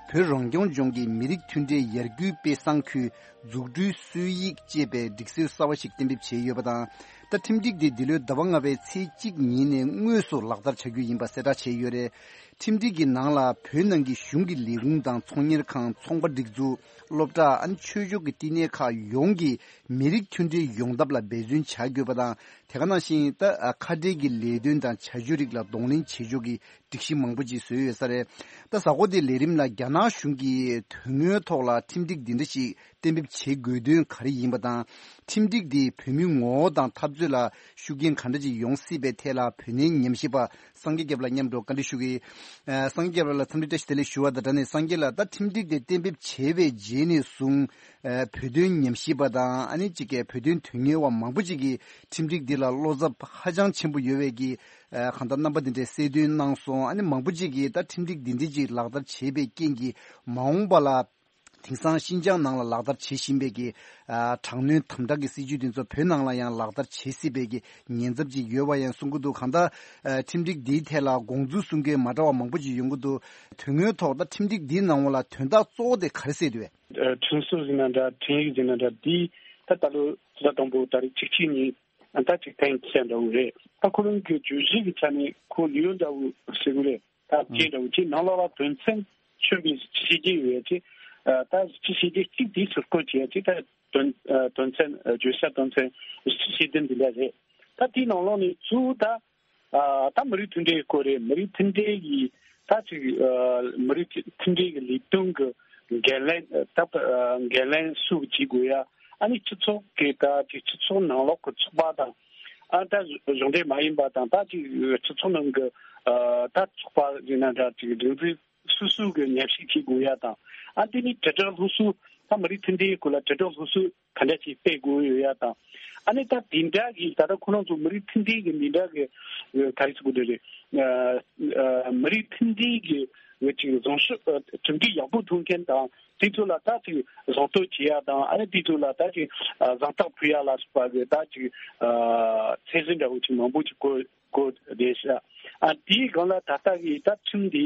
བོད་རང་སྐྱོང་ལྗོངས་ཀྱི་མི་རིགས་མཐུན་སྒྲིལ་ཡར་སྐུལ་དཔེ་བཟང་ཁུལ་འཛུགས་སྐྲུན་སྲོལ་ཡིག་ཅེས་པའི་སྒྲིག་སྲོལ་གསར་བ་ཞིག་གཏན་འབེབས་བྱས་ཡོད་པ་དང་། ད་ཁྲིམས་སྒྲིག་དེ་འདི་ལོའི་ཟླ་བ་ལྔ་པའི་ཚེས་གཅིག་ཉིན་ནས་དངོས་སུ་ལག་བསྟར་བྱ་རྒྱུ་ཡིན་པ་གསལ་བསྒྲགས་བྱས་ཡོད་རེད། ཁྲིམས་སྒྲིག་གི་ནང་ལ་བོད་ནང་གི་གཞུང་གི་ལས་ཁུངས་དང་ཚོང་གཉེར་ཁང་། ཚོང་པ་སྒྲིག་འཛུགས། སློབ་གྲྭ། ཨ་ནི་ཆོས་ཕྱོགས་ཀྱི་བསྟི་གནས་ཁག་ཡོངས་ཀྱིས་མི་རིགས་མཐུན་སྒྲིལ་ཡོང་ཐབས་ལ་འབད་བརྩོན་བྱ་དགོས་པ་དང་། དེ་ག་ནང་བཞིན་ད་ཁ་བྲལ་གྱི་ལས་དོན་དང་བྱ་སྤྱོད་རིགས་ལ་གདོང་ལེན་བྱེད་ཕྱོགས་ཀྱི་སྒྲིག་གཞི་མང་པོ་ཅིག་བཟོས་ཡོད་ས་རེད། ད་གཟའ་འཁོར་འདིའི་ལས་རིམ་ལ་རྒྱ་ནག་གཞུང་གིས་དོན་དངོས་ཐོག་ལ་ཁྲིམས་སྒྲིག་འདི་འདྲ་ཞིག་གཏན་འབེབས་བྱེད་དགོས་དོན་ག་རེ་ཡིན་པ་དང་། ཁྲིམས་སྒྲིག་འདིས་བོད་མིའི་ངོ་བོ་དང་འཐབ་རྩོད་ལ་ཤུགས་རྐྱེན་ག་འདྲ་ཅིག་ཡོང་སྲིད་པའི་ཐད་ལ་བོད་གནས་ཉམས་ཞིབ་པ་སངས་རྒྱས་སྐྱབས་ལགས་མཉམ་དུ་བཀའ་འདྲི་ཞུ་གི། ཨ། སངས་རྒྱས་སྐྱབས་ལགས་ལ་འཚམས་འདྲི་བཀྲ་ཤིས་བདེ་ལེགས་ཞུ་བ་དང་སྦྲགས་ནས། སངས་རྒྱས་ལགས། ད་ཁྲིམས་སྒྲིག་དེ་གཏན་འབེབས་བྱས་པའི་རྗེས་ནས་བཟུང་། ཨ། བོད་དོན་ཉམས་ཞིབ་པ་དང་། ཨ་ནི་གཅིག་གིས་བོད་དོན་དོན་གཉེར་བ་མང་པོ་ཅིག་གིས་ཁྲིམས་སྒྲིག་འདི་ལ་བློ་འཚབ་ཧ་ཅང་ཆེན་པོ་ཡོད་པའི་གི། ཨ། གང་ལྟར་རྣམ་པ་འདི་འདྲའི་གསལ་སྟོན་གནང་སོང་། ཨ་ནི་མང་པོ་ཅིག་གིས་ད་ཁྲིམས་སྒྲིག་འདི་འདྲ་ཅིག་ལག་བསྟར་བྱས་པའི་རྐྱེན་གྱིས་མ་འོངས་པ་ལ་དེང་སང་ཤིན་ཅང་ནང་ལ་ལག་བསྟར་བྱེད་བཞིན་པའི་གི། ཨ། དྲག་གནོན་དམ་དྲག་གི་སྲིད་བྱུས་དེ་ཚོ་བོད་ནང་ལ་ཡང་ལག་བསྟར་བྱེད་སྲིད་པའི་གི་ཉེན་ཚབས་ཅིག་ཡོད་པ་ཡང་གསུང་གི་འདུག། གང་ལྟར། ཨ། ཁྲིམས་སྒྲིག་འདིའི་ཐད་ལ་དགོངས་ཚུལ་གསུང་མཁན་མ་འདྲ་བ་མང་པོ་ཅིག་ཡོང་གི་འདུག། དོན་དངོས་ཐོག་ད་ཁྲིམས་སྒྲིག་འདིའི་ནང་ལ་དོན་དག་གཙོ་བོ་དེ་ག་རེ་གསལ་འདུག་བས། ཨ། ཁྲིམས་སྲོལ་ཟེར་ན་འདྲ། ཁྲིམས་ཡིག་ཟེར་ན་འདྲ། འདི་ད་ལྟ་ལོ་ཟླ་དང་པོ་ཏ་རིག་བཅུ་གཅིག་ཉིན་ད་ཅིག་གཏན་འཁེལ་འདྲ་བོ་རེད། ད་ཁོ་རང་གི་བརྗོད་གཞི་གི་ཆ་ནས་ཁོ་ལེའུ་འདྲ་བོ་ཟེར་གི་རེད། ད་ཨང་། བཅད་འདྲ་བོ་ཅིག་ནང་ལོགས་ལ་དོན་ཚན་མཚོན་པའི་བཞི་བཅུ་ཞེ་བརྒྱད་ཡོད་ཡ་ཅིག། ཨ། ད་བཞི་བཅུ་ཞེ་བརྒྱད་གཅིག་དེ་ཟུར་བཀོད་བྱས་ཡ་ཅིག། ད་དོན། ཨ། དོན་ཚན། ཨ། བརྗོད་བྱ་དོན་ཚན་བཞི་བཅུ་ཞེ་བདུན་འདི་འདྲ་རེད། ད་དེའི་ནང་ལོགས་ནས་གཙོ་བོ་ད། ཨ། ད་མི་རིགས་མཐུན་སྒྲིལ་སྐོར་རེད། མི་རིགས་མཐུན་སྒྲིལ་གྱི་ད་ཅིག། ཨ། མི་རིགས་མཐུན་སྒྲིལ་གྱི་ལས་དོན་གྱི་འགན་ལེན། ད། ཨ། འགན་ལེན་སུ་གིས་བྱེད་དགོས་ཡ། ཨ་ནི་སྤྱི་ཚོགས་ཀྱི་ད་ཅིག་སྤྱི་ཚོགས་ནང་ལོགས་ཀྱི་ཚོགས་པ་དང་། ཨ། ད་གཞུང་འབྲེལ་མ་ཡིན་པ་དང་། ད་ཅིག་སྤྱི་ཚོགས་ནང་གི། ཨ། ད་ཚོགས་པ་ཡིན་ན་འདྲ། ཅིག་སྒྲིག་འཛུགས་སོ་སོ་གི་མཉམ་ཞུགས་བྱེད་དགོས་ཡ་དང་། ཨ། དེ་ནི་དྲིལ་བསྒྲགས་སློབ་གསོ། ད་མི་རིགས་མཐུན་སྒྲིལ་སྐོར་ལ་དྲིལ་བསྒྲགས་སློབ་གསོ་ག་འདྲ་ཞིག་སྤེལ་དགོས་ཡོད་ཡ་དང་། ཨ་ནི་ད་དེ་འདྲ་གི་ད་ལྟ་ཁོ་རང་ཚོ་མི་རིགས་མཐུན་སྒྲིལ་གྱི་འདི་འདྲ་གི་ག་རེ་ཟེར་དགོས་རེད། ཨ། ཨ། མི་རིགས་མཐུན་སྒྲིལ་གྱི་ཅིག་བཟང་སྤྱོད། ཨ། གྲུབ་འབྲས་ཡག་པོ་ཐོན་མཁན་དང་། དེ་ཚོ་ལ་ད་ཅིག་གཟེངས་བསྟོད་བྱེད་ཡ་དང་། ཨ་ནི་དེ་ཚོ་ལ་ད་ཅིག། ཨ། གཟེངས་རྟགས་ཕུལ་ཡ་ལ་སོགས་པ་གི་ད་ཅིག། ཨ། ཚད་གཞི་འདྲ་བོ་ཅིག་མང་པོ་ཅིག་བཀོད་བཀོད་བསྡད་ཤག། ཨ། དེའི་སྒང་ལ་ད་ལྟ་གི་ད་ཁྲིམས་འདི།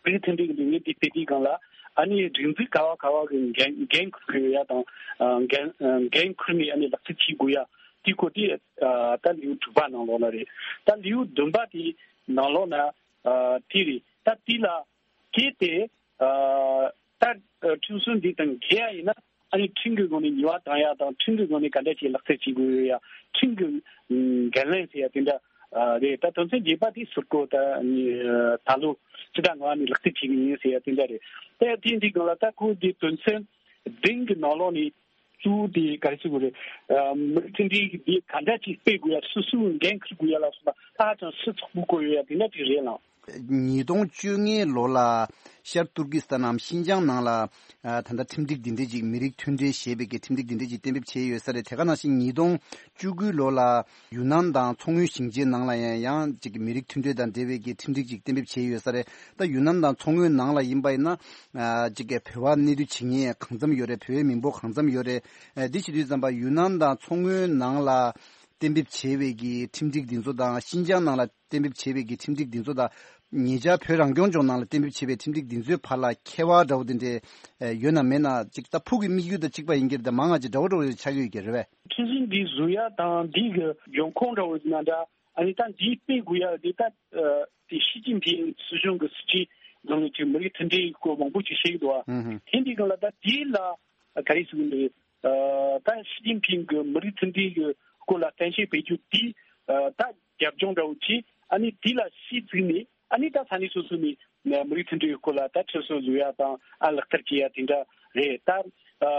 མི་རིགས་མཐུན་སྒྲིལ་གྱི་ལས་འགུལ་འདི་སྤེལ་དུས་སྒང་ལ། ཨ་ནི་སྒྲིག་འཛུགས་ག་བ་ག་བ་གི་འགན་འགན་འཁུར་དགོས་ཡ་དང་། ཨ། འགན་འགན་འཁུར་ནས་ཨ་ནི་ལག་བསྟར་བྱེད་དགོས་ཡ་དེ་སྐོར་དེ། ཨ། ད་ལེའུ་དྲུག་པ་ནང་ལོགས་ལ་རེད། ད་ལེའུ་བདུན་པ་དེ་ནང་ལོགས་ན། ཨ། དེ་རེད། ད་དེ་ལ་གལ་ཏེ། ཨ། ད་ཁྲིམས་སྲོལ་འདི་དང་འགལ་ཡ་ཡིན་ན། ཨ་ནི་ཁྲིམས་ཀྱི་སྒོ་ནས་ཉེས་པ་བཏང་ཡ་དང་། ཁྲིམས་ཀྱི་སྒོ་ནས་ག་འདྲ་ཞིག་ལག་བསྟར་བྱེད་དགོས་ཡོད་ཡ། ཁྲིམས་ཀྱི་འགན་ལེན་ཟེར་ཡ་དེ་འདྲ། ཨ། རེད། ད་དོན་ཚན་བརྒྱད་པ་དེ་ཟུར་བཀོད། ད་ནི་ད་ལོ་སྤྱི་ཟླ་ལྔ་པ་ནས་ལག་བསྟར་བྱེད་ཀྱི་ཡིན་ཟེར་ཡ་དེ་འདྲ་རེད། ད་དེ་འདི་སྒང་ལ་ད་ཁོ་དེ་དོན་ཚན་བདུན་གྱི་ནང་ལོགས་ནས་གཙོ་བོ་དེ་ག་རེ་ཟེར་དགོས་རེད། ཨ། མི་རིགས་མཐུན་སྒྲིལ་གྱི་དེ་ག་འདྲ་ཅིག་སྤེལ་དགོས་ཡ། སོ་སོའི་འགན་འཁུར་དགོས་ཡ་ལ་སོགས་པ་ཧ་ཅང་ཞིབ་ཚགས་པོ་བཀོད་ཡོད་ཡ་དེ་འདྲ་ཅིག་རེད་ལགས། ཉིས་སྟོང་བཅོ་ལྔའི་ལོ་ལ་ཤར་ཏུར་ཀི་སི་ཐན་ནམ་ཤིན་ཅང་ནང་ལ། ཨ། ད་ལྟ་ཁྲིམས་སྒྲིག་འདི་འདྲ་ཅིག། མི་རིགས་མཐུན་སྒྲིལ་ཞེས་པའི་གི་ཁྲིམས་སྒྲིག་འདི་འདྲ་ཅིག་གཏན་འབེབས་བྱས་ཡོད་ས་རེད། དེ་ག་ནང་བཞིན་ཉིས་སྟོང་བཅུ་དགུའི་ལོ་ལ་ཡུན་ནན་དང་མཚོ་སྔོན་ཞིང་ཆེན་ནང་ལ་ཡང་ཡང་ཅིག་མི་རིགས་མཐུན་སྒྲིལ་དང་འབྲེལ་བའི་གི་ཁྲིམས་སྒྲིག་ཅིག་གཏན་འབེབས་བྱས་ཡོད་ས་རེད། ད་ཡུན་ནན་དང་མཚོ་སྔོན་ནང་ལ་ཡིན་པ་ཡིན་ན། ཨ། ཅིག་གི་བོད་པ་གནས་སྡོད་བྱེད་མཁན་གང་འཚམ་ཡོད་རེད། བོད་པའི་མི་འབོར་གང་འཚམ་ཡོད་རེད། ཨ། འདི་བྱེད་དུས་ཙམ་པ་ཡུན་ནན་དང་མཚོ་སྔོན་ནང་ལ་གཏན་འབེབས་བྱས་པའི་གི་ཁྲིམས་སྒྲིག་འདི་ཚོ་དང་། ཤིན་ཅང་ནང་ལ་གཏན་འབེབས་བྱས་པའི་གི་ཁྲིམས་སྒྲིག་འདི་ཚོ་དང་། ཉེ་ཆར་བོད་རང་སྐྱོང་ལྗོངས་ནང་ལ་གཏན་འབེབས་བྱས་པའི་ཁྲིམས་སྒྲིག་འདི་ཚོའི་བར་ལ་ཁྱད་པར་འདྲ་བོ་དེ་འདྲ་ཡོད་ན་མེད་ན། ཅིག་ད་ཕུགས་ཀྱི་དམིགས་ཡུལ་དང་གཅིག་པ་ཡིན་གྱི་རེད། ད་མང་ང་ཅིག་འདྲ་བོ་འདྲ་བོ་ཆགས་ཀྱི་ཡོད་ཀྱི་རེད་པས། ཁྲིམས་སྒྲིག་འདི་བཟོ་ཡ་དང་འདི་གི་འབྱུང་ཁུངས་འདྲ་བོ་ཡིན་ན་འདྲ། ཨ་ནི་ད་འདི་སྤེལ་དགོས་ཡ་འདི་ད། ཨ། དེ་ཞི་ཅིན་ཕིང་སྲིད་གཞུང་གི་སྲིད་ཇུས་ནང་ནས་ཅིག་མི་རིགས་མཐུན་སྒྲིལ་གྱི་སྐོར་མང་པོ་ཅིག་བཤད་ཀྱི་འདུག་བ། ཨུ་ཧུ། དེ་འདི་སྒང་ལ་ད་དེ་ལ་ག་རེ་ཟེར་གྱི་འདུག། ཨ། ད་ཞི་ཅིན་ཕིང་གི་མི་རིགས་མཐུན་སྒྲིལ་གྱི་སྐོར་ལ་གཏམ་བཤད་སྤེལ་རྒྱུ་དེ། ཨ། ད་རྒྱབ་ལྗོངས་འདྲ་བོ་ཅིག། ཨ་ནི་དེ་ལ་གཞི་བཙུགས་ནས། ཨ་ནི་ད་ས་གནས་སོ་སོ་ནས་མི་རིགས་མཐུན་སྒྲིལ་གྱི་སྐོར་ལ་ད་ཁྲིམས་སྲོལ་བཟོ་ཡ་དང་། ཨ། ལག་བསྟར་བྱེད་ཡ་དེ་འདྲ་རེད། ད། ཨ།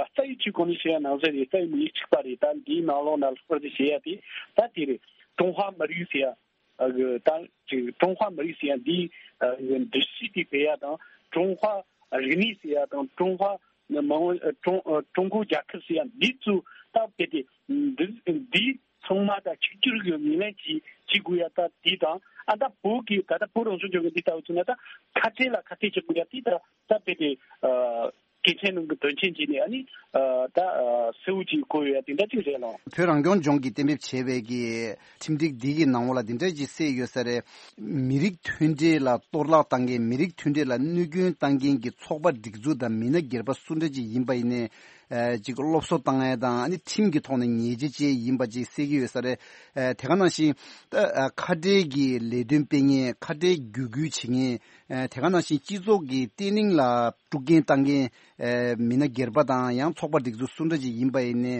རྩ་བའི་ཆོས་གོང་ནས་བཤད་ཡ་ནང་བཞིན་རེད། རྩ་བའི་མི་ཡིག་གཅིག་པ་རེད། ད་འདིའི་ནང་ལོགས་ན་ལྷག་པར་དུ་བྱེད་ཡ་དེ་ད་དེ་རེད། ཀྲུང་ཧྭ་མི་རིགས་ཟེར་ཡ། ཨ། གི་ད་ཅིག་ཀྲུང་ཧྭ་མི་རིགས་ཟེར་ཡ་འདི། ཨ། འདི་སྲིད་དེ་སྤེལ་ཡ་དང་ ཀྲུང་ཧྭ་རིག་གནས་ཟེར་ཡ་དང་ཀྲུང་ཧྭ་མི་དབང་ཀྲུང་ཀྲུང་གོ་རྒྱལ་ཁབ་ཟེར་ཡ་འདི་ཚོ་ད་དཔེ་དེ་འདི་འདི་ཚང་མ་ད་གཅིག་གྱུར་གྱི་ངོས་ལེན་གྱིས་བྱེད་དགོས་ཡ་ད་འདི་དང་ཨ་ད་བོད་ཀྱི་ད་ལྟ་བོད་རང་སྐྱོང་ལྗོངས་ཀྱི་འདི་ལྟ་བུ་ཚོ་ན་ད་ཁ་བྲལ་ལ་ཁ་གཏད་གཅོག་དགོས་ཡ་འདི་ད་ད་དཔེ་དེ་ཨ། གལ་ཆེན་ནང་གི་དོན་ཆེན་བྱས་ནས་ཨ་ནི་ད་གསལ་བོ་ཅིག་གོ་ཡོད་ཡ་དེ་འདྲ་ཅིག་རེད་ལོ། བོད་རང་སྐྱོང་ལྗོངས་ཀྱིས་གཏན་འབེབས་བྱས་པའི་གི་ཁྲིམས་སྒྲིག་འདི་གི་ནང་ལོགས་ལ་འདི་འདྲ་ཅིག་གསལ་ཡོད་ས་རེད། མི་རིགས་མཐུན་སྒྲིལ་ལ་གཏོར་བརླག་བཏང་མཁན་མི་རིགས་མཐུན་སྒྲིལ་ལ་གནོད་སྐྱོན་བཏང་མཁན་གྱི་ཚོགས་པ་སྒྲིག་འཛུགས་དང་མི་སྣ་སྒེར་པ་སུ་འདྲ་ཅིག་ཡིན་པ་ཡིན་ནའི་ཅིག་སློབ་གསོ་བཏང་ཡ་དང་ཨ་ནི་ཁྲིམས་ཀྱི་ཐོག་ནས་ཉེས་ཆད་བཅད་ཡིན་པ་ཅིག་གསལ་གྱི་ཡོད་ས་རེད། དེ་ག་ནང་བཞིན་ཁ་བྲལ་གྱི་ལས་དོན་སྤེལ་མཁན་ཁ་བྲལ་བརྒྱུད་སྐུལ་བྱེད་མཁན། དེ་ག་ནང་བཞིན་སྤྱི་ཚོགས་ཀྱི་བརྟན་ལྷིང་ལ་དཀྲུག་རྐྱེན་བཏང་མཁན་མི་སྣ་སྒེར་པ་དང་ཡང་ཚོགས་པ་སྒྲིག་འཛུགས་སུ་འདྲ་ཅིག་ཡིན་པ་ཡིན་ནའི་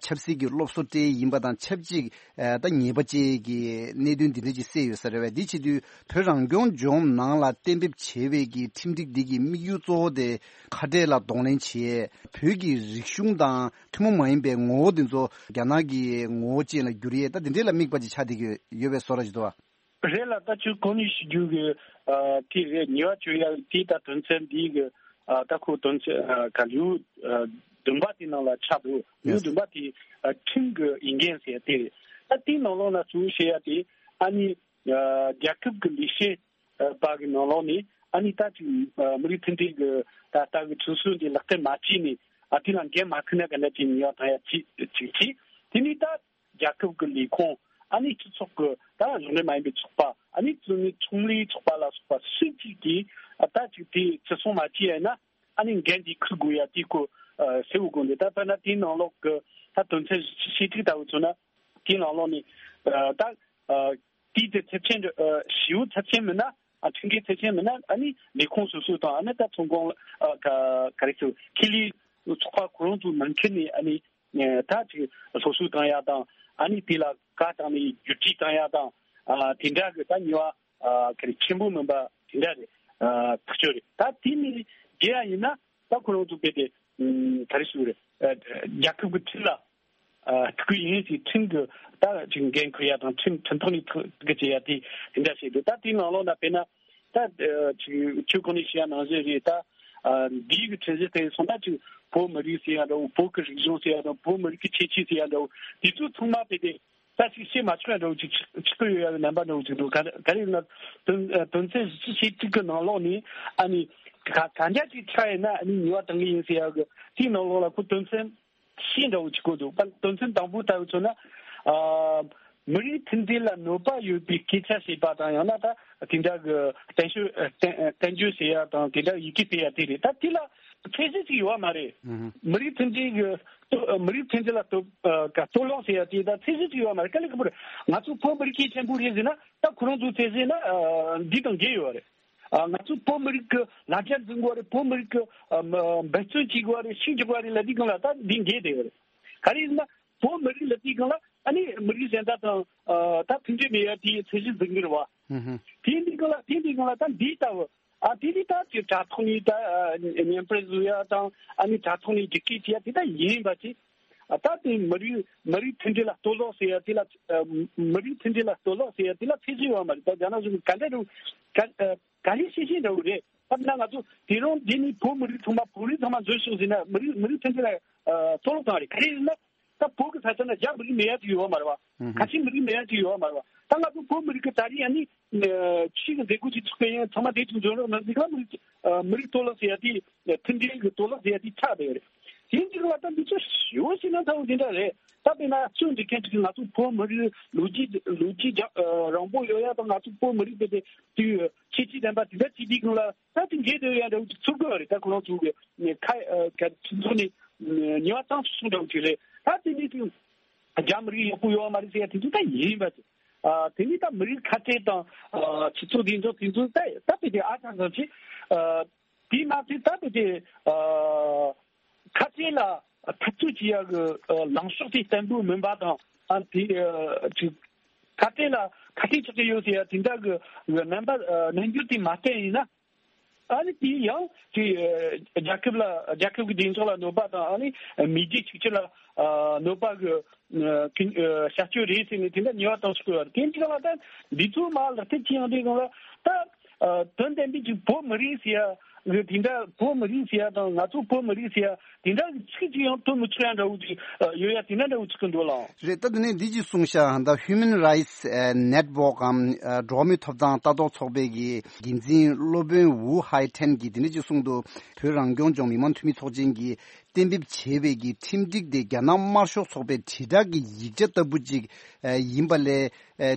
ཆབ་སྲིད་ཀྱི་སློབ་གསོ་སྤྲད་ཡིན་པ་དང་ཆབས་ཅིག་ད་ཉེས་པ་བཅས་ཀྱི་གནད་དོན་འདི་འདྲ་ཅིག་གསལ་ཡོད་ས་རེད་བས། འདི་བྱེད་དུས་བོད་རང་སྐྱོང་ལྗོངས་ནང་ལ་གཏན་འབེབས་བྱས་པའི་གི་ཁྲིམས་སྒྲིག་འདི་གི་དམིགས་ཡུལ་གཙོ་བོ་དེ་ཁ་བྲལ་ལ་གདོང་ལེན་བྱེད་བོད་ཀྱི་རིག་གཞུང་དང་ཐུན་མོང་མ་ཡིན་པའི་ངོ་བོ་འདི་ཚོ་རྒྱ་ནག་གི་ངོ་བོ་ཅན་ལ་བསྒྱུར་ཡས་ད་འདི་འདྲ་ལ་དམིགས་པ་ཅིག་ཆགས་བསྡད་ཀྱི་ཡོད་པའི་བཟོ་འདྲ་ཅིག་འདུག་བ། རེད་ལ་ད་ཁྱོད་གོང་ནས་ཞུ་རྒྱུ་གི་ཨ་དེ་རེད། ཉེས་པ་གཅོད་ཡ་དེ་ད་དོན་ཚན་འདི་གི་ཨ་ད་ཁོ་དོན་ཚན་ཨ་ག་ལེའུ་ཨ་བདུན་པ་དེ་ནང་ལ་ཆགས་འདུག་ལེའུ་Yes. བདུན་པ་དེ་ཨ་ཁྲིམས་ཀྱི་འོས་འགན་ཟེར་ཡ་དེ་རེད། ད་དེའི་ནང་ལོགས་ན་གཙོ་བོ་བཤད་ཡ་དེ་ཨ་ནི་ཨ་རྒྱལ་ཁབ་ཀྱི་ལས་བྱེད་ཨ་པ་གི་ནང་ལོགས་ནས་ཨ་ནི་ད་ཅིག་ཨ་མི་རིགས་མཐུན་སྒྲིལ་གྱི་ད་ལྟ་གི་ཁྲིམས་སྲོལ་འདི་ལག་བསྟར་མ་བྱས་ནས་ཨ་དེ་ལ་འགན་མ་འཁུར་ན་ག་འདྲ་ཅིག་ཉེས་པ་བཏང་ཡ་ཅིག་ཅིག་བྱས། དེ་ནས་ད། རྒྱལ་ཁབ་ཀྱི་ལས་ཁུངས་ཨ་ནི་སྤྱི་ཚོགས་ཀྱི་ད་གཞུང་འབྲེལ་མ་ཡིན་པའི་ཚོགས་པ་ཨ་ནི་ཚོགས་མི་ཚོང་ལས་ཚོགས་པ་ལ་སོགས་པ་སུ་གཅིག་གིས་ད་ཅིག་དེ་བརྩི་སྲུང་མ་བྱས་ཡིན་ན་ཨ་ནི་འགན་དེ་འཁུར་དགོས་ཡ་དེ་ཁོ་གསལ་བོ་དགོངས་ཏེ། ད་དཔེར་ན་དེའི་ནང་ལོགས་ཀྱི་ད་དོན་ཚན་བཞི་བཅུ་ཞེ་དྲུག་ལྟ་བུ་མཚོན་ན་དེའི་ནང་ལོགས་ནས་ད་དེའི་དེ་ཚབས་ཆེན་ཞེ་པོ་ཚབས་ཆེན་མིན་ན་ཨ་ཁྲིམས་འགལ་ཚབས་ཆེན་མིན་ན་ཨ་ནི་ལས་ཁུངས་སོ་སོ་དང་ཨ་ནི་ད་ཚོང་ཁང་ག་རེ་ཟེར་ཁེ་ལས་ཚོགས་པ་ཁོ་རང་ཚོ་ནང་ཁུལ་ནས་ཨ་ནི། ད་ཅིག་སློབ་གསོ་བཏང་ཡ་དང་ཨ་ནི་དེ་ལ་བཀའ་བཏང་ནས་བསྒྱུར་བཅོས་བཏང་ཡ་དང་ཨ་དེ་འདྲ་གི་ད་ཉེས་པ་ཨ་ག་རེ་ཆེན་པོ་མིན་པ་དེ་འདྲ་རེད། ཨ་ཐག་ཆོད་རེད། ད་དེ་ནི་བརྒལ་ཡ་ཡིན་ན་ད་ཁོ་རང་ཚོ་དཔེ་དེ་ཨ་ག་རེ་ཞུ་རེད། ཨ་རྒྱལ་ཁབ་ཀྱི་ཁྲིམས་ལ་ཨ་ཐུག་གི་ཡིན་ཞེས་ཁྲིམས་ཀྱི་ད་ཅིག་འགན་འཁུར་ཡ་དང་ཁྲིམས་ཁྲིམས་ཐོག་ནས་ཐུག་གི་བྱེད་ཡ་དེ་དེ་འདྲ་བྱེད་དུས་ད་དེའི་ནང་ལོགས་ན་དཔེར་ན། ད་ཨ་ཅིག་ཁྱོད་གོང་ནས་བཤད་ཡ་ནང་བཞིན་རེད་ད། ཨ་འདིའི་གི་ཁྲིམས་གཞི་དེ་སོང་ན་ཅིག་བོད་མི་རིགས་ཟེར་ཡ་འདྲ་བོ་བོད་ཀྱི་རིག་གཞུང་ཟེར་ཡ་འདྲ་བོ་བོད་མི་རིགས་ཀྱི་ཁྱད་ཆོས་ཟེར་ཡ་འདྲ་བོ་དེ་ཚོ་ཚང་མ་དཔེ་དེ་ད་ཅིག་བཤད་མ་ཆོག་ཡ་འདྲ་བོ་ཅིག་ཆགས་ཀྱི་ཡོད་ཡ་གི་རྣམ་པ་འདྲ་བོ་ཅིག་འདུག་ག་ག་རེ་ཡིན་ན་དོན་ཨ་དོན་ཚན་བཞི་བཅུ་ཞེ་དྲུག་གི་ནང་ལོགས་ནས་ཨ་ནི་ག་ག་འདྲ་ཅིག་ཆགས་ཡིན་ན་ཨ་ནི་ཉེས་པ་གཏང་གི་ཡིན་ཟེར་ཡ་གི་དེའི་ནང་ལོགས་ལ་ཁོ་དོན་ཚན། ཤེས་འདྲ་བོ་ཅིག་གོ་འདུག་པ། དོན་ཚན་དང་པོ་ལྟ་བུ་མཚོན་ན། ཨ་མི་རིགས་མཐུན་སྒྲིལ་ལ་གནོད་པ་ཡོད་པའི་སྐད་ཆ་བཤད་པ་དང་ཡང་ན་ད་དེ་འདྲ་གི་བསྟན་བཅོས་བསྟན་བསྟན་བཅོས་བྱེད་ཡ་དང་དེ་འདྲ་ཡི་གེ་སྤེལ་ཡ་དེ་རེད། ད་དེ་ལ་ཚད་གཞི་ཅིག་ཡོད་མ་རེད། ཨུ་ཧུ། མི་རིགས་མཐུན་སྒྲིལ་གི་གཏོ་མི་རིགས་མཐུན་སྒྲིལ་ལ་གཏོ་ཨ་ག་གཏོར་བརླག་བྱེད་ཡ་དེ་ད་ཚད་གཞི་ཅིག་ཡོད་མ་རེད། དཀའ་ལས་ཁག་པོ་རེད། ང་ཚོ་བོད་མི་རིགས་གལ་ཆེན་པོ་རེད་ཟེར་ན་ད་ཁོ་རང་ཚོའི་ཚད་གཞི་ན་ཨ་འདི་དང་འགལ་ཡོད་རེད། ཨ་ང་ཚོ་བོད་མི་རིགས་ཀྱི་ལ་རྒྱ་འཛིན་དགོས་རེད། བོད་མི་རིགས་ཀྱི་ཨ་མ་འབད་བརྩོན་བྱེད་དགོས་རེད། ཤུགས་རྒྱག་དགོས་རེད་ལབ་དུས་སྒང་ལ་ད་འདི་འགལ་བསྡད་ཡོད་རེད། ག་རེ་ཡིན་ན་བོད་མི་རིགས་ལབ་དུས་སྒང་ལ་ཨ་ནི་མི་རིགས་གཞན་དག་དང་ཨ་ད་མཐུན་སྒྲིལ་མེད་ཡ་དེའི་ཚད་གཞི་འཛིན་གྱི་རེད་བ། ཧུམ་ཧུམ། དེ་འདི་སྒང་ལ་དེ་འདི་སྒང་ལ་ད་འདི་ལྟ་བུ་ཨ་དེ་འདི་ད་ཅིག་དྲ་ཐོག་ནས་ད་ཨ་བརྙན་འཕྲིན་བཟོ་ཡ་དང་ཨ་ནི་དྲ་ཐོག་ནས་འཇིགས་སྐུལ་བྱེད་ཡ་དེ་ད་ཡིན་པ་ཅིག་ཨ་ད་དེ་མི་རིགས་མི་རིགས་མཐུན་སྒྲིལ་ལ་གཏོར་བརླག་ཟེར་ཡ་དེ་ལ་ཨ་མི་རིགས་མཐུན་སྒྲིལ་ལ་གཏོར་བརླག་ཟེར་ཡ་དེ་ལ་ཚད་གཞི་ཡོད་མ་རེད། ད་རྒྱ་ནག་གཞུང་གིས་ག་འདྲ་རུ་ག་ཨ་ག་ལེ་ཤེས་ཤེས་འདྲ་བོ་རེད། ད་ན་ང་ཚོ་དེ་རིང་འདི་ནི་བོད་མི་རིགས་ཚང་མ་བོད་རིགས་ཚང་མ་འཛུལ་ཤོག་ཟེར་ན་མི་རིགས་མི་རིགས་མཐུན་སྒྲིལ་ལ་ཨ་གཏོར་བརླག་བཏང་བ་རེད། ག་རེ་ཡིན་ན་ད་བོད་ཀྱི་ས་ཆ་ན་རྒྱ་མི་རིགས་མེད་ཡ་ཅིག་ཡོད་མ་རེད་བ། ཨུ་ཧུ། ཁ་ཆེ་མི་རིགས་མེད་ཡ་ཅིག་ཡོད་མ་རེད་བ། ད་ང་ཚོ་བོད་མི་རིགས་ཀྱི་ད་རེས་ཡ་ནི་ཨ་ཕྱི་གི་མཛད་སྒོ་ཅིག་ཚུགས་པ་ཡིན་ཚང་མ་དེ་ཅིག་འཛོམས་རོགས་གནང་ཟེར་ག་མི་རིགས་ཨ་མི་རིགས་གཏོར་བརླག་ཟེར་ཡ་དེ། མཐུན་སྒྲིལ་གྱི་གཏོར་བརླག་ཟེར་ཡ་དེ་ཆགས་བསྡད་ཡོད་རེད། དེ་འདི་ལ་ད་འདི་ཚོ་ཞེ་པོ་ཞིག་ན་ཚ་བོ་འདི་འདྲ་རེད། ད་དཔེར་ན་ཚུར་འདྲི་མཁན་ཅིག་གིས་ང་ཚོ་བོད་མི་རིགས་ལོ་རྒྱུས་ལོ་རྒྱུས་རྒྱ་རིང་པོ་ཡོད་ཡ་དང་ང་ཚོ་བོད་མི་རིགས་དེ་དེ་དུས་ཁྱད་ཆོས་ལྡན་པ་དེ་འདྲ་ཅིག་འདི་སྒང་ལ་ད་དེ་འགལ་འདུག་ཡ་འདྲ་བོ་ཅིག་ཚོར་གི་ཡོད་རེད། ད་ཁོ་རང་ཚོ་གི་ཁ་ཁ་ཚོ་ནས་ཉེས་པ་བཏང་ཚུལ་སོང་འདྲ་བོ་ཅིག་རེད། ད་དེ་འདི་དུས་རྒྱ་མི་རིགས་ཡག་པོ་ཡོད་མ་རེད་ཟེར་ཡ་དེ་ཚོ་ད་ཡིན་པ་ཅིག་ཨ་དེ་ནི་ད་མི་རིགས་ཁ་བྲལ་དང་ཨ་སྤྱི་ཚོགས་བདེ་འཇགས་དེ་ཚོ་ད་ད་དཔེ་དེ་ཨ་ཅང་ཙམ་ཅིག་ཨ། དེས་མ་ཚད་ད་དེ་དེ་ཨ་ཁ་བྲལ་ལ་འཐབ་རྩོད་བྱེད་ཡག་གི་ཨ་ལངས་ཕྱོགས་དེ་བརྟན་པོ་མིན་པ་དང་ཨ་དེ་ཨ་ཅིག་ཁ་བྲལ་ལ་ཁ་གཏད་གཅོག་གི་ཡོད་ཟེར་ཡ་དེ་འདྲ་གི་རྣམ་པ་ཨ་རྣམ་འགྱུར་དེ་མ་བསྟན་ཡིན་ན་ཨ་ནི་དེ་ཡང་དེ་ཨ་རྒྱལ་ཁབ་ལ་རྒྱལ་ཁབ་ཀྱི་བདེ་འཇགས་ལ་གནོད་པ་དང་ཨ་ནི་མེས་རྒྱལ་གཅིག་གྱུར་ལ་ཨ་གནོད་པ་གི་ཨ་བྱ་སྤྱོད་རེད་ཟེར་ནས་དེ་འདྲ་ཉེས་པ་བཏང་ཟེར་གི་ཡོད་རེད། དེ་འདྲ་ལ་ད་འདི་ཚོ་མ་ལག་བསྟར་བྱེད་ཡོང་དུས་སྒང་ལ་ད་ཨ་དོན་དམ་པའི་ཅིག་བོད་མི་རིགས་ཟེར་ཡ་ དེ་འདྲ་བོད་མི་རིགས་ཟེར་ཡ་དང་ང་ཚོ་བོད་མི་རིགས་ཟེར་ཡ་དེ་འདྲ་གི་ཚིག་ཅིག་ཡང་ཐོན་མི་ཆོག་ཡ་འདྲ་བོ་ཅིག་ཡོད་ཡ་དེ་འདྲ་འདྲ་བོ་ཅིག་གི་འགྲོ་ལ། རེད། ད་དེ་ནས་འདི་ཅིག་གསུངས་ཤག་ད་Human Rights Network གམ་འགྲོ་བ་མིའི་ཐོབ་ཐང་ལྟ་རྟོག་ཚོགས་པའི་གི་འགན་འཛིན་སློབ་དཔོན་ཝུ་ཧའེ་ཐན་གྱིས་དེ་འདྲ་ཅིག་གསུངས་འདུག་བོད་རང་སྐྱོང་ལྗོངས་མི་དམངས་འཐུས་མི་ཚོགས་ཆེན་གྱིས་གཏན་འབེབས་བྱས་པའི་གི་ཁྲིམས་སྒྲིག་དེ་རྒྱ་ནག་དམར་ཤོག་ཚོགས་པའི་དྲིལ་བསྒྲགས་ཀྱི་ཡིག་ཆ་ལྟ་བུ་ཅིག་ཡིན་པ་ལས།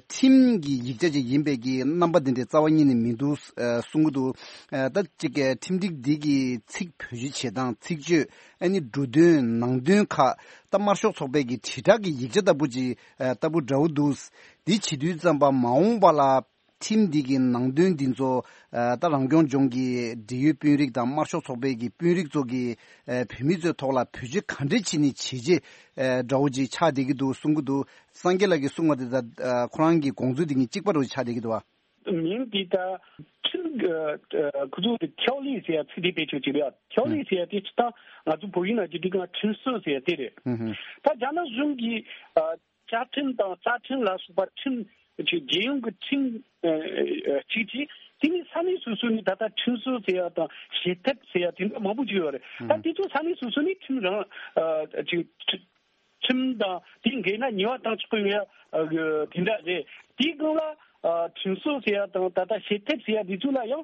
ཁྲིམས་ཀྱི་ཡིག་ཆ་ཅིག་ཡིན་པའི་གི་རྣམ་པ་འདི་འདྲའི་རྩ་བ་ཉིད་ནས་མི་འདུག་གསུང་གི་འདུག་ད་ཅིག་ཁྲིམས་སྒྲིག་འདི་གི་ཚིག་བེད་སྤྱོད་བྱེད་སྟངས་ཚིག་བརྗོད་ཨ་ནི་འབྲུ་དོན་ནང་དོན་ཁག་ད་དམར་ཤོག་ཚོགས་པའི་གི་དྲིལ་བསྒྲགས་ཀྱི་ཡིག་ཆ་ལྟ་བུ་ཅིག་ལྟ་བུ་འདྲ་བོ་འདུག་འདི་བྱེད་དུས་ཙམ་པ་མ་འོངས་པ་ལ་ཁྲིམས་འདི་གི་ནང་དོན་འདི་ཚོ་ད་རང་སྐྱོང་ལྗོངས་ཀྱི་འབྲེལ་ཡོད་དཔོན་རིགས་དང་དམར་ཤོག་ཚོགས་པའི་གི་དཔོན་རིགས་ཚོ་གི་བོད་མི་ཚོའི་ཐོག་ལ་བེད་སྤྱོད་ག་འདྲས་བྱས་ནས་བྱས་རྗེས་འདྲ་བོ་ཅིག་ཆགས་བསྡད་ཀྱི་འདུག་གསུང་གི་འདུག་སངས་རྒྱས་ལགས་ཀྱིས་གསུངས་པ་དེ་དང་ཁོ་རང་གི་དགོངས་ཚུལ་དེ་གཉིས་གཅིག་པ་རུ་ཆགས་བསྡད་ཀྱི་འདུག་བ། མིང་དེ་ད་ཁྲིམས་ཁོ་ཚོ་དེ་ཐའོ་ལི་ཟེར་ཡ་ཚིག་དེ་བེད་སྤྱོད་བྱས་པ་ཡ། ཐའོ་ལི་ཟེར་ཡ་དེ་སྤྱིར་བཏང་ང་ཚོ་བོད་ཡིག་ནང་བྲིས་དུས་སྒང་ཁྲིམས་སྲོལ་ཟེར་ཡ་དེ་རེད། ད་རྒྱ་ནག་གཞུང་གིས་བཅའ་ཁྲིམས་དང་རྩ་ཁྲིམས་ལ་སོགས་པ་ཁྲིམས་ཅིག་རྒྱལ་ཡོངས་ཀྱི་ཁྲིམས་གཅིག་གིས་དེ་ནི་ས་གནས་སོ་སོ་ནས་ད་ལྟ་ཁྲིམས་སྲོལ་ཟེར་ཡ་དང་བྱེད་ཐབས་ཟེར་ཡ་དེ་འདྲ་མང་པོ་ཅིག་ཡོད་རེད། ད་དེ་ཚོ་ས་གནས་སོ་སོ་ནས་ཁྲིམས་རང་ཅིག་ཁྲིམས་དང་དེའི་འགལ་ན་ཉེས་པ་བཏང་ཆོག་གི་ཡོད་ཡ་དེ་འདྲ་རེད། དེའི་སྒང་ལ་ཁྲིམས་སྲོལ་ཟེར་ཡ་དང་ད་ལྟ་བྱེད་ཐབས་ཟེར་ཡ་དེ་ཚོ་ལ་ཡང་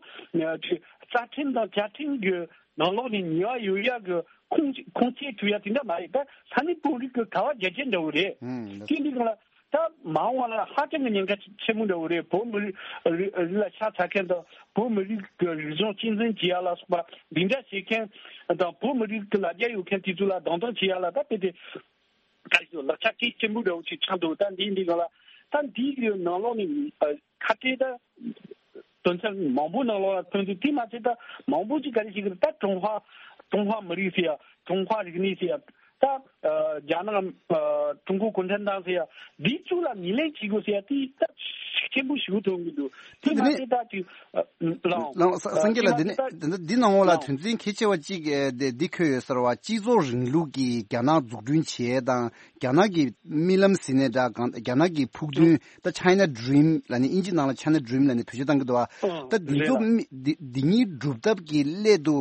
རྩ་ཁྲིམས་དང་བཅའ་ཁྲིམས་ཀྱི་ནང་ལོགས་ནས་ཉེས་པ་ཡོད་ཡ་གི་ཁུངས་ཁུངས་སྐྱེལ་ཐུབ་ཡ་དེ་འདྲ་མ་རེད། ད་ས་གནས་དཔོན་རིགས་ཀྱི་ག་བ་རྒྱ་ཆེན་འདྲ་བོ་རེད། དེ་འདི་སྒང་ལ་ད་མ་འོངས་པ་ལ་ཧ་ཅང་གི་ཉེན་ཁ་ཆེན་པོ་འདྲ་བོ་རེད། བོད་མི་རིགས་རིགས་ལ་ཤ་ཚ་མཁན་དང་བོད་མི་རིགས་ཀྱི་རིག་གཞུང་གཅེས་འཛིན་བྱེད་ཡ་ལ་སོགས་པ་འདི་འདྲ་བྱེད་མཁན་དང་བོད་མི་རིགས་ཀྱི་ལ་རྒྱ་ཡོད་མཁན་དེ་ཚོ་ལ་རྡུང་རྡེག་བྱེད་ཡ་ལ་ད་དཔེ་དེ། ད་ལག་ཆ་གལ་ཆེན་པོ་འདྲ་བོ་ཞིག་ཆགས་འདུག་ད་འདིའི་འདི་ག་ལ་ད་འདིའི་གི་ནང་ལོགས་ནས་ཁ་བྲལ་ད་དོན་ཚན་མང་པོ་ནང་ལོགས་ལ་ཐོན་འདུག་དེ་མ་ཚད་ད་མང་པོ་ཅིག་ག་རེ་ཞིག་གི་ད་ཀྲུང་ཧྭ་ཀྲུང་ཧྭ་མི་རིགས་ཟེར་ཡ་ཀྲུང་ཧྭ་རིག་གནས་ཟེར་ཡ་ད་རྒྱ་ནག་ཀྲུང་གོ་གུང་ཁྲན་ཏང་ཟེར་ཡ་འདི་ཚོ་ལ་ངོས་ལེན་བྱེད་དགོས་ཟེར་ཡ་དེ་ད་ཤུགས་ཆེན་པོ་ཞིག་ཐོན་གི་འདུག་དེ་མ་ཚད་ད་ཅིག་ལའོ། ལའོ་ས་སངས་རྒྱས་ལགས། འདི་ནས་འདི་ནང་ལོགས་ལ་དོན་ཚན་གལ་ཆེ་བ་གཅིག་འདི་འདི་འཁོད་ཡོད་ཟེར་བ། སྤྱི་ཚོགས་རིང་ལུགས་ཀྱི་རྒྱ་ནག་འཛུགས་སྐྲུན་བྱེད་ཡས་དང་རྒྱ་ནག་གི་རྨི་ལམ་ཟེར་ནའི་འདྲ་གང་རྒྱ་ནག་གི་ཕུགས་འདུན་ད་China Dream ལབ་ནས་དབྱིན་ཇི་ནང་ལ་China Dream ལབ་ནས་བེད་སྤྱོད་བཏང་གི་འདུག་བ། ད་འདི་ཚོ་མི་འདི་འདི་གཉིས་སྒྲུབ་ཐབས་ཀྱི་སླད་དུ་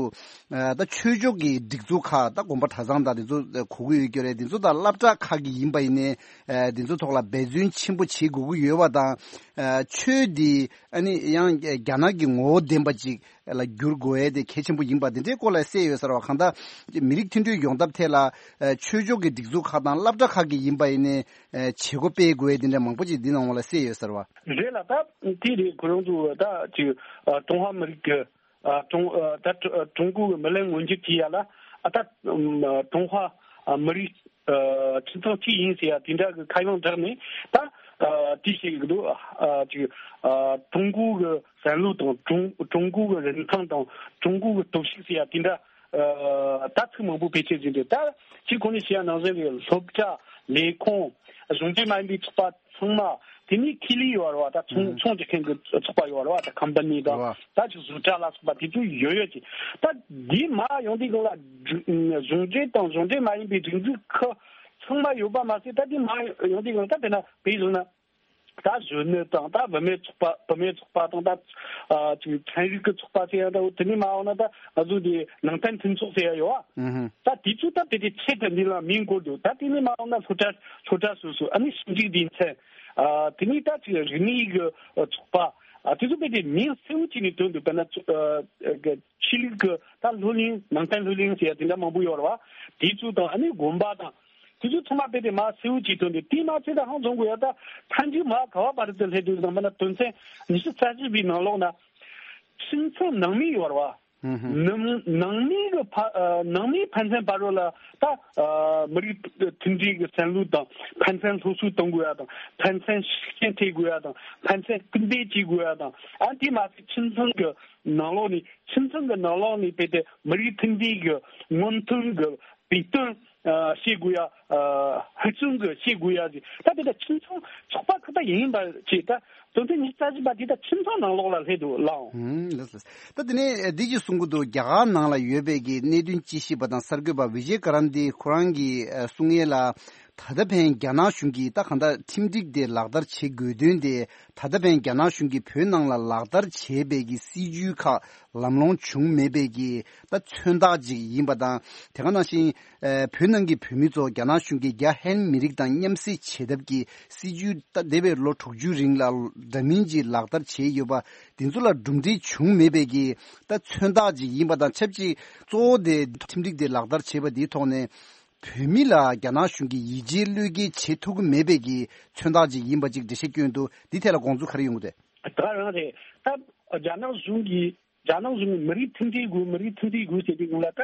ད་ཆོས་ཕྱོགས་ཀྱི་སྒྲིག་འཛུགས་ཁག་ད་དགོན་པ་གྲྭ་ཚང་དང་འདི་ཚོ་གོ་གི་ཡོད་ཀྱི་རེད། འདི་ཚོ་དང་སློབ་གྲྭ་ཁག་གི་ཡིན་པ་ཡིན་ནའི་འདི་ཚོ་ཐོག་ལ་འབད་བརྩོན་ཆེན་པོ་བྱེད་དགོས་ཀྱི་ཡོད་པ་དང་ཆོས་འདི་ཨ་ནི་ཡང་རྒྱ་ནག་གི་ངོ་བོ་ལྡན་པ་ཅིག་ལ་བསྒྱུར་དགོས་ཡས་དེ་གལ་ཆེན་པོ་ཡིན་པ་དེ་འདྲའི་སྐོར་ལ་གསལ་ཡོད་ཟེར་བ། གང་ལྟར་མི་རིགས་མཐུན་སྒྲིལ་ཡོང་ཐབས་ཐད་ལ་ཆོས་ཕྱོགས་ཀྱི་སྒྲིག་འཛུགས་ཁག་དང་སློབ་གྲྭ་ཁག་གི་ཡིན་པ་ཡིན་ནའི་བྱེད་སྒོ་སྤེལ་དགོས་ཡས་དེ་འདྲ་མང་པོ་ཅིག་འདི་ནང་ལ་གསལ་ཡོད་ཟེར་བ། རེད་ལ་ད་དེ་རེད། ཁོ་རང་ཚོ་ད་ཅིག་ཀྲུང་ཧྭ་མི་རིགས་ཀྱི་ཀྲུང་ད་ཀྲུང་གོ་གི་མི་ལན་མངོན་འགྱུར་བྱེད་ཡ་ལ་ད་ཀྲུང་ཧྭ་མི་རིགས་ཁྱིམ་ཚང་གཅིག་ཡིན་ཟེར་ཡ་དེ་འདྲ་གི་ཁ་གཡང་བསྒྲགས་ནས་ད་དེ་བྱེད་ཀྱི་འདུག་ཅིག་ཀྲུང་གོ་གི་བསམ་བློ་དང་ཀྲུང་ཀྲུང་གོ་གི་རིན་ཐང་དང་ཀྲུང་གོ་གི་སྟོབས་ཤུགས་ཟེར་ཡ་དེ་འདྲ་ད་ཚིག་མང་པོ་བེད་སྤྱོད་བྱས་འདུག་ད་ཅིག་གོང་ནས་བཤད་ཡ་ནང་བཞིན་གྱི་སློབ་གྲྭ་ལས་ཁུངས་གཞུང་འབྲེལ་མ་ཡིན་པའི་ཚོགས་པ་ཚང་མ་དེ་ནས་ཁེ་ལས་ཡོད་རེད་བ། ད་ཚོང་ཚོང་རྒྱག་མཁན་གྱི་ཚོགས་པ་ཡོད་རེད་བ། ད་ཁམ་པ་ནི་དང་ད་ཅིག་བཟོ་གྲྭ་ལ་སོགས་པ་དེ་ཚོ་ཡོད་ཡོད་ཅིག་ད་འདི་མ་ཡོང་དུས་སྒང་ལ་གཞུང་འབྲེལ་དང་གཞུང་འབྲེལ་མ་ཡིན་པའི་སྒྲིག་འཛུགས་ཁག་ཚང་མ་ཡོད་པ་མ་ཟད། ད་འདི་མ་ཡོང་དུས་སྒང་ལ་ད་དཔེར་ན་བོད་བཟོ་ན་ད་གཞོན་ནུ་དང་ད་བུད་མེད་ཚོགས་པ་བུད་མེད་ཚོགས་པ་དང་ད་ཅིག་ཚན་རིག་གི་ཚོགས་པ་ཟེར་ཡ་འདྲ་བོ། དེ་ནས་མ་འོངས་ན་ད་ང་ཚོ་འདི་ནང་བསྟན་མཐུན་ཚོགས་ཟེར་ཡ་ཡོད་བ། ད་དེ་ཚོ་ད་དེ་དེ་ཆེད་དུ་འདི་ལ་མིང་བཀོད་འདུག་ད་དེ་ནས་མ་འོངས་ན་སློབ་གྲྭ་སློབ་གྲྭ་སོ་སོ་ཨ་ནི་ཞིབ་འཇུག་སྡེ་ཚན་དེ་ནས་ད་ཅིག་རིག་གནས་ཀྱི་ཚོགས་པ་དེ་ཚོ་དཔེ་དེ་མིང་གསལ་བོ་བྱས་ནས་བཏོན་འདུག་དཔེར་ན་ཆོས་ལུགས་ཀྱི་ད་སློབ་གླིང་ནང་བསྟན་སློབ་གླིང་ཟེར་ཡ་དེ་འདྲ་མང་པོ་ཡོད་རེད་བ། དེ་ཚོ་དང་ཨ་ནི་དགོན་པ་དང་། དེ་ཚོ་ཚང་མ་དཔེ་དེ་མ་གསལ་བོ་བྱས་བཏོན་ཏེ་དེ་མ་ཚད་ད་ཧང་བཟུང་དགོས་ཡ། ད་མཐའ་མཇུག་མ་ག་བ་བར་དུ་སླེབས་འདུག་ཟེར་ན་དོན་ཚན་ཉི་ཤུ་རྩ་བཞི་པའི་ནང་ལོགས་ན་ཁྱིམ་ཚང་ནང་མི་ཡོད་རེད་བ། ནང་ནང་མི་གི་ཕ་ནང་མིའི་ཕན་ཚུན་བར་རོ་ལ་ད་མི་རིགས་མཐུན་སྒྲིལ་གྱི་བསམ་བློ་དང་ཕན་ཚུན་སློབ་གསོ་གཏོང་དགོས་ཡ་དང་ཕན་ཚུན་ཤུགས་རྐྱེན་ཐེབས་དགོས་ཡ་དང་ཕན་ཚུན་སྐུལ་འདེད་བྱེད་དགོས་ཡ་དང་། ཨ་དེ་མ་ཚད་ཁྱིམ་ཚང་གི་ནང་ལོགས་ནས་ཁྱིམ་ཚང་གི་ནང་ལོགས་ནས་དཔེ་དེ་མི་རིགས་མཐུན་སྒྲིལ་གྱི་སྔོན་ཐོན་གྱི་བོད་དོན་ཨ་བྱེད་དགོས་ཡ། ཨ་ཧུར་བརྩོན་གྱི་བྱེད་དགོས་ཡ་ཟེར། ད་དེ་ད་ཁྱིམ་ཚང་ཚོགས་པ་ཁག་ད་ཡིན་པ་བྱས། ད་དོན་ཚན་ཉི་ཤུ་རྩ་བཞི་པ་དེ་ད་ཁྱིམ་ཚང་ནང་ལོགས་ལ་སླེབས་འདུག་ལགས། ཧུམ་ལགས་སོ། ད་དེ་ནས་འདི་ཅིག་གསུང་གི་འདུག་རྒྱ་གར་ནང་ལ་ཡོད་པའི་གི་གནད་དོན་དཔྱད་ཞིབ་པ་དང་གསར་འགོད་པ་བི་ཇེ་ཀ་རན་དི་ཁོ་རང་གི་ཨ་གསུང་ཡས་ལ། ད་ལྟ་ཕན་རྒྱ་ནག་གཞུང་གིས་ད་གང་ལྟར་ཁྲིམས་སྒྲིག་དེ་ལག་བསྟར་བྱེད་དགོས་དོན་དེ། ད་ལྟ་ཕན་རྒྱ་ནག་གཞུང་གིས་བོད་ནང་ལ་ལག་བསྟར་བྱས་པའི་གི་སྲིད་ཇུས་ཁག་ལམ་ལྷོང་བྱུང་མེད་པའི་གི་ད་མཚོན་རྟགས་ཅིག་ཡིན་པ་དང་། དེ་ག་ནང་བཞིན་ཨ་བོད་ནང་གི་བོད་མི་ཚོ་རྒྱ་ནག་གཞུང་གིས་རྒྱ་ཧན་མི་རིགས་དང་མཉམ་བསྲེས་བྱེད་ཐབས་ཀྱི་སྲིད་ཇུས་ད་འདས་པའི་ལོ་དྲུག་ཅུ་རིང་ལ་འདྲ་མིན་གྱིས་ལག་བསྟར་བྱས་ཡོད་པ། དེ་ཚོ་ལ་གྲུབ་འབྲས་བྱུང་མེད་པའི་གི་ད་མཚོན་རྟགས་ཅིག་ཡིན་པ་དང་ཆབས་ཅིག། གཙོ་བོ་དེ་ཁྲིམས་སྒྲིག་དེ་ལག་བསྟར་བྱས་པ་དེའི་ཐོག་ནས། བོད་མི་ལ་རྒྱ་ནག་གཞུང་གིས་ཡིད་ཆེས་བློས་འགེལ་བྱེད་ཐུབ་ཀྱི་མེད་པའི་གི་མཚོན་རྟགས་ཅིག་ཡིན་པ་ཅིག་འགྲེལ་བཤད་སྐྱོན་འདུག། འདི་ཐད་ལ་དགོངས་ཚུལ་ག་རེ་ཡོང་གི་འདུག། ད་རང་རེད། ད་རྒྱ་ནག་གཞུང་གིས་རྒྱ་ནག་གཞུང་གིས་མི་རིགས་མཐུན་སྒྲིལ་དགོས། མི་རིགས་མཐུན་སྒྲིལ་དགོས་ཟེར་དུས་སྒང་ལ། ད་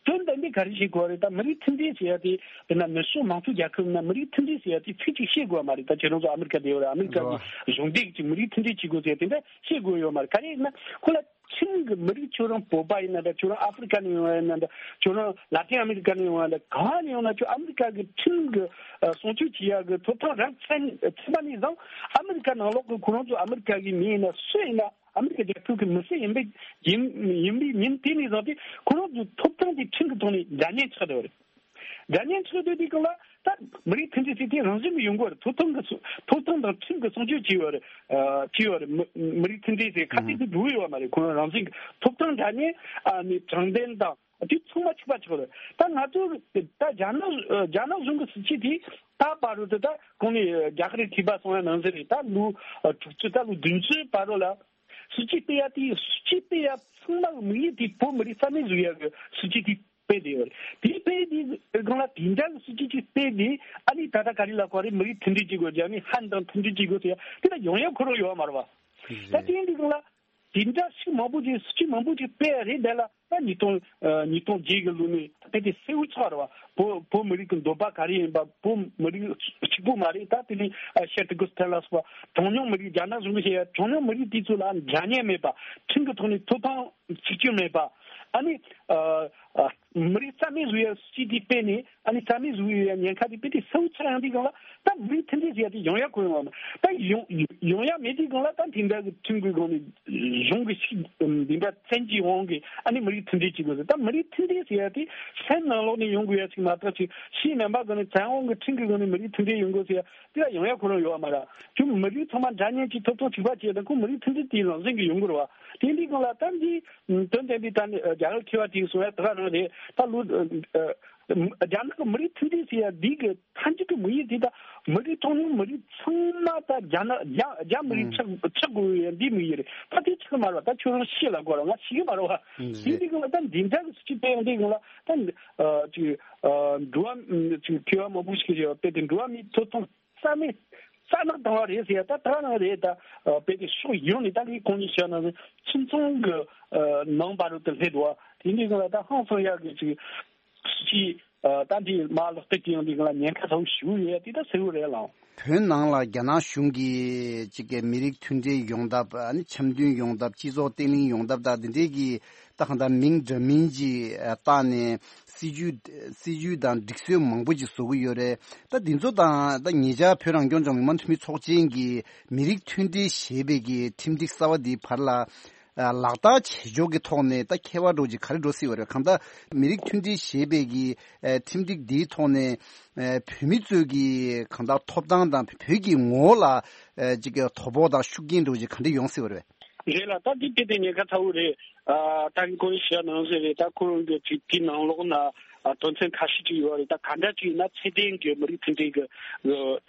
དོན་དམ་པའི་ག་རེ་བྱེད་དགོས་རེད། ད་མི་རིགས་མཐུན་སྒྲིལ་ཟེར་ཡ་དེ། དཔེར་ན་ནུབ་ཕྱོགས་མང་གཙོ་རྒྱལ་ཁབ་ན་མི་རིགས་མཐུན་སྒྲིལ་ཟེར་ཡ་དེ་ཚིག་ཅིག་བཤད་དགོས་མ་རེད། ད་ཁྱེད་རང་ཚོ་ཨ་མི་རི་ཀ་བསྡད་ཡོད་རེད། ཨ་མི་རི་ཀ་གི་གཞུང་འབྲེལ་གྱི་མི་རིགས་མཐུན་སྒྲིལ་བྱེད་དགོས་ཟེར་ཡ་དེ་འདྲ་བཤད་དགོས་ཡོད་མ་རེད། ག་རེ་ཡིན་ན་ཁོ་ལ་ཁྲིམས་ཀྱི་མི་རིགས། ཁྱོད་རང་བོད་པ་ཡིན་ན་འདྲ། ཁྱོད་རང་ཨ་ཧྥི་རི་ཀ་ནས་ཡོང་བ་ཡིན་ན་འདྲ། ཁྱོད་རང་ལ་ཏིན་ཨ་མི་རི་ཀ་ནས་ཡོང་བ་ཡིན་ན་འདྲ། གང་ནས་ཡོང་ན་ཁྱོད་ཨ་མི་རི་ཀ་གི་ཁྲིམས་ཀྱི་ཨ་སྲུང་སྐྱོབ་བྱེད་ཡག་གི་ཐོབ་ཐང་རག་ཚར་ཚར་བ་ནས་བཟུང་། ཨ་མི་རི་ཀ་ནང་ལོགས་ཀྱི་ཁོ་རང་ཚོ་ཨ་མི་རི་ཀ་གི་མི་ཡིན་ན་སུ་ཡིན་ན། ཨ་མི་རི་ཀ་རྒྱལ་ཁབ་ཀྱི་མི་སེར་ཡིན་པའི་ཡིན་ཡིན་པའི་ཉིན་དེ་ནས་བཟུང་སྟེ་ཁོ་རང་ཚོའི་ཐོབ་ཐང་དེ་ཁྲིམས་ཀྱི་ཐོག་ནས་འདྲ་མཉམ་ཆགས་བསྡད་པ་རེད། འདྲ་མཉམ་ཆགས་བསྡད་དུས་སྒང་ལ་ད་མི་རིགས་མཐུན་སྒྲིལ་ཟེར་དེ་རང་བཞིན་གྱིས་ཡོང་གི་རེད། ཐོབ་ཐང་གི་སྲུང་ཐོབ་ཐང་དང་ཁྲིམས་ཀྱི་སྲུང་སྐྱོབ་བྱས་ཡོད་རེད། ཨ་བྱས་ཡོད་རེད། མི་མི་རིགས་མཐུན་སྒྲིལ་ཟེར་ཁ་གཏད་དུ་འགྲོ་ཡོད་མ་རེད། ཁོ་རང་རང་བཞིན་གྱི་ཐོབ་ཐང་འདྲ་མཉམ་ཨ་ནི་དྲང་བདེན་དང་དེ་ཚང་མ་གཅིག་པ་ཆགས་རེད། ད་ང་ཚོ་ད་རྒྱ་ནག་རྒྱ་ནག་གཞུང་གི་སྲིད་ཇུས་དེ་ད་བར་དུ་ད་གོང་ནས་རྒྱ་གར་ཐིགས་པ་སོང་ཡ་ནང་ཟེར་རེད། ད་ལོ་དྲུག་ཅུ་ད་ལོ་བདུན་ཅུ་བར་དུ་ལ། སྲིད་ཇུས་སྤེལ་ཡ་དེ། སྲིད་ཇུས་སྤེལ་ཡ་ཚང་མ་གི་དམིགས་ཡུལ་དེ་བོད་མི་རིགས་རྩ་མེད་བཟོ་ཡ་གི་སྲིད་ཇུས་དེ་སྤེལ་བསྡད་ཡོད་རེད། དེ་སྤེལ་དེ་སྒང་ལ་དེ་འདྲ་གི་སྲིད་ཇུས་ཅིག་སྤེལ་དེ། ཨ་ནི་ད་ལྟ་ག་རེ་ལབ་དགོས་རེད། མི་རིགས་མཐུན་སྒྲིལ་བྱེད་དགོས། རྒྱ་མི་ཧན་དང་མཐུན་སྒྲིལ་བྱེད་དགོས་ཟེར་ཡ་དེ་ལ་ཡོང་ཡ་ཁོ་རང་ཡོད་མ་རེད་བ། ད་དེ་འདི་སྒང་ལ་དེ་འདྲ་ཞིག་མང་པོ་ཅིག་སྲིད་ཇུས་མང་པོ་ཅིག་སྤེལ་ཡ་རེད། དེ་ལ་ད་ཉིས་སྟོང་ཉིས་སྟོང་བརྒྱད་གི་ལོ་ནས་དཔེ་དེ་གསལ་བོ་ཆགས་རེད་བ། བོད་བོད་མི་རིགས་ཀྱི་འདོད་པ་ག་རེ་ཡིན་པ། བོད་མི་རིགས་གཅིག་པུ་མ་རེད། ད་དེ་ནས་ཤར་ཏི་གུ་སི་ཐན་ལ་སོགས་པ་གྲངས་ཉུང་མི་རིགས། རྒྱ་ནག་གཞུང་གིས་བཤད་ཡ་གྲངས་ཉུང་མི་རིགས་དེ་ཚོ་ལ་འདྲ་མཉམ་མེད་པ། ཁྲིམས་ཀྱི་ཐོག་ནས་ཐོབ་ཐང་གཅིག་གྱུར་མེད་པ། ཨ་ནི་ཨ་ཨ་མི་རིགས་རྩ་མེད་བཟོ་ཡ་སྲིད་ཇུས་དེ་སྤེལ་ནས། ཨ་ནི་རྩ་མེད་བཟོ་ཡ་ཉེན་ཁ་དེ་དཔེ་དེ་གསལ་བོ་ཆགས་ཡོང་དུས་སྒང་ལ། ད་མི་རིགས་མཐུན་སྒྲིལ་ཟེར་ཡ་དེ་ཡོང་ཡ་ཁོ་ཡོང་བ་མ། ད་ཡོང་ཡོང་ཡ་མེད་དུས་སྒང་ལ། ད་དེ་འདྲ་གི་ཁྲིམས་ཀྱི་སྒང་ནས་གཞུང་གི་ཞིག་འདི་འདྲ་བཙན་གྱིས་དབང་གིས་ཨ་ནི་མི་རིགས་མཐུན་སྒྲིལ་བྱེད་དགོས་ཟེར། ད་མི་རིགས་མཐུན་སྒྲིལ་ཟེར་ཡ་དེ་སེམས་ནང་ལོགས་ནས་ཡོང་དགོས་ཡ་ཞིག་མ་གཏོགས། ཅིག་ཕྱིའི་རྣམ་པ་སྒང་ནས་བཙན་དབང་གི་ཁྲིམས་ཀྱི་སྒང་ནས་མི་རིགས་མཐུན་སྒྲིལ་ཡོང་དགོས་ཟེར་ཡ་དེ་ལ་ཡོང་ཡ་ཁོ་རང་ཡོད་བ་མ་རེད། ཁྱོད་མི་རིགས་ཚང་མ་འདྲ་མཉམ་གྱི་ཐོབ་ཐང་གཅིག་པ་བྱས་དང་ཁོ་མི་རིགས་མཐུན་སྒྲིལ་དེའི་རང་བཞིན་གྱིས་ཡོང་དགོས་རེད་བ། དེ་འདི་སྒང་ལ་ད་འདི་དོན་དམ་པའི་ད་ནི་རྒྱ་གར་མཁས་པ་དེས་གསུང་ཡ་དེ་ག་རང་རེད། ད་ལོ་ཨ་རྒྱ་ནག་གི་མི་རིགས་མཐུན་སྒྲིལ་ཟེར་ཡ་འདི་གི་མཐའ་མཇུག་གི་དམིགས་ཡུལ་དེ། ད་མི་རིགས་གྲངས་ཉུང་མི་རིགས་ཚང་མ་ད་རྒྱ་ནག་རྒྱ་རྒྱ་མི་རིགས་ཆགས་ཆགས་དགོས་ཡ་འདི་དམིགས་ཡུལ་རེད། ད་དེ་ཆགས་མ་རེད་བ། ད་ཁྱོད་རང་ཤེས་ལ་གོ་ར་ང་ཤེས་གི་མ་རེད་བ། དེ་འདི་སྒང་ལ་ད་འདི་འདྲ་གི་སྲིད་ཇུས་སྤེལ་ཡོང་དུས་སྒང་ལ། ད་ཨ་ཅིག་ཨ་འགྲོ་བ་ཅིག་མཁས་པ་མང་པོ་ཞིག་གིས་བཤད་པ་དཔེ་དེ་འགྲོ་བ་མིའི་ཐོབ་ཐང་རྩ་མེད་རྩ་ནག་བཏང་བ་རེད་ཟེར་ཡ། ད་ད་ག་རང་རེད། ད་ཨ་དཔེ་དེ་ཕྱོགས་ཡོངས་ནས་ད་ངས་གོང་ནས་བཤད་ན་ཁྱིམ་ཚང་གི་ཨ་ནང་བར་དུ་སླེབས་འདུག་བ། དེ་འདི་སྒང་ལ་ད་ཧང་སང་ཡག་གི་ཅིག་སྲིད་ཇུས་ཨ་ད་འདི་མར་ལག་བསྟར་བྱེད་ཡོང་དུས་སྒང་ལ་ཉེན་ཁ་ཚ་བོ་ཞེ་པོ་ཡོད་ཡ་དེ་ད་གསལ་བོ་རེད་ལགས། བོད་ནང་ལ་རྒྱ་ནག་གཞུང་གིས་ཅིག་གི་མི་རིགས་མཐུན་སྒྲིལ་ཡོང་ཐབས། ཨ་ནི་འཆམ་མཐུན་ཡོང་ཐབས། སྤྱི་ཚོགས་བརྟན་ལྷིང་ཡོང་ཐབས་དང་དེ་འདྲའི་གི་ད་གང་ལྟར་མིང་འདྲ་མིན་ཅིག་ཨ་བཏགས་ནས་སྲིད་ཇུས་སྲིད་ཇུས་དང་སྒྲིག་སྲོལ་མང་པོ་ཅིག་བཟོ་གི་ཡོད་རེད། ད་འདི་ཚོ་དང་ད་ཉེ་ཆར་བོད་རང་སྐྱོང་ལྗོངས་མི་དམངས་འཐུས་མི་ཚོགས་ཆེན་གྱིས་མི་རིགས་མཐུན་སྒྲིལ་ཞེས་པའི་གི་ཁྲིམས་སྒྲིག་གསར་བ་འདིའི་བར་ལ་ཨ་ལག་བསྟར་བྱེད་ཕྱོགས་ཀྱི་ཐོག་ནས་ད་ཁྱད་པར་འདྲ་བོ་ཅིག་ག་རེ་འགྲོ་སྲིད་པ་རེད། གང་ལྟར་མི་རིགས་མཐུན་སྒྲིལ་ཞེས་པའི་གི་ཨ་ཁྲིམས་སྒྲིག་འདིའི་ཐོག་ནས་ཨ་བོད་མི་ཚོའི་གི་གང་ལྟར་ཐོབ་ཐང་དང་བོད་ཀྱི་ངོ་བོ་ལ་ཨ་ཅིག་གི་དོ་ཕོག་དང་ཤུགས་རྐྱེན་འདྲ་བོ་ཅིག་ག་འདྲ་ཡོང་སྲིད་པ་རེད། རེད་ལ། ད་འདི་དཔེ་དེ་ཉེན་ཁ་ཚ་བོ་རེད། ཨ་ད་གིན་ཁོང་གིས་བཤད་ནང་བཞིན་རེད། ད་ཁོ་རང་གི་ཅིག་དེའི་ནང་ལོགས་ན་ཨ་དོན་ཚན་ཁ་ཤས་ཅིག་ཡོད་རེད། ད་ག་འདྲ་ཅིག་ཡིན་ན་ཚད་ལྡན་གྱི་མི་རིགས་མཐུན་སྒྲིལ་གྱི་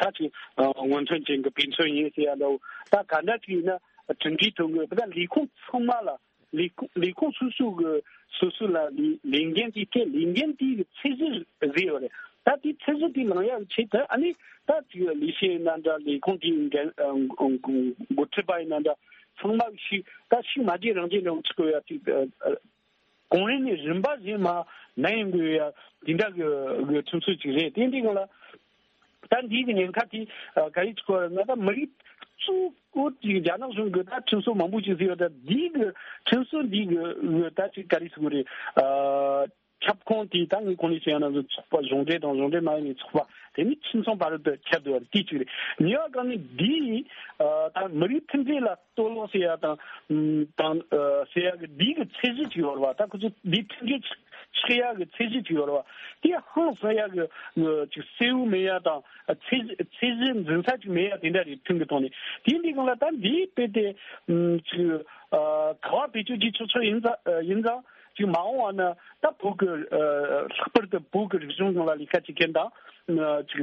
ཨ་ད་ཅིག་ཨ་སྔོན་ཐོན་ཅན་གྱི་དཔེ་མཚོན་ཡིན་ཟེར་ཡ་འདྲ་བོ། ད་ག་འདྲ་ཅིག་ཡིན་ན་ཁྲིམས་འགལ་ཐོན་གི། ད་ལས་ཁུངས་ཚང་མ་ལ། ལས་ཁུངས་ལས་ཁུངས་སོ་སོ་གི་སོ་སོ་ལ་ལས་ལས་འགན་དེ་སྤྲད། ལས་འགན་དེ་གི་ཚད་གཞི་བཟོས་ཡོད་རེད། ད་དེ་ཚད་གཞི་དེ་ལངས་ཡག་ཆེད་དུ་ཨ་ནི་ད་ཅིག་ལས་བྱེད་ཡིན་ན་འདྲ། ལས་ཁུངས་དེའི་འགན་ཨ་འགོ་འགོ་ཁྲིད་པ་ཡིན་ན་འདྲ། ཚང་མ་ཞིག་ད་ཞིག་མ་བརྗེད་རང་བརྗེད་འདྲ་བོ་ཆགས་ཡོད་ཡ་ཅིག་ཨ་ཨ་གོང་རིམ་ནས་རིམ་པ་བཞིན་མར་ནན་དགོས་ཡ་དེ་འདྲ་གི་གི་ཁྲིམས་སྲོལ་ཅིག་རེད། དེ་འདི་སྒང་ལ་ད་འདི་གི་ཉེན་ཁ་དེ་ཨ་ག་རེ་ཆགས་ཡོད་ན། ད་མི་རིགས་གཙོ་བོ་ཅིག་རྒྱ་ནག་གཞུང་གི་ད་ཁྲིམས་སྲོལ་མང་པོ་ཅིག་བཟོས་ཡོད། ད་འདི་གི་ཁྲིམས་སྲོལ་འདི་གི་གི་ད་ཅིག་ག་རེ་ཟེར་དགོས་རེད། ཨ་ཁྱབ་ཁོངས་དེ་ད་ངས་གོང་ནས་བཤད་ཡ་ནང་བཞིན་ཚོགས་པ་གཞུང་འབྲེལ་དང་གཞུང་འབྲེལ་མ་ཡིན་པའི་ཚོགས་པ། དེ་ནི་ཁྱིམ་ཚང་བར་དུ་ཁྱབ་བསྡད་པ་རེད། དེ་གཅིག་རེད། གཉིས་པ་གང་ནི་འདིས་ཨ་ད་མི་རིགས་མཐུན་སྒྲིལ་ལ་གཏོར་བརླག་བྱེད་ཡ་དང་དང་ཨ་བྱེད་ཡ་གི་འདི་གི་ཚད་གཞི་ཅིག་ཡོད་རེད་བ། ད་ཁོ་ཚོ་འདི་མཐུན་སྒྲིལ་ ཐེག་ཡག་གི་ཚད་གཞི་ཅིག་ཡོད་རེད་བ། དེ་ཧང་སང་ཡག་གི་ཅིག་གསལ་བོ་མེད་ཡག་དང་ཚད་ཚད་གཞི་འཛིན་ས་ཅིག་མེད་ཡག་དེ་འདྲ་རེད། ཐོན་གི་ཐོག་ནས་དེ་འདི་སྒང་ལ་ད་འདིའི་དཔེ་དེ་ཅིག་ག་བ་བེད་སྤྱོད་བྱེད་ཆོག་ཆོག་ཡིན་ཙང་ཡིན་ཙང་ཅིག་མ་འོངས་བ་ན་ད་བོད་ཀྱི་ལྷག་པར་དུ་བོད་ཀྱི་རིག་གཞུང་སྒང་ལ་ལས་ཀ་བྱེད་མཁན་དང་ཅིག་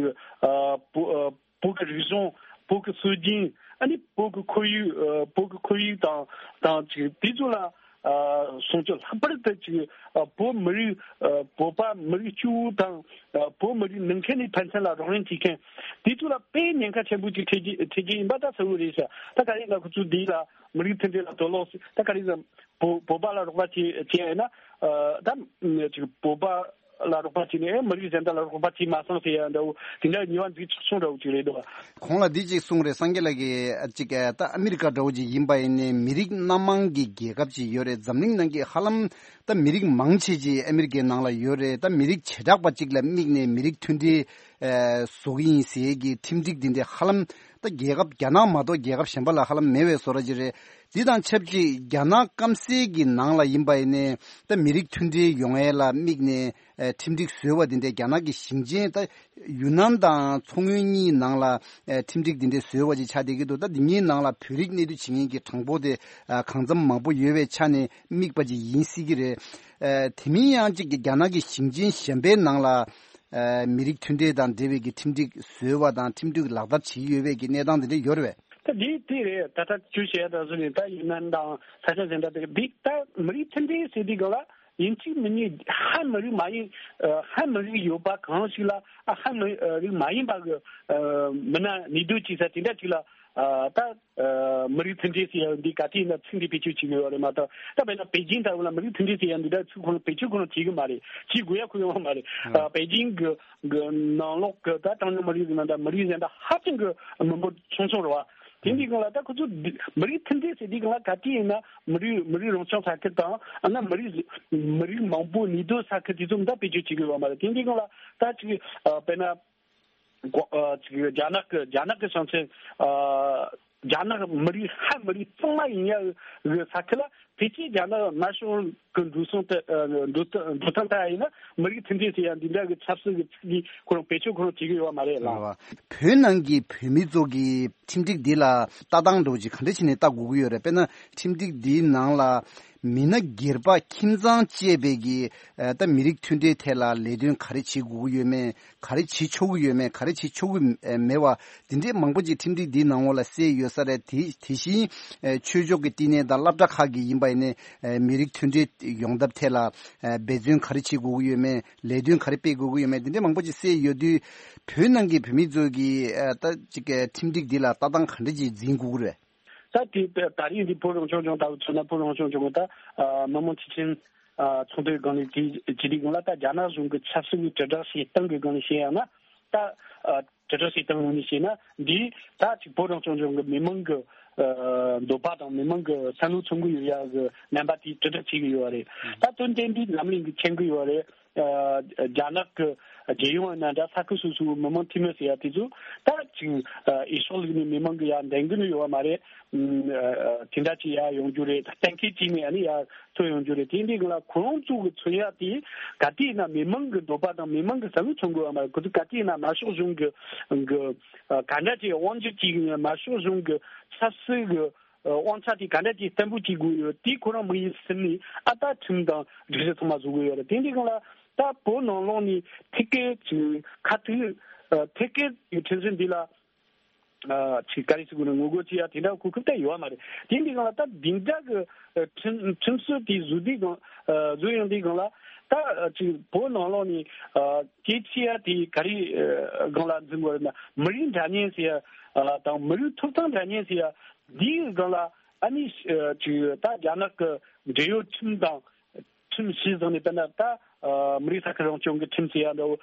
བོད། བོད་ཀྱི་རིག་གཞུང་། བོད་ཀྱི་སྲོལ་རྒྱུན། ཨ་ནི་བོད་ཀྱི་ཁོར་ཡུག་ཨ། བོད་ཀྱི་ཁོར་ཡུག་དང་དང་ཅིག་དེ་ཚོ་ལ་ཨ། སྲུང་སྐྱོབ། ལྷག་པར་དུ་ཅིག་ཨ། བོད་མི་རིགས་ཨ། བོད་པ་མི་རིགས་སྐྱོ་བོ་དང་ཨ། བོད་མི་རིགས་ནང་ཁུལ་ནས་ཕན་ཚུན་ལ་རོགས་རམ་བྱེད་མཁན་དེ་ཚོ་ལ་དཔེ་ཉེན་ཁ་ཆེན་པོ་ཅིག་འཕྲད་རྒྱུ་འཕྲད་རྒྱུ་ཡིན་པ་ད་གསལ་བོ་རེད་ཤག་ད་ག་རེ་ལ་ཁོ་ཚོ་འདི་ལ་མི་རིགས་མཐུན་སྒྲིལ་ལ་དོ་སློང་ད་ག་རེ་ཟེར། བོད་བོད་པ་ལ་རོགས་པ་བྱེད་བྱེད་ཡིན་ན་ཨ། ད་ཅིག་བོད་པ། ལ་རོགས་པ་བྱས་ནས་མི་རིགས་གཞན་དག་ལ་རོགས་པ་བྱས་མ་སོང་ཟེར་ཡ་འདྲ་བོ་དེ་འདྲ་ཉེས་པ་འཛུགས་ཆོག་ཆོག་འདྲ་བོ་ཅིག་རེད་འདུག་གོང་ལ་འདི་གཅིག་གསུངས་རེད། སངས་རྒྱས་ལགས་ཀྱིས་ཨ་ཅིག་ཨ་ད་ཨ་མི་རི་ཀ་འདྲ་བོ་ཅིག་ཡིན་པ་ཡིན་ནའི་མི་རིགས་སྣ་མང་གི་རྒྱལ་ཁབ་ཅིག་ཡོད་རེད། འཛམ་གླིང་ནང་གི་ཧ་ལམ་ད་མི་རིགས་མང་ཆེ་ཅིག་ཨ་མི་རི་ཀའི་ནང་ལ་ཡོད་རེད། ད་མི་རིགས་བྱེ་བྲག་པ་ཅིག་ལ་དམིགས་ནས་མི་རིགས་མཐུན་སྒྲིལ་ཨ་བཟོ་གི་ཡིན་ཟེར་གི་ཁྲིམས་སྒྲིག་འདི་འདྲ་ཧ་ལམ་ད་རྒྱལ་ཁབ་རྒྱ་ནག་མ་གཏོགས་རྒྱལ་ཁབ་གཞན་པ་ལ་ཧ་ལམ་མེད་པའི་བཟོ་འདྲ་ཅིག་རེད། འདི་དང་ཆབས་ཅིག་རྒྱ་ནག་སྐམ་སའི་གི་ནང་ལ་ཡིན་པ་ཡིན་ནའི་ད་མི་རིགས་མཐུན་སྒྲིལ་ཡོང་ཡས་ལ་དམིགས་ནས་ཨ་ཁྲིམས་སྒྲིག་བཟོས་པ་འདི་འདྲའི་རྒྱ་ནག་གི་ཞིང་ཆེན་ད་ཡུན་ནན་དང་མཚོ་སྔོན་གཉིས་ནང་ལ་ཨ་ཁྲིམས་སྒྲིག་འདི་འདྲའི་བཟོས་པ་ཅིག་ཆགས་བསྡད་ཀྱི་འདུག་ད་འདི་གཉིས་ནང་ལ་བོད་རིགས་གནས་སྡོད་བྱེད་མཁན་གྱི་གྲངས་འབོར་དེ་ཨ་གང་འཚམ་མང་པོ་ཡོད་པའི་ཆ་ནས་དམིགས་པ་ཅིག་ཡིན་སྲིད་ཀྱི་རེད། ཨ་དེ་མིན་ཡང་གཅིག་གི་རྒྱ་ནག་གི་ཞིང་ཆེན་གཞན་པའི་ནང་ལ་ཨ་མི་རིགས་མཐུན་སྒྲིལ་དང་འབྲེལ་བའི་གི་ཁྲིམས་སྒྲིག་བཟོས་པ་དང་ཁྲིམས་སྒྲིག་ལག་བསྟར་བྱེད་ཀྱི་ཡོད་པའི་གི་གནས་སྟངས་དེ་འདྲ་ཡོད་རེད་པས། ད་འདི་དེ་རེད། ད་ལྟ་ཁྱོད་བཤད་ཡ་ད་གཟོད་ནས་ད་ཡུན་ནན་དང་ས་ཆ་གཞན་དག་དེ་འདི་ད་མི་རིགས་མཐུན་སྒྲིལ་ཟེར་དུས་སྒང་ལ་ཡིན་གཅིག་མིན་གཉིས་ཧ་མི་རིགས་མ་ཡིན་ཨ་ཧ་མི་རིགས་ཡོད་པ་གང་ཞིག་ལ་ཨ་ཧ་མི་རིགས་མ་ཡིན་པ་གི་ཨ་མི་སྣ་གནས་སྡོད་བྱེད་ས་དེ་འདྲ་ཅིག་ལ་ཨ་ད་ཨ་མི་རིགས་མཐུན་སྒྲིལ་ཟེར་ཡ་འདི་ག་དུས་ཡིན་ན་ཚིག་འདི་བེད་སྤྱོད་བྱེད་གི་ཡོད་རེད་མ་གཏོགས། ད་དཔེར་ན་པེ་ཅིང་ལྟ་བུ་ལ་མི་རིགས་མཐུན་སྒྲིལ་ཟེར་ཡ་འདི་འདྲ་ཚིག་ཁོ་རང་བེད་སྤྱོད་ཁོ་རང་བྱེད་གི་མ་རེད། བྱེད་དགོས་ཡ་ཁོ་ཡོང་བ་མ་རེད། ཨ་པེ་ཅིང་གི་གི་ནང་ལོགས་ཀྱི་ད་གྲངས་ཉུང་མི་རིགས་ཀྱི་ནང་ད་མི་རིགས་གཞན་དག་ཧ་ཅང་གི་མི་འབོར་ཆུང་ཆུང་རེད་བ། དེ་འདི་སྒང་ལ་ད་ཁོ་ཚོ་འདི་མི་རིགས་མཐུན་སྒྲིལ་ཟེར་དུས་སྒང་ལ་ག་དུས་ཡིན་ན་མི་རིགས་མི་རིགས་རང་སྐྱོང་ས་ཁུལ་དང་ཨ་ན་མི་རིགས་མི་རིགས་མང་པོ་གནས་སྡོད་ས་ཁུལ་དེ་ཚོ་འདི་བེད་སྤྱོད་བྱེད་ཀྱི་ཡོད་མ་རེད། དེ་འདི་སྒང་ལ་ད་ཅིག་ཨ་དཔེར་ན་གོ་ཨ་ཅིག་རྒྱ་ནག་གི་རྒྱ་ནག་གི་ཞིང་ཆེན་ཨ་རྒྱ་ནག་མི་རིགས་ཧ་མི་རིགས་གཙང་མ་ཡིན་ཡ་གི་ས་ཁུལ་ལ་ཕལ་ཆེར་རྒྱ་ནག་དམར་ཤོག་གི་འགྲོ་སོང་དེ་ཨ་འགྲོ་སྟངས་འགྲོ་སྟངས་ལྟ་ཡ་ཡིན་ན་མི་རིགས་མཐུན་སྒྲིལ་ཟེར་ཡ་འདི་འདྲ་གི་ཆབ་སྲིད་ཀྱི་ཚིག་འདི་ཁོ་རང་བེད་སྤྱོད་ཁོ་རང་བྱེད་ཀྱི་ཡོད་པ་མ་རེད་ལགས། བོད་ནང་གི་བོད་མི་ཚོ་གི་ཁྲིམས་སྒྲིག་འདི་ལ་ལྟ་སྟངས་འདྲ་བོ་ཅིག་ག་འདྲ་བྱས་ནས་ལྟ་དགོས་ཀྱི་ཡོད་རེད། དཔེར་ན་ཁྲིམས་སྒྲིག་འདིའི་ནང་ལ་མི་སྣ་སྒེར་པ་ཁྱིམ་ཚང་བཅས་པའི་གི་ཨ་ད་མི་རིགས་མཐུན་སྒྲིལ་ཐད་ལ་ལས་དོན་ག་རེ་བྱེད་དགོས་ཀྱི་ཡོད་མེད། ག་རེ་བྱེད་ཆོག་གི་ཡོད་མེད། ག་རེ་བྱེད་ཆོག་གི་མེད་པ་འདི་འདྲའི་མང་པོ་ཅིག་ཁྲིམས་སྒྲིག་འདིའི་ནང་ལོགས་ལ་གསལ་ཡོད་ས་རེད། དེ་དེ་བཞིན་ཆོས་ཕྱོགས་ཀྱི་བསྟི་གནས་དང་སློབ་གྲྭ་ཁག་གི་ཡིན་པ་ཡིན་ནའི་མི་རིགས་མཐུན་སྒྲིལ་ཡོང་ཐབས་ཐད་ལ་འབད་བརྩོན་ག་རེ་བྱེད་དགོས་ཀྱི་ཡོད་མེད། ལས་དོན་ག་རེ་སྤེལ་དགོས་ཀྱི་ཡོད་མེད། འདི་འདྲའི་མང་པོ་ཅིག་གསལ་ཡོད་དུས་བོད་ནང་གི་བོད་མི་ཚོ་གིས་ད་ཅིག་ཁྲིམས་སྒྲིག་འདི་ལ་ལྟ་སྟངས་ག་འདྲ་ཅིག་འཛིན་དགོས་ཀྱི་རེད། ད་དེ་ད་རིང་འདི་བོད་རང་སྐྱོང་ལྗོངས་ལྟ་བུ་མཚོན་ན་བོད་རང་སྐྱོང་ལྗོངས་ཀྱི་ད་མི་དམངས་སྤྱི་ཆིངས་ཚོགས་འདུའི་སྒང་ནས་དེ་ཇི་སྒང་ལ་ད་རྒྱ་ནག་གཞུང་གི་ཆབ་སྲིད་ཀྱི་དྲིལ་བསྒྲགས་བྱེད་སྟངས་ཀྱི་སྒང་ནས་བཤད་ཡང་ན་ད་དྲིལ་བསྒྲགས་བྱེད་སྟངས་ངོས་ནས་བཤད་ན་འདི་ད་ཅིག་བོད་རང་སྐྱོང་ལྗོངས་ཀྱི་མི་མང་གི་འདོད་པ་དང་མི་མང་གི་བསམ་བློ་མཚོན་གྱི་ཡོད་ཡ་གི་རྣམ་པ་དེ་དྲིལ་བསྒྲགས་བྱེད་ཀྱི་ཡོད་རེད། ད་དོན་དེ་འདི་ལམ་ལྷིང་གི་མཁྱེན་གྱི་ཡོད་རེད། རྒྱ་ནག་གི་རྒྱལ་ཡོངས་ཡིན་ན་འདྲ་ས་ཁུལ་སོ་སོའི་མི་མང་འཐུས་མི་ཟེར་ཡ་དེ་ཚོ་ད་ཅིག་འོས་ཤོག་བླུགས་ནས་མི་མང་གི་ཡ་འདེམས་གི་ནི་ཡོད་པ་མ་རེད། དེ་འདྲ་ཅིག་ཡ་ཡོང་རྒྱུ་རེད། གཏན་འཁེལ་བྱས་ནས་ཨ་ནི་ཡ་ཐོན་ཡོང་རྒྱུ་རེད། དེ་འདི་གི་ལ་ཁོ་རང་ཚོ་གི་མཚོན་ཡ་དེ་ག་དུས་ཡིན་ན་མི་མང་གི་འདོད་པ་དང་མི་མང་གི་བསམ་བློ་མཚོན་དགོས་པ་མ་རེད། ཁོ་ཚོ་ག་དུས་ཡིན་ན་དམར་ཤོག་གཞུང་གི་གི་ག་འདྲ་ཅིག་དབང་སྒྱུར་བྱེད་གི་ཡིན། དམར་ཤོག་གཞུང་གི་ཆབ་སྲིད་གི་དབང་ཆ་དེ་ག་འདྲ་ཅིག་བརྟན་པོ་བྱེད་དགོས་ཡོད། དེ་ཁོ་རང་མི་ཡིན་སེམས་ནས་ཨ་ད་ཁྲིམས་དང་སྒྲིག་གཞི་ཚང་མ་བཟོ་དགོས་ཡོད་རེད། དེ་འདི་སྒང་ལ་ད་བོད་ནང་ལོགས་ནས་ཐད་ཀའི་ཅིག་ཁ་ཐུག་ཐད་ཀའི་ཁྲིམས་སྲོལ་འདི་ལ་ཅིག་ག་རེ་ཟེར་དགོས་ན་ངོ་རྒོལ་བྱེད་ཡ་དེ་འདྲ་གོ་སྐབས་ད་ཡོད་པ་མ་རེད། དེ་འདི་སྒང་ལ་ད་འདི་འདྲ་གི་ཁྲིམས་ཁྲིམས་སྲོལ་དེ་བཟོ་དུས་སྒང་བཟོ་ཡོང་དུས་སྒང་ལ་ད་ཅིག་བོད་ནང་ལོགས་ནས་གལ་ཆེ་ཡ་དེ་ག་རེ་སྒང་ལ་འཛིན་དགོས་རེད་ན་མི་རིགས་འདྲ་མཉམ་ཟེར་ཡ་དང་མི་རིགས་ཐོབ་ཐང་འདྲ་མཉམ་ཟེར་ཡ། འདིའི་སྒང་ལ་ཨ་ནི་ཅིག་ད་རྒྱ་ནག་གི་འབྲེལ་ཡོད་ཁྲིམས་དང་ཁྲིམས་གཞི་བཟུང་ནས་དཔེར་ན་ད་མི་རིགས་ས་ཁུལ་རང་སྐྱོང་གི་ཁྲིམས་ཟེར་ཡ་འདྲ་བོ་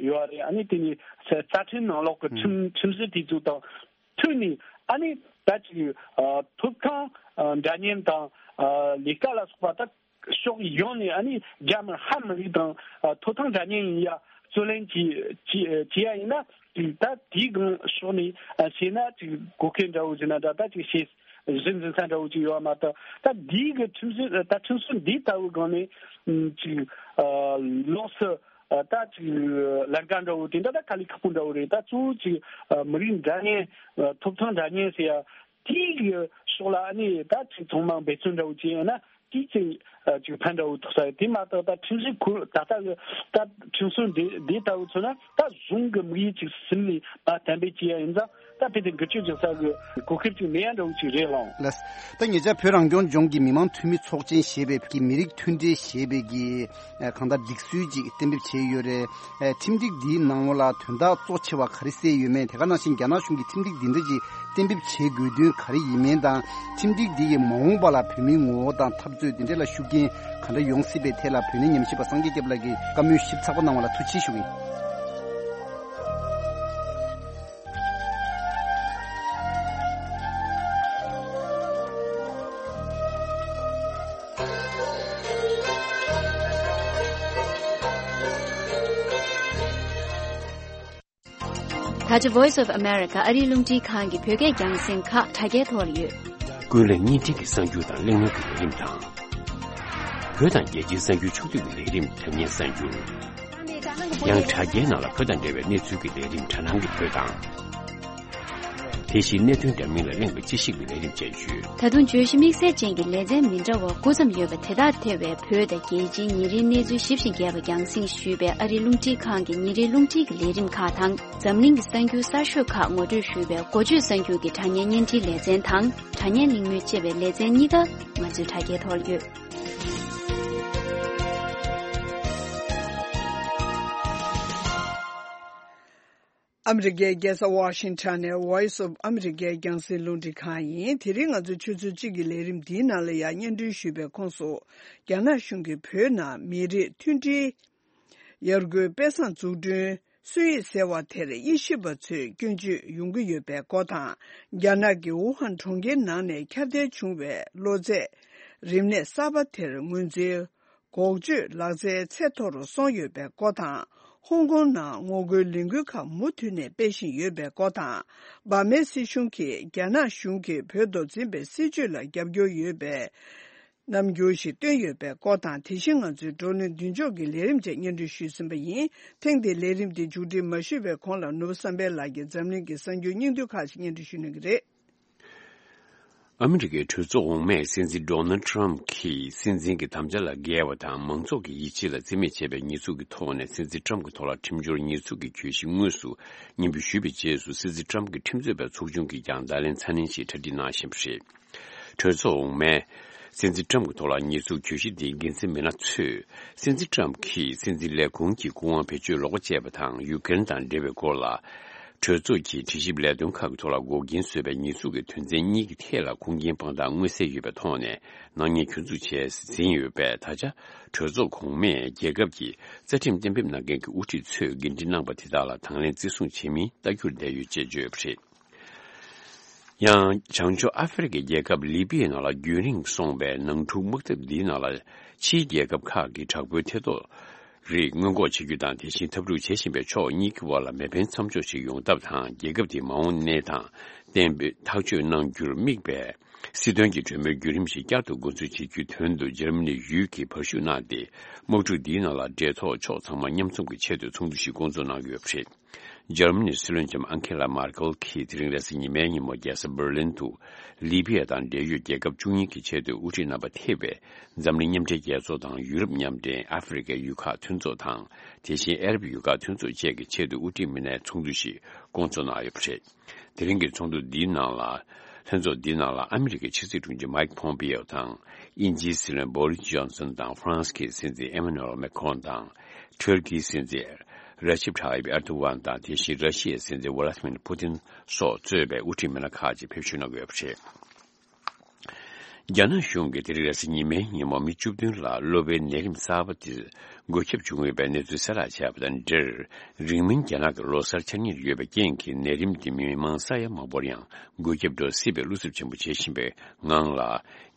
ཡོད་རེད། ཨ་ནི་དེ་ནི་རྩ་ཁྲིམས་ནང་ལོགས་ཀྱི་ཁྲིམས་ཁྲིམས་གཞི་དེ་ཚོ་དང་མཐུན་ནས་ཨ་ནི་ད་ཅིག་ཐོབ་ཐང་འདྲ་མཉམ་དང་ལས་ཀ་ལ་སོགས་པ་ད། ཕྱོགས་ཡོངས་ནས་ཨ་ནི་རྒྱ་མི་ཧ་མི་རིགས་དང་ཐོབ་ཐང་འདྲ་མཉམ་ཡིན་ཡ་རྩོད་ལེན་བྱེད་བྱེད་བྱེད་ཡ་ཡིན་ན་ཅིག་ད་དེའི་སྒང་ཕྱོགས་ནས་བྱས་ན་ཅིག་གོ་སྐབས་འདྲ་བོ་ཟེར་ན་འདྲ་ད་ཅིག་བྱེད་ གཞི་འཛིན་ས་འདྲ་བོ་ཅིག་ཡོད་མ་གཏོགས། ད་འདིའི་གི་ཁྲིམས་སྲོལ་ད་ཁྲིམས་སྲོལ་འདི་ལྟ་བུའི་སྒང་ནས་ཅིག་ལོགས་སུ་ད་ཅིག་ལས་ཀ་འདྲ་བོ་དེ་འདྲ་ད་དཀའ་ལས་ཁག་པོ་འདྲ་བོ་རེད། ད་གཙོ་བོ་ཅིག་མི་རིགས་འདྲ་མཉམ་ཐོབ་ཐང་འདྲ་མཉམ་ཟེར་ཡ་དེའི་གི་ཕྱོགས་ལ་ཨ་ནི་ད་ཅིག་ཚང་མ་འབད་བརྩོན་འདྲ་བོ་ཅིག་ཡིན་ན། དེའི་ཚེ་ཅིག་ཕན་འདྲ་བོ་ཐོགས་ས་ཡོད། དེ་མ་གཏོགས་ད་ཁྲིམས་སྲོལ་ཁུལ་ད་ལྟ་གི་ད་ཁྲིམས་སྲོལ་འདི་འདི་ལྟ་བུ་མཚོན་ན་ད་གཞུང་གི་དམིགས་ཡུལ་ཅིག་ཟིན་ནས་མ་བསྟན་པའི་ཅི་ཡང་ཡིན་ཙང་། ད་ཕལ་ཆེར་འགུལ་སྐྱོད་རྒྱག་ས་གི་གོ་སྐབས་ཅིག་མེད་ཡ་འདྲ་བོ་ཅིག་རེད་ལགས། ལགས། ད་ཉེ་ཆར་བོད་རང་སྐྱོང་ལྗོངས་ཀྱི་མི་དམངས་འཐུས་མི་ཚོགས་ཆེན་ཞེས་པའི་གི་མི་རིགས་མཐུན་སྒྲིལ་ཞེས་པའི་གི་གང་ལྟར་སྒྲིག་སྲོལ་ཅིག་གཏན་འབེབས་བྱས་ཡོད་རེད། ཁྲིམས་སྒྲིག་འདིའི་ནང་ལོགས་ལ་དོན་དག་གཙོ་ཆེ་བ་ག་རེ་གསལ་ཡོད་མེད། དེ་ག་ནང་བཞིན་རྒྱ་ནག་གཞུང་གིས་ཁྲིམས་སྒྲིག་འདི་འདྲ་ཅིག་གཏན་འབེབས་བྱེད་དགོས་དོན་ག་རེ་ཡིན་མིན་དང་། ཁྲིམས་སྒྲིག་འདི་ཡིས་མ་འོངས་པ་ལ་བོད་མིའི་ངོ་བོ་དང་འཐབ་རྩོད་འདི་འདྲ་ལ་ཤུགས་རྐྱེན་ག་འདྲ་ཡོང་སྲིད་པའི་ཐད་ལ་བོད་གནས་ཉམས་ཞིབ་པ་སངས་རྒྱས་སྐྱབས་ལགས་ཀྱིས་བཀའ་མོལ་ཞིབ་ཚགས་པོ་གནང་བ་ལ་ཐུགས་རྗེ་ཆེ་ཞུ་གི་ཡིན། ད་ཆ་Voice of America ཨ་རིའི་རླུང་འཕྲིན་ཁང་གི་བོད་སྐད་རྒྱང་སྲིང་ཁག་དྲ་རྒྱའི་ཐོག་ལ་ཡོད། ཀུན་གླེང་བརྙན་འཕྲིན་གྱི་གསར་འགྱུར་དང་གླེང་མོལ་གྱི་ལས་རིམ་དང་། བོད་དང་རྒྱལ་སྤྱིའི་གསར་འགྱུར་ཕྱོགས་བསྡུས་ཀྱི་ལས་རིམ་དྲ་བརྙན་གསར་འགྱུར། ཡང་དྲ་རྒྱའི་ནང་ལ་བོད་དང་འབྲེལ་བའི་གནས་ཚུལ་གྱི་ལས་རིམ་དྲ་སྣང་གི་བོད་དང་། དེ་བཞིན་གནད་དོན་འདྲ་མིན་ལ་གླེང་བའི་དཔྱད་ཞིབ་ཀྱི་ལས་རིམ་བཅས་ཡོད། ད་དུང་བརྗོད་གཞི་དམིགས་བསལ་ཅན་གྱི་ལེ་ཚན་མི་འདྲ་བ་དགུ་ཙམ་ཡོད་པ་དེ་དག་ཐེ་བའི་བོད་དང་རྒྱལ་སྤྱིའི་ཉིན་རེའི་གནས་ཚུལ་ཞིབ་ཅིང་རྒྱས་པ་རྒྱང་སྲིང་ཞུས་པའི་ཨ་རིའི་རླུང་འཕྲིན་ཁང་གི་ཉིན་རེའི་རླུང་འཕྲིན་གྱི་ལས་རིམ་ཁག་དང་། འཛམ་གླིང་གི་གསར་འགྱུར་གསར་ཤོས་ཁག་ངོ་སྤྲོད་ཞུས་པའི་འགོ་བརྗོད་གསར་འགྱུར་གྱི་དྲ་བརྙན་བརྙན་འཕྲིན་ལེ་ཚན་དང་། དྲ་བརྙན་གླེང་མོལ་ཅེས་པའི་ལེ་ཚན་གཉིས་ཀ་ང་ཚོའི་དྲ་རྒྱའི་ཐོག་ཡོད། ཨ་མི་རི་ཀའི་རྒྱལ་ས་ཝ་ཤིང་ཊོན་ནས་Voice of America རྒྱང་སྲིང་རླུང་འཕྲིན་ཁང་ཡིན། དེ་རིང་ང་ཚོའི་ཆུ་ཚོད་གཅིག་གི་ལས་རིམ་འདིའི་ནང་ལ་ཡང་སྙན་སྒྲོན་ཞུས་པའི་ཁོངས་སུ། རྒྱ་ནག་གཞུང་གིས་བོད་ནང་མི་རིགས་མཐུན་སྒྲིལ་ཡར་སྐུལ་དཔེ་བཟང་འཛུགས་སྐྲུན་སྲོལ་ཡིག་ཟེར་བ་དེར་དབྱེ་ཞིབ་པ་ཚོས་སྐྱོན་བརྗོད་ཡོང་གི་ཡོད་པའི་སྐོར་དང་། རྒྱ་ནག་གི་ཝུ་ཧན་གྲོང་ཁྱེར་ནང་ནས་ཁྱབ་གདལ་བྱུང་བའི་གློ་ཚད་རིམས་ནད་གསར་པ་དེར་ངོས་འཛིན། འགོག་བཅོས་ལག་རྩལ་ཚད་མཐོ་རུ་སོང་ཡོད་པའི་སྐོར་དང་། ཧོང་ཀོང་ནང་ངོ་རྒོལ་ལས་འགུལ་ཁག་མུ་མཐུད་ནས་སྤེལ་བཞིན་ཡོད་པའི་སྐོར་དང་། འབར་མའི་སྲིད་གཞུང་གིས་རྒྱ་ནག་གཞུང་གིས་བོད་དུ་འཛིན་པའི་སྲིད་བྱུས་ལ་རྒྱབ་སྐྱོར་ཡོད་པའི་རྣམ་འགྱུར་ཞིག་བཏོན་ཡོད་པའི་སྐོར་དང་། དེ་བཞིན་ང་ཚོའི་བགྲོ་གླེང་མདུན་ལྕོག་གི་ལས་རིམ་བཅས་སྙན་སྒྲོན་ཞུས་ཟིན་པ་ཡིན། ཐེངས་འདིའི་ལས་རིམ་འདི་མཇུག་སྒྲིལ་མ་ཞུས་པའི་གོང་ལ་ནོར་བུ་བསམ་འཕེལ་ལགས་ཀྱིས་འཛམ་གླིང་གི་གསར་འགྱུར་སྙིང་བསྡུས་ཁག་ཅིག་སྙན་སྒྲོན་ཞུ་གནང་གི་རེད། ཨ་མི་རི་ཀའི་གྲོས་ཚོགས་འོག་མས་སྲིད་འཛིན་ཌོ་ནལ་ཊམ་གྱིས་སྲིད་འཛིན་གྱི་དམ་བཅའ་ལ་འགལ་བ་དང་མང་ཚོགས་ཀྱི་ཡིད་ཆེས་ལ་བརྩི་མེད་བྱས་པའི་ཉེས་འཛུགས་ཀྱི་ཐོག་ནས་སྲིད་འཛིན་ཊམ་གྱི་ཐོག་ལ་ཁྲིམས་སྦྱོར་ཉེས་འཛུགས་ཀྱི་གྱོད་གཞི་དངོས་སུ་སྙན་འབུལ་ཞུས་པའི་རྗེས་སུ། སྲིད་འཛིན་ཊམ་གྱི་ཁྲིམས་རྩོད་པའི་ཚོགས་ཆུང་གིས་ཀྱང་བརྡ་ལན་ཚ་ནན་ཞིག་གྲ་སྒྲིག་གནང་བཞིན་པ་རེད། གྲོས་ཚོགས་འོག་མས་སྲིད་འཛིན་ཊམ་གྱི་ཐོག་ལ་ཉེས་འཛུགས་གྱོད་གཞི་འདིའི་འགན་འཛིན་མི་སྣ་ཚོས། སྲིད་འཛིན་ཊམ་གྱིས་སྲིད་འཛིན་ལས་ཁུངས་ཀྱི་སྐུ་དབང་བེད་སྤྱོད་ལོག་པ་སྤྱད་པ་དང་ཡུཀ་རེན་དང་འབྲེལ་བའི་སྐོར་ལ། གྲོས་ཚོགས་ཀྱི་དྲི་ཞིབ་ལས་དོན་ཁག་གི་ཐོག་ལ་འགོག་རྐྱེན་བཟོས་པའི་ཉེས་འཛུགས་ཀྱི་དོན་ཚན་གཉིས་ཀྱི་ཐད་ལ་ཁུངས་སྐྱེལ་དཔང་རྟགས་མངོན་གསལ་ཡོད་པའི་ཐོག་ནས་ནག་ཉེས་གྱོད་འཛུགས་བྱས་ཟིན་ཡོད་པས། ད་ཆ་གྲོས་ཚོགས་གོང་མས་རྒྱལ་ཁབ་ཀྱི་རྩ་ཁྲིམས་གཏན་འབེབས་གནང་མཁན་གྱི་དབུ་ཁྲིད་ཚོས་འགན་འཁྲི་གནང་པ་དེ་དག་ལ་དང་ལེན་བརྩི་སྲུང་བྱེད་མིན་ལྟ་རྒྱུར་བསྡད་ཡོད་ཅེས་བརྗོད་ཡོད་པ་རེད། ཡང་། བྱང་ཕྱོགས་ཨ་ཧྥེ་རི་ཁའི་རྒྱལ་ཁབ་ལི་པི་ཡའི་ནང་ལ་རྒྱུན་རིང་སོང་བའི་ནང་འཁྲུག་དམག་འཐབ་འདིའི་ནང་ལ། ཕྱིའི་རྒྱལ་ཁབ་ཁག་གིས་དྲག་པོའི་ཐེ་གཏོགས་རིགས་སྔོན་འགོག་བྱེད་རྒྱུ་དང་། དེ་བཞིན་འཐབ་འཁྲུག་བྱེད་བཞིན་པའི་ཕྱོགས་གཉིས་ཀྱི་དབར་ལ་མེ་འཕེན་མཚམས་འཇོག་ཞིག་ཡོང་ཐབས་དང་། རྒྱལ་ཁབ་དེའི་མ་འོངས་གནས་སྟངས་གཏན་འབེབས་ཐག་གཅོད་གནང་རྒྱུར་དམིགས་པའི་སྲིད་དོན་གྱི་གྲོས་མོལ་བརྒྱུད་རིམ་ཞིག་བསྐྱར་དུ་འགོ་འཛུགས་བྱེད་རྒྱུའི་དོན་དུ། འཇར་མ་ནི་ཡུལ་གྱིས་བར་ཞུགས་གནང་སྟེ། དམག་འཁྲུག་འདིའི་ནང་ལ་འབྲེལ་ཐོགས་ཕྱོགས་ཚང་མ་མཉམ་འཛོམས་ཀྱི་ཆེད་དུ་ཚོགས་འདུ་ཞིག་བསྐོང་ཚོགས་གནང་ཡོད་པ་རེད། འཇར་མ་ནིའི་སྲིད་བློན་ལྕམ་ཨན་ཁེ་ལ་མར་ཀེལ་གྱིས་དེ་རིང་རེས་གཟའ་ཉི་མའི་ཉིན་མོ་རྒྱལ་ས་འབར་ལིན་དུ། ལི་བི་ཡ་དང་འབྲེལ་ཡོད་རྒྱལ་ཁབ་བཅུ་གཉིས་ཀྱི་ཆེས་མཐོའི་དབུ་ཁྲིད་རྣམ་པ་ཐེ་བའི་འཛམ་གླིང་མཉམ་འབྲེལ་རྒྱལ་ཚོགས་དང་ཡུ་རོབ་མཉམ་འབྲེལ། ཨ་ཧྥེ་རི་ཁའི་ཡུལ་ཁག་མཐུན་ཚོགས་དང་། དེ་བཞིན་ཨ་རབ་ཡུལ་ཁག་མཐུན་ཚོགས་བཅས་ཀྱི་ཆེས་མཐོའི་དབུ་ཁྲིད་མི་སྣའི་ཚོགས་འདུ་ཞིག་བསྐོང་ཚོགས་གནང་ཡོད་པ་རེད། དེ་རིང་གི་ཚོགས་འདུ་འདིའི་ནང་ལ། ལྷན་ཚོགས་འདིའི་ནང་ལ་ཨ་མི་རི་ཀའི་ཕྱི་སྲིད་དྲུང་ཆེ་མའིག་ཕོམ་པེ་ཡོ་དང་། དབྱིན་ཇིའི་སྲིད་བློན་བོ་རིས་ཇོན་སན་དང་། ཧྥ་རན་སི་གི་སྲིད་འཛིན་ཨེ་མ་ནུ་ཨེལ་མེ་ཁོན་དང་། ཐུར་ཁིའི་སྲིད་འཛིན་ར་ཅིབ་ཐ་ཡིབ་ཨེར་དུ་ཝན་དང་། དེ་བཞིན་ར་ཤི་ཡའི་སྲིད་འཛིན་ཝ་ལ་ཏི་མིར་པུ་ཏིན་སོགས་གཙོས་པའི་དབུ་ཁྲིད་མི་སྣ་ཁག་ཅིག་ཕེབས་བསུ་གནང་གི་ཡོད་པ་རེད། རྒྱ་ནག་གཞུང་གིས་དེ་རིང་རེས་གཟའ་ཉི་མའི་ཉིན་མོ་མི་བཅུ་བདུན་ལ་གློ་བའི་ནད་རིམས་གསར་པ་དེ་འགོས་ཁྱབ་བྱུང་ཡོད་པའི་གནས་ཚུལ་གསལ་བསྒྲགས་བྱས་པ་དང་འབྲེལ། རིང་མིན་རྒྱ་ནག་གི་ལོ་གསར་འཆར་ཉེར་ཡོད་པའི་རྐྱེན་གྱིས་ནད་རིམས་དེ་མི་མང་ས་ཡ་མང་པོར་ཡང་འགོས་ཁྱབ་འགྲོ་སྲིད་པའི་བློ་འཚབ་ཆེན་པོ་བྱེད་བཞིན་པའི་ངང་ལ།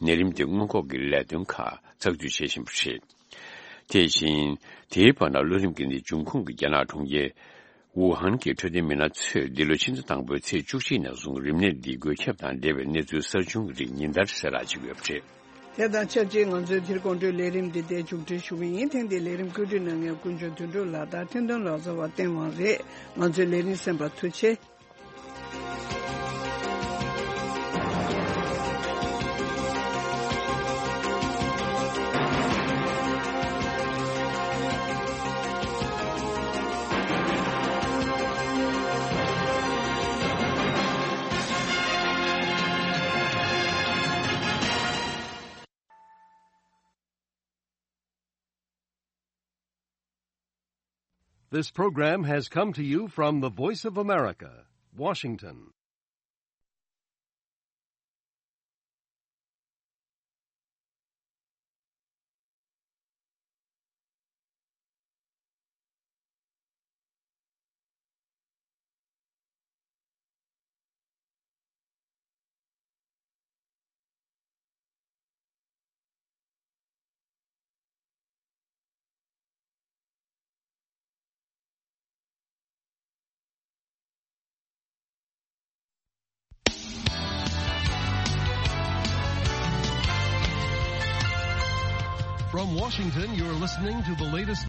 ནད་རིམས་དེ་སྔོན་འགོག་གི་ལས་དོན་ཁག་ཚགས་ཚུད་བྱེད་བཞིན་པ་རེད། དེ་བཞིན། དེའི་བར་ན་གློ་རིམས་ཀྱི་ནད་འབྱུང་ཁུངས་ཀྱི་རྒྱ་ནག་གྲོང་ཁྱེར་ ཝུ་ཧན་གྱི་འཕྲོད་བསྟེན་མི་སྣ་ཚོས་འདི་ལོའི་ཕྱི་ཟླ་དང་པོའི་ཚེས་བཅུ་གཅིག་ནས་བཟུང་རིམས་ནད་འདིའི་འགོས་ཁྱབ་དང་འབྲེལ་བའི་གནས་ཚུལ་གསར་བྱུང་གི་རིགས་ཉིན་ལྟར་གསལ་བསྒྲགས་བྱེད་ཀྱི་ཡོད་པ་རེད། དེ་དང་ཆབས་ཅིག་ང་ཚོའི་དེ་རིང་དགོང་དྲོའི་ལས་རིམ་འདི་འདིར་མཇུག་སྒྲིལ་ཞུ་གི་ཡིན། ཐེངས་འདིའི་ལས་རིམ་བཀོད་སྒྲིག་གནང་མཁན་ཀུན་འབྱུང་དོན་གྲུབ་ལགས་དང་འཕྲིན་གཏོང་ལག་རྩལ་བ་བསྟན་དབང་རེད། ང་ཚོའི་ལས་རིམ་གསན་པར་ཐུགས་རྗེ་ཆེ། This program has come to you from the Voice of America, Washington. From Washington, you're listening to the latest